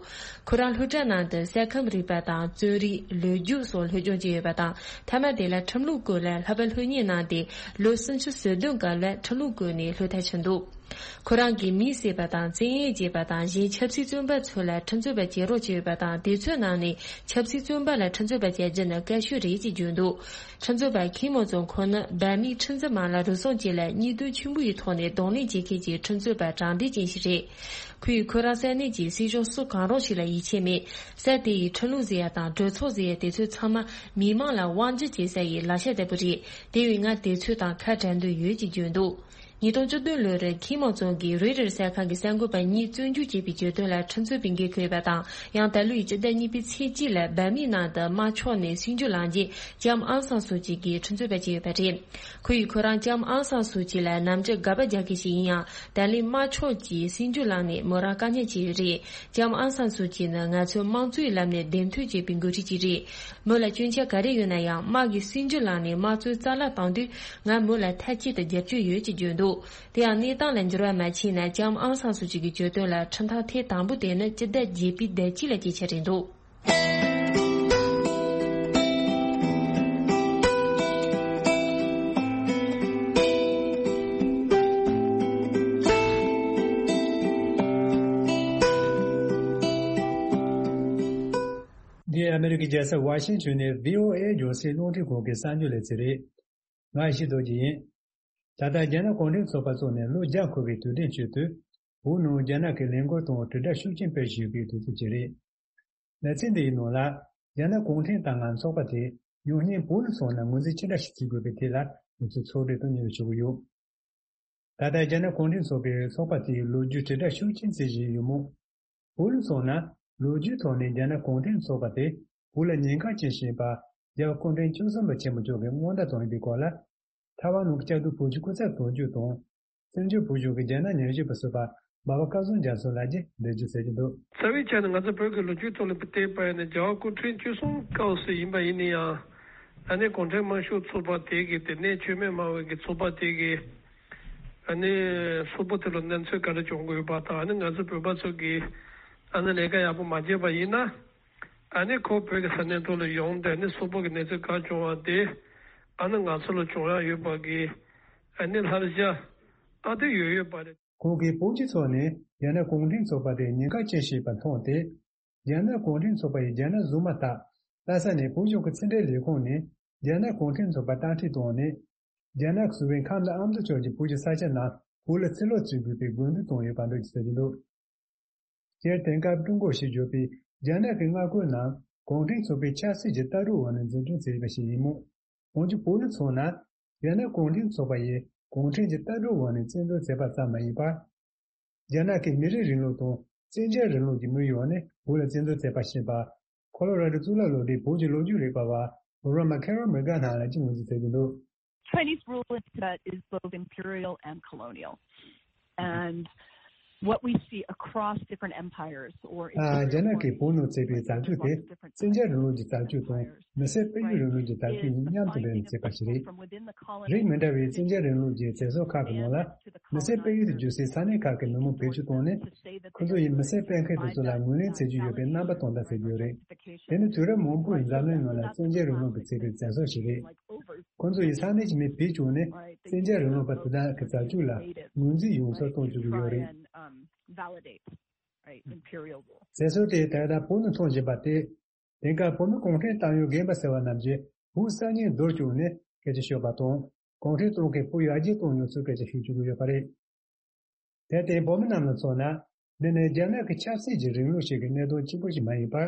ཁོ་རང་སློབ་གྲྭ་ནང་དུ་ས་ཁམས་རིག་པ་དང་། རྩོམ་རིག་ལོ་རྒྱུས་སོགས་སློབ་སྦྱོང་བྱས་ཡོད་པ་དང་། མཐའ་མ་དེ་ལ་ཁྲིམས་ལུགས་སྐོར་ལ་ལྷག་པར་སློབ་གཉེར་གནང་སྟེ། ལོ་སུམ་ཅུ་སོ་བདུན་སྐབས་ལ་ཁྲིམས་ལུགས་སྐོར་ནས་སློབ་མཐར་ཕྱིན་འདུག་ཁོ་རང་གིས་མི་བསད་པ་དང་། བཙན་གཡེམ་བྱས་པ་དང་། གཞན་ཆབ་སྲིད་བཙོན་པ་ཚོ་ལ་ཁྲིམས་རྩོད་པ་བྱེད་རོགས་བྱས་ཡོད་པ་དང་། དེ་ཚོའི་ནང་ནས་ཆབ་སྲིད་བཙོན་པ་ལ་ཁྲིམས་རྩོད་པ་བྱ་རྒྱུ་ནི་དཀའ་ཤོས་རེད་ཅེས་བརྗོད་འདུག་ཁྲིམས་རྩོད་པ་ཁིམ་མོ་ཙོང་ཁོ་ནི་འབར་མའི་ཁྲིམས་འཛིན་མ་ལག་རུལ་སུངས་བཅས་ལ་གཉིས་དོན་ཆེན་པོ་ཡི་ཐོག་ནས་གདོང་ལེན་བྱེད་མཁན་གྱི་ཁྲིམས་རྩོད་པ་དྲང་བདེན་ཅན་ཞིག་རེད། ཁོས་ཁོ་རང་ས་གནས་ཀྱི་སྲིད་གཞུང་སུ་གང་རུང་ཞིག་ལ་ཡིད་ཆེས་མེད། ས་དེ་ཡི་ཁྲིམས་ལུགས་ཟེར་ཡ་དང་གྲོས་ཚོགས་ཟེར་ཡ་དེ་ཚོ་ཚང་མ་མི་མང་ལ་དབང་སྒྱུར་བྱེད་ས་ཡི་ལག་ཆ་ལྟ་བུ་རེད། དེ་བས་ང་དེ་ཚོ་དང་ཁ་བྲལ་འདོད་ཡོད་ཅེས་བརྗོད་འདུག་ཉིས་སྟོང་བཅུ་བདུན་ལོར་ཁིམ་མོ་ཙོང་གིས་རོའི་ཊར་གསར་ཁང་གི་གསར་འགོད་པ་གཉིས་བཙོན་འཇུག་བྱས་པའི་གྱོད་དོན་ལ་ཁྲིམས་རྩོད་པའི་འགན་ཁུར་ཡོད་པ་དང་། ཡང་ད་ལོའི་སྤྱི་ཟླ་གཉིས་པའི་ཚེས་གཅིག་ལ་འབར་མའི་ནང་དུ་དམར་ཕྱོགས་ནས་སྲིད་འཇུག་ལངས་རྗེས། ལྕམ་ཨང་སང་སུའུ་ཅི་གིས་ཁྲིམས་རྩོད་པ་བྱས་ཡོད་པ་རེད། ཁོ་ཡིས་ཁོ་རང་ལྕམ་ཨང་སང་སུའུ་ཅི་ལ་ནམ་རྒྱུན་དགག་པ་རྒྱག་མཁན་ཞིག་ཡིན་ཡང་། ད་ལན་དམར་ཕྱོགས་ཀྱིས་སྲིད་འཇུག་ལངས་ནས་མོ་རང་བཀག་ཉར་བྱས་ཡོད་རེད། ལྕམ་ཨང་སང་སུའུ་ཅི་ནི་ང་ཚོས་དམངས་གཙོའི་ལམ་ནས་གདན་ཐོན་བྱས་པའི་འགོ་ཁྲིད་ཅིག་རེད། མོ་ལ་སྐྱོན་ཆ་ག་རེ་ཡོད་ན་ཡང་། དམག་གིས་སྲིད་འཇུག་ལངས་ནས་དམངས་གཙོ་རྩ་བརླག་བཏང་དུས། ང་མོ་ལ་མཐའ་གཅིག་ཏུ་རྒྱབ་སྐྱོར་ཡོད་ཅེས་བརྗོད་འདུག་དེ་ཡང་གནས་སྟངས་ལ་འགྱུར་བ་མ་ཕྱིན་ན། ལྕམ་ཨང་སང་སུའུ་ཅི་གི་གྱོད་དོན་ལ་ཁྲིམས་ཐག་ཐེངས་དང་པོ་དེ་ནི་སྤྱི་ཟླ་བརྒྱད་པའི་ཟླ་གཅིག་ལ་སྐྱེལ་འཆར་རེད་འདུག་འདི་ཨ་མེ་རི་ཀའི་རྒྱལ་ས་ཝ་ཤིང་ཊོན་ནས་བྷི་ཨོ་ཨེ་རྒྱང་སྲིང་རླུང་འཕྲིན་ཁང་གི་གསར་འགྱུར་ལེ་ཚན་རེད། ང་ཡེ་ཤེས་རྡོ་རྗེ་ཡིན། ད་ལྟ་རྒྱ་ནག་གུང་ཁྲན་ཚོགས་པ་བཙུགས་ནས་ལོ་བརྒྱ་འཁོར་བའི་དུས་དྲན་ཆེད་དུ། བོད་ནང་རྒྱ་ནག་གི་ལས་འགུལ་དང་དྲིལ་བསྒྲགས་ཤུགས་ཆེན་སྤེལ་བཞིན་ཡོད་པའི་དུས་ཚོད་ཅིག་རེད། ལེ་ཚན་འདིའི་ནང་ལ། རྒྱ་ནག་གུང་ཁྲན་ཏང་ངམ་ཚོགས་པ་དེ་ཉམས་ཉེས་བོད་ལ་སོང་ན་ངོས་འཛིན་ཅི་འདྲ་ཞིག་བྱེད་དགོས་པའི་ཐད་ལ་ང་ཚོས་ཚོགས་འདུ་དང་སྙན་ཞུ་ཞུ་གི་ཡོད། ད་ལྟ་རྒྱ་ནག་གུང་ཁྲན་ཚོགས་པའི་ཚོགས་པ་དེའི་ལོ་རྒྱུས་དྲིལ་བསྒྲགས་ཤུགས་ཆེན་བྱེད་བཞིན་ཡོད་མོད། བོད་ལ་སོང་ན་ལོ་རྒྱུས་ཐོག་ནས་རྒྱ་ནག་གུང་ཁྲན་ཚོགས་པ་དེ་བོད་ལ་ཉེན་ཁ་ཅན་ཞིག་ཡིན་པ་རྒྱལ་བ་སྐུ་ཕྲེང་བཅུ་གསུམ་པ་ཆེན་པོ་མཆོག་གིས་སྔོན་བརྡ་བཏང་ཡོད་པའི་སྐོར་ལ། ཐའེ་ཝན་ནང་གི་བཅའ་སྡོད་བོད་ཀྱི་སྐུ་ཚབ་དོན་གཅོད་དང་། བཙན་བྱོལ་བོད་གཞུང་གི་རྒྱ་ནག་ཉམས་ཞིབ་པ་ཟུར་པ་སྦ་བ་སྐལ་བཟང་རྒྱ་མཚོ་ལགས་ཀྱིས་འགྲེལ་བརྗོད་གནང་གི་འདུག་རྩ་བའི་ཆ་ནས་ང་ཚོ་བོད་ཀྱི་ལོ་རྒྱུས་ཐོག་ལ་བལྟས་པ་ཡིན་ན། རྒྱལ་བ་སྐུ་ཕྲེང་བཅུ་གསུམ་སྐབས་སུ་ཡིན་པ་ཡིན་ན་ཡང་། ཨ་ནི་གུང་ཁྲན་དམར་ཤོག་ཚོགས་པ་དེ་གི་དེ་ནས་མཆོད་མེ་སྨྲ་བའི་གི་ཚོགས་པ་དེ་གི་ཨ་ནི་སོག་པོ་དེ་ལ་གནས་ཚུལ་ག་རེ་བྱུང་དགོས་པ་དང་། ཨ་ནི་ང་ཚོ་བོད་པ་ཚོ་གི་ཨ་ནི་ལས་ཀ་ཡག་པོ་མ་བྱས་པ་ཡིན་ན། ཨ་ནི་ཁོ་བོད་ཀྱི་ས་གནས་ཐོག་ལ་ཡོང་སྟེ། ཨ་ནི་སོག་པོ་གི་གནས་ཚུལ་ག་བྱུང་བ་དེ་ཨ་ནི་ང་ཚོ་ལ་བྱུང་ཡག་ཡོད་པ་གི་ཨ་ནི་བསླབ་བྱ་ཨ་དེ་ཡོད་ཡོད་པ་རེད། ཁོང་གིས་བོད་སྤྱི་ཚོགས་ནས་རྒྱ་ནག་གུང་ཁྲན་ཚོགས་པ་དེ་ཉེན་ཁ་ཅན་ཞིག་ཡིན་པ་མཐོང་སྟེ། རྒྱ་ནག་གུང་ཁྲན་ཚོགས་པ་ཡིས་རྒྱ་ནག་བཟོས་མ་ཐག་ལྷ་ས་ནས་བོད་གཞུང་གི་ཕྱི་འབྲེལ་ལས་ཁུངས་ནས་རྒྱ་ནག་གུང་ཁྲན་ཚོགས་པར་བརྟག་དཔྱད་བཏང་ནས། རྒྱ་ནག་གི་སུ་ཝེ་ཁམས་དང་ཨ་མདོ་ཕྱོགས་ཀྱི་བོད་ཀྱི་ས་ཆ་རྣམས་བོད་ལ་ཕྱིར་སློག་བྱེད་དགོས་པའི་དགོས་འདུན་བཏོན་ཡོད་པ་འདྲ་ཞིག་ཟེར་གྱི་འདུག་སྤྱིར་དེང་སྐབས་ཀྲུང་གོ་ཞེས་བརྗོད་པའི་རྒྱ་ནག་གི་མངའ་ཁོངས་རྣམས་གུང་ཁྲན་ཚོགས་པའི་ཆབ་སྲིད་ཀྱི་ལྟ་གྲུབ་འོག་ནས་འཛིན་སྐྱོང་བྱས་པ་ཞིག་ཡིན་མོད། འོན་ཀྱང་བོད་ལ་མཚོན་ན། རྒྱ་ནག་གུང་ཁྲན་ཚོགས་པ་ཡིས་གུང་ཁྲན་གྱི་ལྟ་གྲུབ་འོག་ནས་བཙན་འཛུལ་བྱས་པ་ཙམ་མ་ཡིན་པར། རྒྱ་ནག་གིས་མི་རིགས་རིང་ལུགས་དང་བཙན་རྒྱལ་རིང་ལུགས་ཀྱི་དམིགས་ཡུལ་འོག་ནས་བོད་ལ་བཙན་འཛུལ་བྱས་པ་ཞེས་པ། ཁོ་ལོ་ར་ཌོ་གཙུག་ལག་སློབ་གྲྭའི་བོད་ཀྱི་ལོ་རྒྱུས་རིག་པ་བ་Roma Carol Merga་ནས་ལན་གཅིག་ངོས་འཛིན་བྱས་ཀྱི་འདུག Chinese rule in Tibet is both imperial and colonial. And what we see across different empires or རྒྱ་ནག་གིས་བོད་ནང་བྱས་པའི་བྱ་སྤྱོད་དེ་བཙན་རྒྱལ་རིང་ལུགས་ཀྱི་བྱ་སྤྱོད་དང་མི་སེར་སྤེལ་ཡུལ་རིང་ལུགས་ཀྱི་བྱ་སྤྱོད་གཉིས་མཉམ་དུ་འབྲེལ་ནས་བྱས་པ་ཞིག་རེད། རིགས་མི་འདྲ་བའི་བཙན་རྒྱལ་རིང་ལུགས་ཀྱི་ཚེ་སྲོག་ཁག་གི་ནང་ལ། མི་སེར་སྤེལ་ཡུལ་དུ་གྱུར་སའི་ས་གནས་ཁག་གི་མི་མང་བེད་སྤྱོད་བཏང་ནས། ཁོ་ཚོ་ཡིས་མི་སེར་སྤེལ་མཁན་དེ་ཚོ་ལ་ངོས་ལེན་བྱེད་ཀྱི་ཡོད་པའི་རྣམ་པ་སྟོན་སྟངས་ཟེར་གྱི་ཡོད་རེད། དེ་ནི་དུས་རབས་མང་པོའི་འཛམ་གླིང་ནང་ལ་བཙན་རྒྱལ་རིང་ལུགས་ཀྱིས་བྱས་པའི་བཙན་ཤེད་ཞིག་རེད། ཁོ་ཚོ་ཡིས་ས་གནས་ཀྱི་མི་བེད་སྤྱོད་ནས་བཙན་རྒྱལ་རིང་ལུགས་པ་དེ་དག་གི་བྱ་སྤྱོད་ལ་ངོས་འཛིན་ཡོང་ས་གཏོང་བཅུག་གི་ཡོད་རེད། བཙན་ཤེད་དེ་ད་ལྟ་བོད་ནང་མཐོང་བཞིན་པ་སྟེ། དེང་སྐབས་བོད་མི་གུང་ཁྲན་ཏང་ཡོན་རྒན་པ་ཟེར་བ་རྣམས་ཀྱིས་བོད་གསར་རྙིང་རྡོལ་བཅུག་ནས་སྐད་ཆ་ཤོད་པ་དང་། གུང་ཁྲན་ཏང་གིས་བོད་ཡར་རྒྱས་གཏོང་མྱོང་ཚུལ་སྐད་ཆ་ཤོད་བཅུག་གི་ཡོད་པ་རེད། དེར་བརྟེན་བོད་མི་རྣམས་ལ་མཚོན་ན། འདི་ནི་རྒྱ་ནག་གི་ཆབ་སྲིད་ཀྱི་རིང་ལུགས་ཤིག་གི་གནད་དོན་གཅིག་པུ་ཞིག་མ་ཡིན་པར།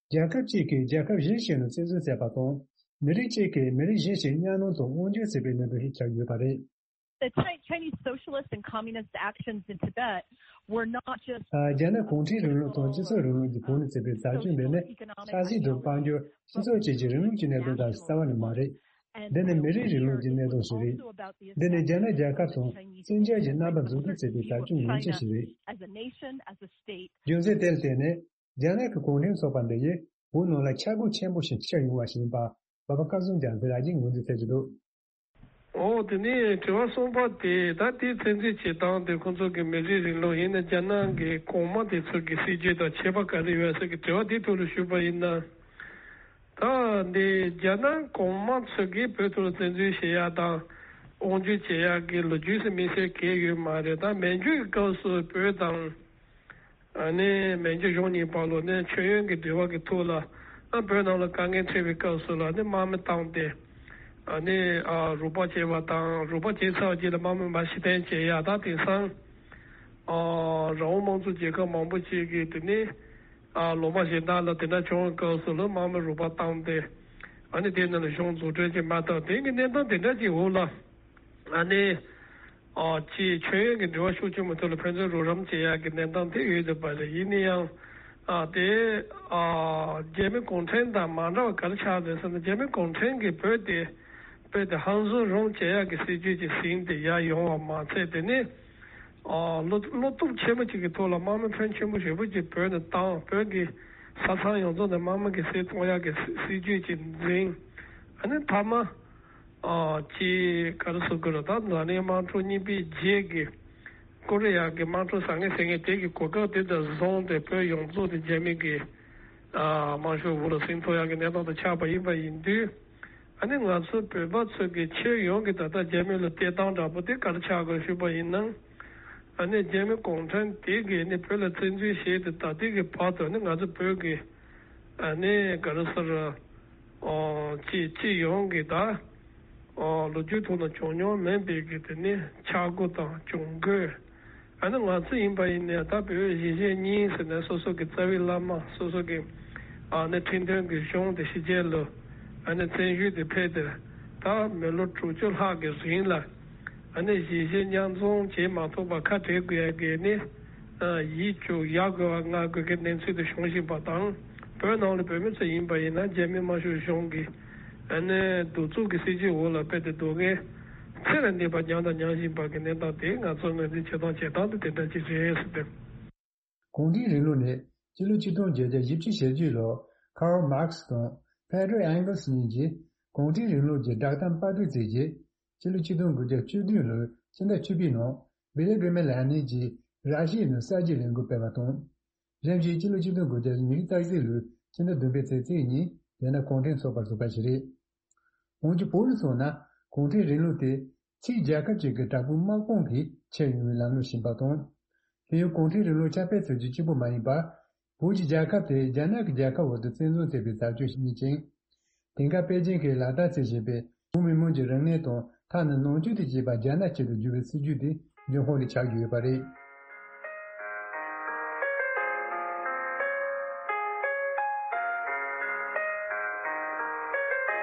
རྒྱལ་ཁབ་གཅིག་གིས་རྒྱལ་ཁབ་གཞན་ཞིག་ནང་བཙན་འཛུལ་བྱས་པ་དང་། མི་རིགས་གཅིག་གིས་མི་རིགས་གཞན་ཞིག་གཉའ་གནོན་དང་དབང་སྒྱུར་བྱས་པའི་གནད་དོན་ཞིག་ཆགས་ཡོད་པ་རེད། The Chi- Chinese socialist and communist actions in Tibet were not just རྒྱ་ནག་གུང་ཁྲན་རིང་ལུགས་དང་སྤྱི་ཚོགས་རིང་ལུགས་ཀྱི་བོད་ནས་བྱས་པའི་བྱ་སྤྱོད་འདི་ནི་ཆབ་སྲིད་དང་དཔལ་འབྱོར། སྤྱི་ཚོགས་བཅས་ཀྱི་རིང་ལུགས་ཀྱི་གནད་དོན་དང་རྩ་བ་ནས་མ་རེད། འདི་ནི་མི་རིགས་རིང་ལུགས་ཀྱི་གནད་དོན་ཞིག་རེད། འདི་ནི་རྒྱ་ནག་རྒྱལ་ཁབ་དང་བཙན་རྒྱལ་གྱི་རྣམ་པ་འཛུགས་སྐྲུན་བྱེད་པའི་བྱ་སྤྱོད་ངོས་ཆེ་ཞིག་རེད། རྒྱུ་མཚན་དེ་ལ་བརྟེན་ནས་རྒྱ་ནག་གི་གུང་ཁྲན་ཚོགས་པ་འདི་ཡིས་བོད་ནང་ལ་ཆག་སྒོ་ཆེན་པོ་ཞིག་ཆགས་ཡོང་བ་ཞིག་ཡིན་པ་བ་བ་སྐལ་བཟང་རྒྱ་མཚོས་ལ་རྒྱའི་ངོས་འཛིན་བྱེད་ཀྱི་འདུག་འོ་དེ་ནས་དྲི་བ་གསུམ་པ་དེ་ད་དེའི་བཙན་འཛུལ་བྱེད་སྟངས་དེ་ཁོང་ཚོ་གི་མི་རིགས་རིང་ལུགས་ཡིན་ན་རྒྱ་ནག་གི་གོང་མ་དེ་ཚོ་གི་སྲིད་ཇུས་དང་ཁྱད་པར་ག་རེ་ཡོད་ཟེར་གི་དྲི་བ་དེའི་ཐོག་ལ་ཞུས་པ་ཡིན་ན། ད་འདི་རྒྱ་ནག་གོང་མ་ཚོ་གིས་བོད་ཐོག་ལ་བཙན་འཛུལ་བྱེད་ཡ་དང་དབང་སྒྱུར་བྱེད་ཡ་གི་ལོ་རྒྱུས་སུ་དམིགས་བསལ་གང་ཡོད་མ་རེད། ད་མན་ཇུ་གི་སྐབས་སུ་བོད་དང་ཨ་ནི་མན་ཇུ་གཞུང་གཉིས་བར་ལ་ནས་མཆོད་ཡོན་གྱི་འབྲེལ་བ་གི་ཐོག་ལ་ཨ་བོད་ནང་ལ་དཀའ་ངལ་འཕྲད་པའི་སྐབས་སུ་ལ་ནི་དམག་མི་བཏང་སྟེ་ཨ་ནི་ཨ་རོགས་པ་བྱས་པ་དང་། རོགས་པ་བྱས་ཚར་བ་རྗེས་ལ་དམག་མི་མར་ཕྱིར་འཐེན་བྱེད་ཡ། ད་དེང་སང་ཨ་རང་དབང་དམངས་གཙོ་རྒྱལ་ཁབ་མང་པོ་ཅིག་གིས་དེ་ནི་ཨ་ལུང་པ་གཞན་དག་ལ་དེ་འདྲ་བྱུང་བའི་སྐབས་སུ་ལ་དམག་མི་རོགས་པ་བཏང་སྟེ་ཨ་ནི་དེ་ནང་ལ་གཞུང་འཛུགས་སྐྲུན་བྱེད་མ་ཐུབ། དེ་གི་གནས་སྟངས་དེ་འདྲ་ཅིག་འོག་ལ། ཨ་ནི། ཨ་ཅིག་མཆོད་ཡོན་གྱི་འབྲེལ་བ་ཤུགས་ཆེན་པོ་ཐོག་ལ་ཕན་ཚུན་རོགས་རམ་བྱེད་ཡག་གི་གནས་སྟངས་དེ་ཡོད་བསྡད་པ་རེད། ཡིན་ན་ཡང་། ཨ་དེ། ཨ་རྒྱ་མི་གུང་ཁྲན་དང་མ་འདྲ་བ་ག་རེ་ཆགས་རེད་ཟེར་ན། རྒྱ་མི་གུང་ཁྲན་གྱིས་བོད་དེ། བོད་དེ་ཧང་སང་རུང་བྱེད་ཡག་གི་སྲིད་ཇུས་ཀྱི་ཟིན་ཏེ་ཡར་ཡོང་བ་མ་ཚད། དེ་ནི། ཨ་བློ་བློ་སྟོབས་ཆེན་པོ་ཅིག་གི་ཐོག་ལ་དམག་མི་ཕོན་ཆེན་པོ་ཞེ་པོ་ཅིག་བོད་ནས་བཏང་། བོད་ཀྱི་ས་མཚམས་ཡོངས་རྫོགས་ནས་དམག་མི་གིས་བསྲེས་གཏོང་ཡག་གི་སྲིད་སྲིད་ཇུས་ཅིག་འཛིན། ཨ་ནི་མཐའ་མ། ཨ་ཅིག་ག་རེ་ཟེར་དགོས་རེད། ད་འཛམ་གླིང་དམག་འཁྲུག་གཉིས་པའི་རྗེས་ཀྱི་ཀོ་རི་ཡ་གི་དམག་འཁྲུག་ཟ་ངེ་ཟིང་ངེ་དེ་གི་གོ་སྐབས་དེ་དང་བཟུང་སྟེ་བོད་ཡོངས་རྫོགས་དེ་རྒྱ་མི་གི་ཨ་དམར་ཤོག་འོག་ལ་ཟིན་ཐུབ་ཡག་གི་གནས་སྟངས་དེ་ཆགས་པ་ཡིན་པ་ཡིན་དུས། ཨ་ནི་ང་ཚོ་བོད་པ་ཚོ་གི་ཁྱོན་ཡོངས་ཀྱི་ད་ལྟ་རྒྱ་མི་ལ་བལྟས་སྟངས་འདྲ་པོ་དེ་ག་རེ་ཆགས་དགོས་ཞུས་པ་ཡིན་ན། ཨ་ནི་རྒྱ་མི་གུང་ཁྲན་དེ་གིས་ནི་བོད་ལ་བཙན་འཛུལ་བྱས་ཏེ་ད་ལྟའི་གི་བར་དུ་ནི་ང་ཚོ་བོད་ཀྱི་ཨ་ནི་ག་རེ་ཟེར། ཨོ་སྤྱི་སྤྱི་ཡོངས་ཀྱི་ད་ཨོ་ལོ་རྒྱུས་ཐོག་ན་བྱུང་མྱོང་མེད་པའི་གི་དེ་ནི་ཆག་སྒོ་དང་གྱོང་གུན། ཨ་ནི་ང་ཚོ་ཡིན་པ་ཡིན་ནའི་ད་བོད་གཞིས་བྱེས་གཉིས་ཟེར་ནས་སོ་སོ་གི་རྩ་བའི་བླ་མ། སོ་སོ་གི་ཨ་ནི་ཁྲིམས་མཐུན་གྱི་གཞུང་དེ་ཕྱི་རྒྱལ་ལ་ཨ་ནི་བཙན་བྱོལ་དུ་ཕེབས་ཏེ་ད་མི་ལོ་དྲུག་ཅུ་ལྷག་གི་རིང་ལ་ཨ་ནི་གཞིས་བྱེས་མཉམ་འཛོམས་བྱེད་མ་ཐུབ་པར་ཁ་བྲལ་དགོས་ཡ་གི་ནི་ཡིད་སྐྱོ་ཡ་དགོས་པ་ང་དགོས་ཀྱི་གནས་ཚུལ་དུ་བྱུང་བཞིན་པ་དང་། བོད་ནང་ལ་བོད་མི་ཚོ་ཡིན་པ་ཡིན་ན་རྒྱ་མི་དམར་ཤོག་གཞུང་གི་ཨ་ནི་གདུག་རྩུབ་ཀྱི་སྲིད་ཇུས་འོག་ལ་ཕེབས་ཏེ་སྡུག་བསྔལ་ཚེ་ལས་འདས་པ་མྱངས་དང་མྱང་བཞིན་པ་གི་གནས་སྟངས་དེ་ང་ཚོ་ངོས་འཛིན་བྱེད་སྟངས་བྱེད་སྟངས་དེ་དེ་འདྲ་ཅིག་རེད་ཟེར་ཏེ། གུང་ཁྲན་རིང་ལུགས་ནི་སྤྱི་ལོ་ཆིག་སྟོང་བརྒྱད་བརྒྱ་བཞི་བཅུ་ཞེ་བརྒྱད་ལོར་ཁཱརལ་མཱར་ཁེ་སི་དང་ཕེ་ཏྲོ་ཨེང་གལ་སི་གཉིས་ཀྱིས་གུང་ཁྲན་རིང་ལུགས་ཀྱི་བསྒྲགས་གཏམ་པར་སྐྲུན་མཛད་རྗེས། སྤྱི་ལོ་ཆིག་སྟོང་དགུ་བརྒྱ་བཅུ་བདུན་ལོའི་ཕྱི་ཟླ་བཅུ་པའི་ནང་བི་ལི་གྷི་རམ་ལེ་ནིང་གིས་ར་ཤི་ཡའི་ནང་གསར་བརྗེའི་ལས་འགུལ་སྤེལ་བ་དང་། གཞན་ཞིག་སྤྱི་ལོ་ཆིག་སྟོང་དགུ་བརྒྱ་ཉི་ཤུ་རྩ་གཅིག་ལོའི་ཕྱི་ཟླ་བདུན་པའི་ཚེས་གཅིག་ཉིན་རྒྱ་ནག་གུང་ཁྲན་ཚོགས་པར་ཟུག་པ་ཞིག་རེད། འོན་ཀྱང་བོད་ལ་མཚོན་ན་གུང་ཁྲན་རིང་ལུགས་དེ་ཕྱིའི་རྒྱལ་ཁབ་ཅིག་གི་དྲག་པོའི་དམག་དཔུང་གིས་ཁྱེར་ཡོང་བའི་ལམ་ལུགས་ཡིན་པ་དང་། དེ་ཡང་གུང་ཁྲན་རིང་ལུགས་ཁྱབ་སྤེལ་བྱ་རྒྱུ་གཅིག་པུ་མ་ཡིན་པར། བོད་ཀྱི་རྒྱལ་ཁབ་དེ་རྒྱ་ནག་གི་རྒྱལ་ཁབ་འོག་ཏུ་བཙན་བཟུང་བྱས་པའི་ཟབ་ཆོས་ཤིག་ཡིན་ཅིང་། དེང་སྐབས་པེ་ཅིང་གིས་ལག་བསྟར་བྱེད་བཞིན་པའི་བོད་མི་མང་གི་རིག་གནས་དང་ཐ་ན་ནང་ཆོས་དེ་བཅས་པ་རྒྱ་ནག་ཆེད་དུ་བསྒྱུར་བའི་སྲིད་ཇུས་དེ་འབྱུང་ཁུངས་རེ་ཆགས་ཀྱི་ཡོད་པ་རེད།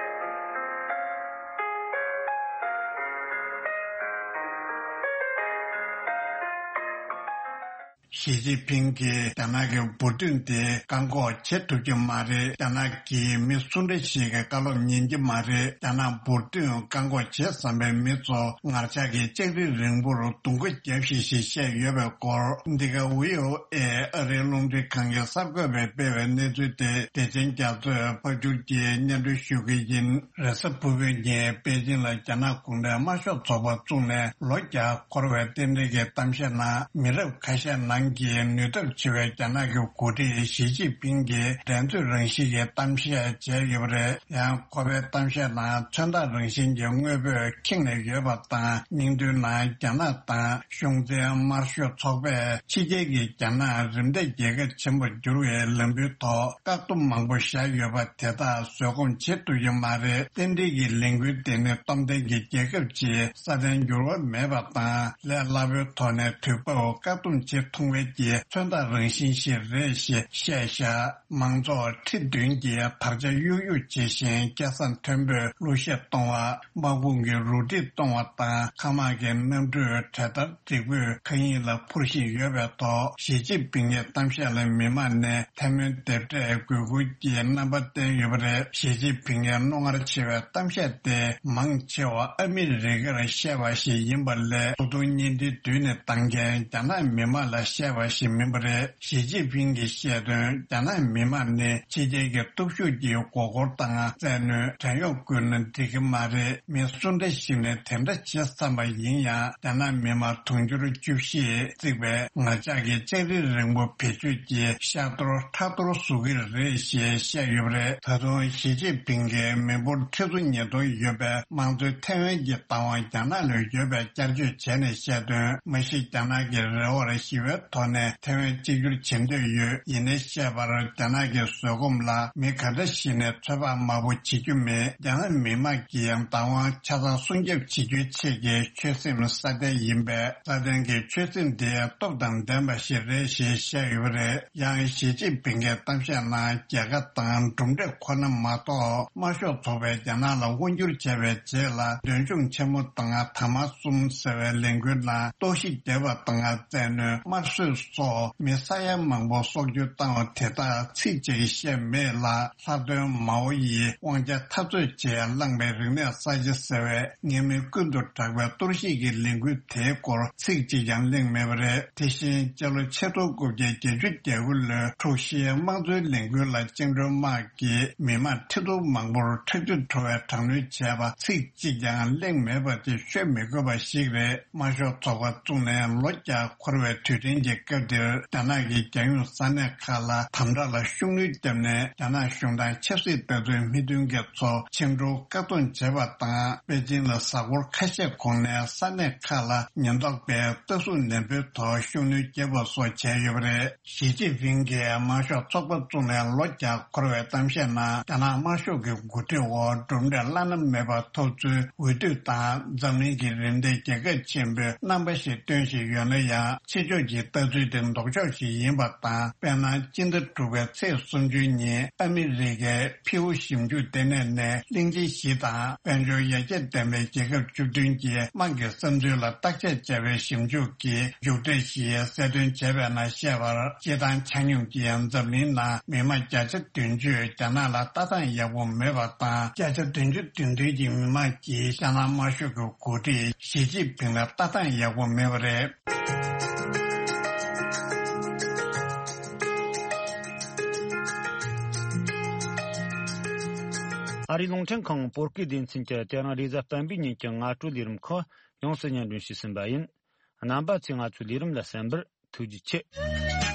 ཞི་ཅིན་ཕིང་གིས་རྒྱ་ནག་གི་འབུར་ཐོན་དེ་བཀག་འགོག་བྱེད་ཐུབ་ཀྱི་མ་རེད། རྒྱ་ནག་གིས་མི་སུ་འདྲ་ཞིག་གི་བཀའ་སློབ་ཉན་གྱི་མ་རེད། རྒྱ་ནག་འབུར་ཐོན་བཀག་འགོག་བྱེད་བསམ་པའི་མི་ཚོ་ངར་ལྕགས་ཀྱི་ལྕགས་རི་རིང་པོར་རྡུང་ག་རྒྱབ་ཤིག་ཞེས་བཤད་ཡོད་པའི་སྐོར། འདི་ག་བྷི་ཨོ་ཨེ་ཨ་རིའི་རླུང་འཕྲིན་ཁང་གི་གསར་འགོད་པས་སྤེལ་བའི་གནས་ཚུལ་དེ་བདེ་ཆེན་རྒྱ་མཚོས་ཕབ་སྒྱུར་གྱིས་སྙན་སྒྲོན་ཞུ་གི་ཡིན། རེས་གཟའ་ཕུར་བུའི་ཉིན་པེ་ཅིང་ལ་རྒྱ་ནག་གུང་ཁྲན་དམར་ཤོག་ཚོགས་པ་བཙུགས་ནས་ལོ་བརྒྱ་འཁོར་བའི་རྟེན་འབྲེལ་གྱི་གཏམ་བཤད་ནང་མི་རབས་ཁ་ཤས་ནང་གི་ནུས་སྟོབས་ཆེ་བའི་རྒྱ་ནག་གི་འགོ་ཁྲིད་ཞི་ཅིན་ཕིང་གིས་འགྲན་རྩོད་རང་བཞིན་གྱི་གཏམ་བཤད་བྱས་ཡོད་པ་རེད། ཡང་ཁོ་པའི་གཏམ་བཤད་ནང་མཚོན་རྟགས་རང་བཞིན་གྱི་དངོས་པོས་ཁེངས་ནས་ཡོད་པ་དང་། སྙིང་དོན་ནང་རྒྱ་ནག་དང་གཞུང་འཛིན་དམར་ཤོག་ཚོགས་པས་ཕྱི་རྒྱལ་གྱི་རྒྱ་ནག་རིམ་འདས་རྒྱལ་ཁབ་ཆེན་པོར་འགྱུར་བའི་ལམ་བུའི་ཐོག་བཀག་སྡོམ་མང་པོ་བཞག་ཡོད་པ་དེ་དག་བཟོད་སྒོམ་བྱེད་ཐུབ་ཀྱི་མ་རེད། རྟེན་འབྲེལ་གྱི་ལས་འགུལ་དེ་ནི་སྟོབས་ལྡན་གྱི་རྒྱལ་ཁབ་ཅིག་སྲ་བརྟན་འགྱུར་བ་མེད་པ་དང་ལས་སླ་པོའི་ཐོག་ནས་དུས་བབ་བཀག་སྡོམ་བྱེད་ཐུབ་མཁན་གྱི་མཚོན་རྟགས་རང་བཞིན་ཞིག་རེད་ཞེས་བཤད་བཞག། མང་ཚོགས་ཁྲི་བདུན་གྱིས་དར་ཆ་གཡུག་གཡུག་བྱེད་བཞིན་སྐད་གསང་མཐོན་པོས་གླུ་གཞས་གཏོང་བ། དམག་དཔུང་གིས་རུ་སྒྲིག་གཏོང་བ་དང་། མཁའ་དམག་གི་གནམ་གྲུས་གྲལ་སྟར་འགྲིག་པོས་མཁའ་དབྱིངས་ལ་འཕུར་བཞིན་ཡོད་པའི་ཐོག་ཞི་ཅིན་ཕིང་གི་གཏམ་བཤད་ལ་མི་མང་ནས་ཐལ་མོ་རྡེབ་སྒྲས་གུས་བཀུར་གྱི་རྣམ་པ་བསྟན་ཡོད་པ་རེད། ཞི་ཅིན་ཕིང་གིས་རྣོ་ངར་ཆེ་བའི་གཏམ་བཤད་དེ་མང་ཆེ་བ་ཨ་མི་རི་ཀར་བཤད་པ་ཞིག་ཡིན་པ་ལས། ཐོབ་ཐང་བརྙན་འཕྲིན་མདུན་ནས་བཏང་མཁན་རྒྱ་ནག་མི་མང་ལ་བཤད་པ་ཞིག་མིན་པ་རེད། ཞི་ཅིན་ཕིང་གིས་བཤད་དོན། རྒྱ་ནག་མི་མང་ནི་ཕྱི་རྒྱལ་གྱི་སྟོབས་ཤུགས་ཀྱི་མགོ་སྐོར་དང་། བཙན་གནོན། བྲན་གཡོག་བཀོལ་ན་འགྲིག་གི་མ་རེད། མི་སུ་འདྲ་ཞིག་ནས་དེ་འདྲ་བྱེད་བསམ་པ་ཡིན་ཡང་། རྒྱ་ནག་མི་དམངས་དུང་ཕྱུར་བཅུ་བཞི་བརྩིགས་པའི་ངར་ལྕགས་ཀྱི་ལྕགས་རི་རིང་པོ་བེད་སྤྱོད་ཀྱིས་ཤ་གཏོར་ཁྲག་གཏོར་བཟོ་གི་རེད་ཞེས་བཤད་ཡོད་པ་རེད། ད་དུང་ཞི་ཅིན་ཕིང་གིས་མི་འབོར་ཁྲི་ཚོ་ཉིས་སྟོང་ཡོད་པའི་དམངས་གཙོའི་ཐའེ་ཝན་གྱི་བདག་དབང་རྒྱ་ནག་ལ་ཡོད་པའི་བསྐྱར་བཅོས་བྱས་ནས་བཤད་དོན། མ་གཞི་རྒྱ་ནག་གིས་རེ་བར་ཞི་བའི་ཐོག་ནས་ཐའེ་ཝན་གཅིག་གྱུར་བྱེད་འདོད་ཡོད། ཡིན་ནའི་བཤད་པར་རྒྱ་ནག་གི་བཟོད་སྒོམ་ལ་མི་ག་འདྲ་ཞིག་ནས་ཚོད་དཔག་དམའ་པོ་བྱེད་རྒྱུ་མེད། རྒྱ་ནག་མི་དམངས་ཀྱི་བདག་དབང་ཆ་ཚང་སྲུང་སྐྱོབ་བྱེད་རྒྱུའི་ཆེད་ཀྱི་ཆོད་སེམས་སྲ་བརྟན་ཡིན་པས། སྲ་བརྟན་གྱི་ཆོད་སེམས་དེ་སྟོབས་དང་ལྡན་པ་ཞིག་རེད་ཞེས་བཤད་ཡོད་པ་རེད། ཡང་ཞི་ཅིན་ཕིང་གི་གཏམ་བཤད་ནང་རྒྱལ་ཁ་དང་གྲུབ་འབྲས་ཁོ་ན་མ་གཏོགས། དམར་ཤོག་ཚོགས་པས་རྒྱ་ནག་ལ་དབང་བསྒྱུར་བྱས་པའི་རྗེས་ལ། འདོད་ཆུང་ཆེན་མོ་དང་དར་དམར་གསུམ་ཟེར་བའི་ལས་འགུལ་ནང་གཏོར་བཤིག་བརྒྱབ་པ་དང་། བཙན་གནོན། དམར་གསོད་སོགས་མི་ས་ཡ་མང་པོ་སྲོག་སྐྱོན་བཏང་བ་དེ་དག་ཚིག་གཅིག་བཤད་མེད་ལ། ལྷག་དོན་མའོ་ཡིས་དབང་ཆ་འཐབ་རྩོད་བྱས་བླངས་པའི་རིག་གནས་གསར་བརྗེ་ཟེར་བའི་ངན་སྨོད་ཀུན་ཏུ་གྲགས་པའི་གཏོར་བཤིག་གི་ལས་འགུལ་དེའི་སྐོར་ཚིག་གཅིག་ཀྱང་གླེང་མེད་པ་རེད། དེ་བཞིན་སྤྱི་ལོ་ཆིག་སྟོང་དགུ་བརྒྱ་བརྒྱད་ཅུ་གྱ་དགུ་ལོའི་འཁྲུག་གཞིའི་དམངས་གཙོའི་ལས་འགུལ་ལ་བཅིངས་འགྲོལ་དམག་གིས་མི་མང་ཁྲི་སྟོང་མང་པོར་ཁྲག་རྒྱུན་བྲོ་བའི་དྲག་གནོན་བྱས་པ་ཚིག་གཅིག་ཀྱང་གླེང་མེད་པ་དེ་ཤོད་མི་དགོས་པ་ཞིག་རེད། དམར་ཤོག་ཚོགས་པ་བཙུགས་ནས་ལོ་བརྒྱ་འཁོར་བའི་དུས་དྲན་གྱི་སྐབས་འདིར། རྒྱ་ནག་གི་རྒྱལ་ཡོངས་ས་གནས་ཁག་ལ་དམ་དྲག་ལ་ཤུགས་སྣོན་བརྒྱབ་ནས། རྒྱ་ནག་གཞུང་དང་ཆབ་སྲིད་ལྟ་འདོད་མི་མཐུན་མཁན་ཚོ་བཅིངས་འགྲོལ་བཀག་སྡོམ་བྱས་པ་དང་། པེ་ཅིང་ལ་གཟའ་འཁོར་ཁ་ཤས་གོང་ནས་ས་གནས་ཁག་ལ་ཉེན་རྟོག་པས་ལྟ་སྲུང་ནན་པོའི་ཐོག་ཤུགས་སྣོན་བརྒྱབ་པ་སོགས་བྱས་ཡོད་པ་རེད། ཞི་ཅིན་ཕིང་གིས་དམར་ཤོག་ཚོགས་པ་བཙུགས་ནས་ལོ་བརྒྱ་འཁོར་བའི་གཏམ་བཤད་ནང་། རྒྱ་ནག་དམར་ཤོག་གི་འགོ་ཁྲིད་འོག་གྲུབ་འབྲས་བླ་ན་མེད་པ་ཐོབ་ཚུལ་འོས་བསྡུ་དང་། འཛམ་གླིང་གི་རིམ་འདས་རྒྱལ་ཁབ་ཆེན་པོའི་རྣམ་པ་ཞིག་སྟོན་བཞིན་ཡོད་ན་ཡང་། ཕྱི་ཕྱོགས་ཀྱི་ལྟ་ཚུལ་དེ་ལྡོག་ཕྱོགས་ཤིག་ཡིན་པ་དང་། དཔེར་ན། སྤྱི་ཟླ་དྲུག་པའི་ཚེས་སུམ་ཅུ་ཉིན་ཨ་མི་རི་ཀའི་ཕིའུ་ཞིབ་འཇུག་ལྟེ་གནས་ནས་གླིང་ཆེན་བཞི་དང་དཔལ་འབྱོར་ཡར་རྒྱས་ལྡན་པའི་རྒྱལ་ཁབ་བཅུ་བདུན་གྱི་དམངས་ཀྱི་བསམ་ཚུལ་ལ་བརྟག་དཔྱད་བྱས་པའི་ཞིབ་འཇུག་གི་མཇུག་འབྲས་ཤིག་གསལ་སྟོན་བྱས་པའི་ནང་བཤད་པར། སྤྱིར་བཏང་ཆ་སྙོམས་ཀྱིས་འཛམ་གླིང་ནང་མི་མང་བརྒྱ་ཆ་བདུན་ཅུས་རྒྱ་ནག་ལ་ལྟ་སྟངས་ཡག་པོ་མེད་པ་དང་། བརྒྱ་ཆ་བདུན་ཅུ་དོན་བདུན་གྱི་མི་མང་གིས་ཤ་ནང་དམར་ཤོག་གི་འགོ་ཁྲིད་ཞི་ཅིན་ཕིང་ལ་ལྟ་སྟངས་ཡག་པོ་མེད་པ་རེད། ཨ་རིའི་རླུང་འཕྲིན་ཁང་བོད་སྐད་སྡེ་ཚན་གྱིས་དེ་རིང་རེས་གཟའ་སྤེན་པའི་ཉིན་གྱི་སྔ་དྲོའི་ལས་རིམ་ཁག་ཡོངས་སུ་སྙན་སྒྲོན་ཞུས་ཟིན་པ་ཡིན། རྣམ་པ་ཚོས་ང་ཚོའི་ལས་རིམ་ལ་གསན་པར་ཐུགས་རྗེ་ཆེ།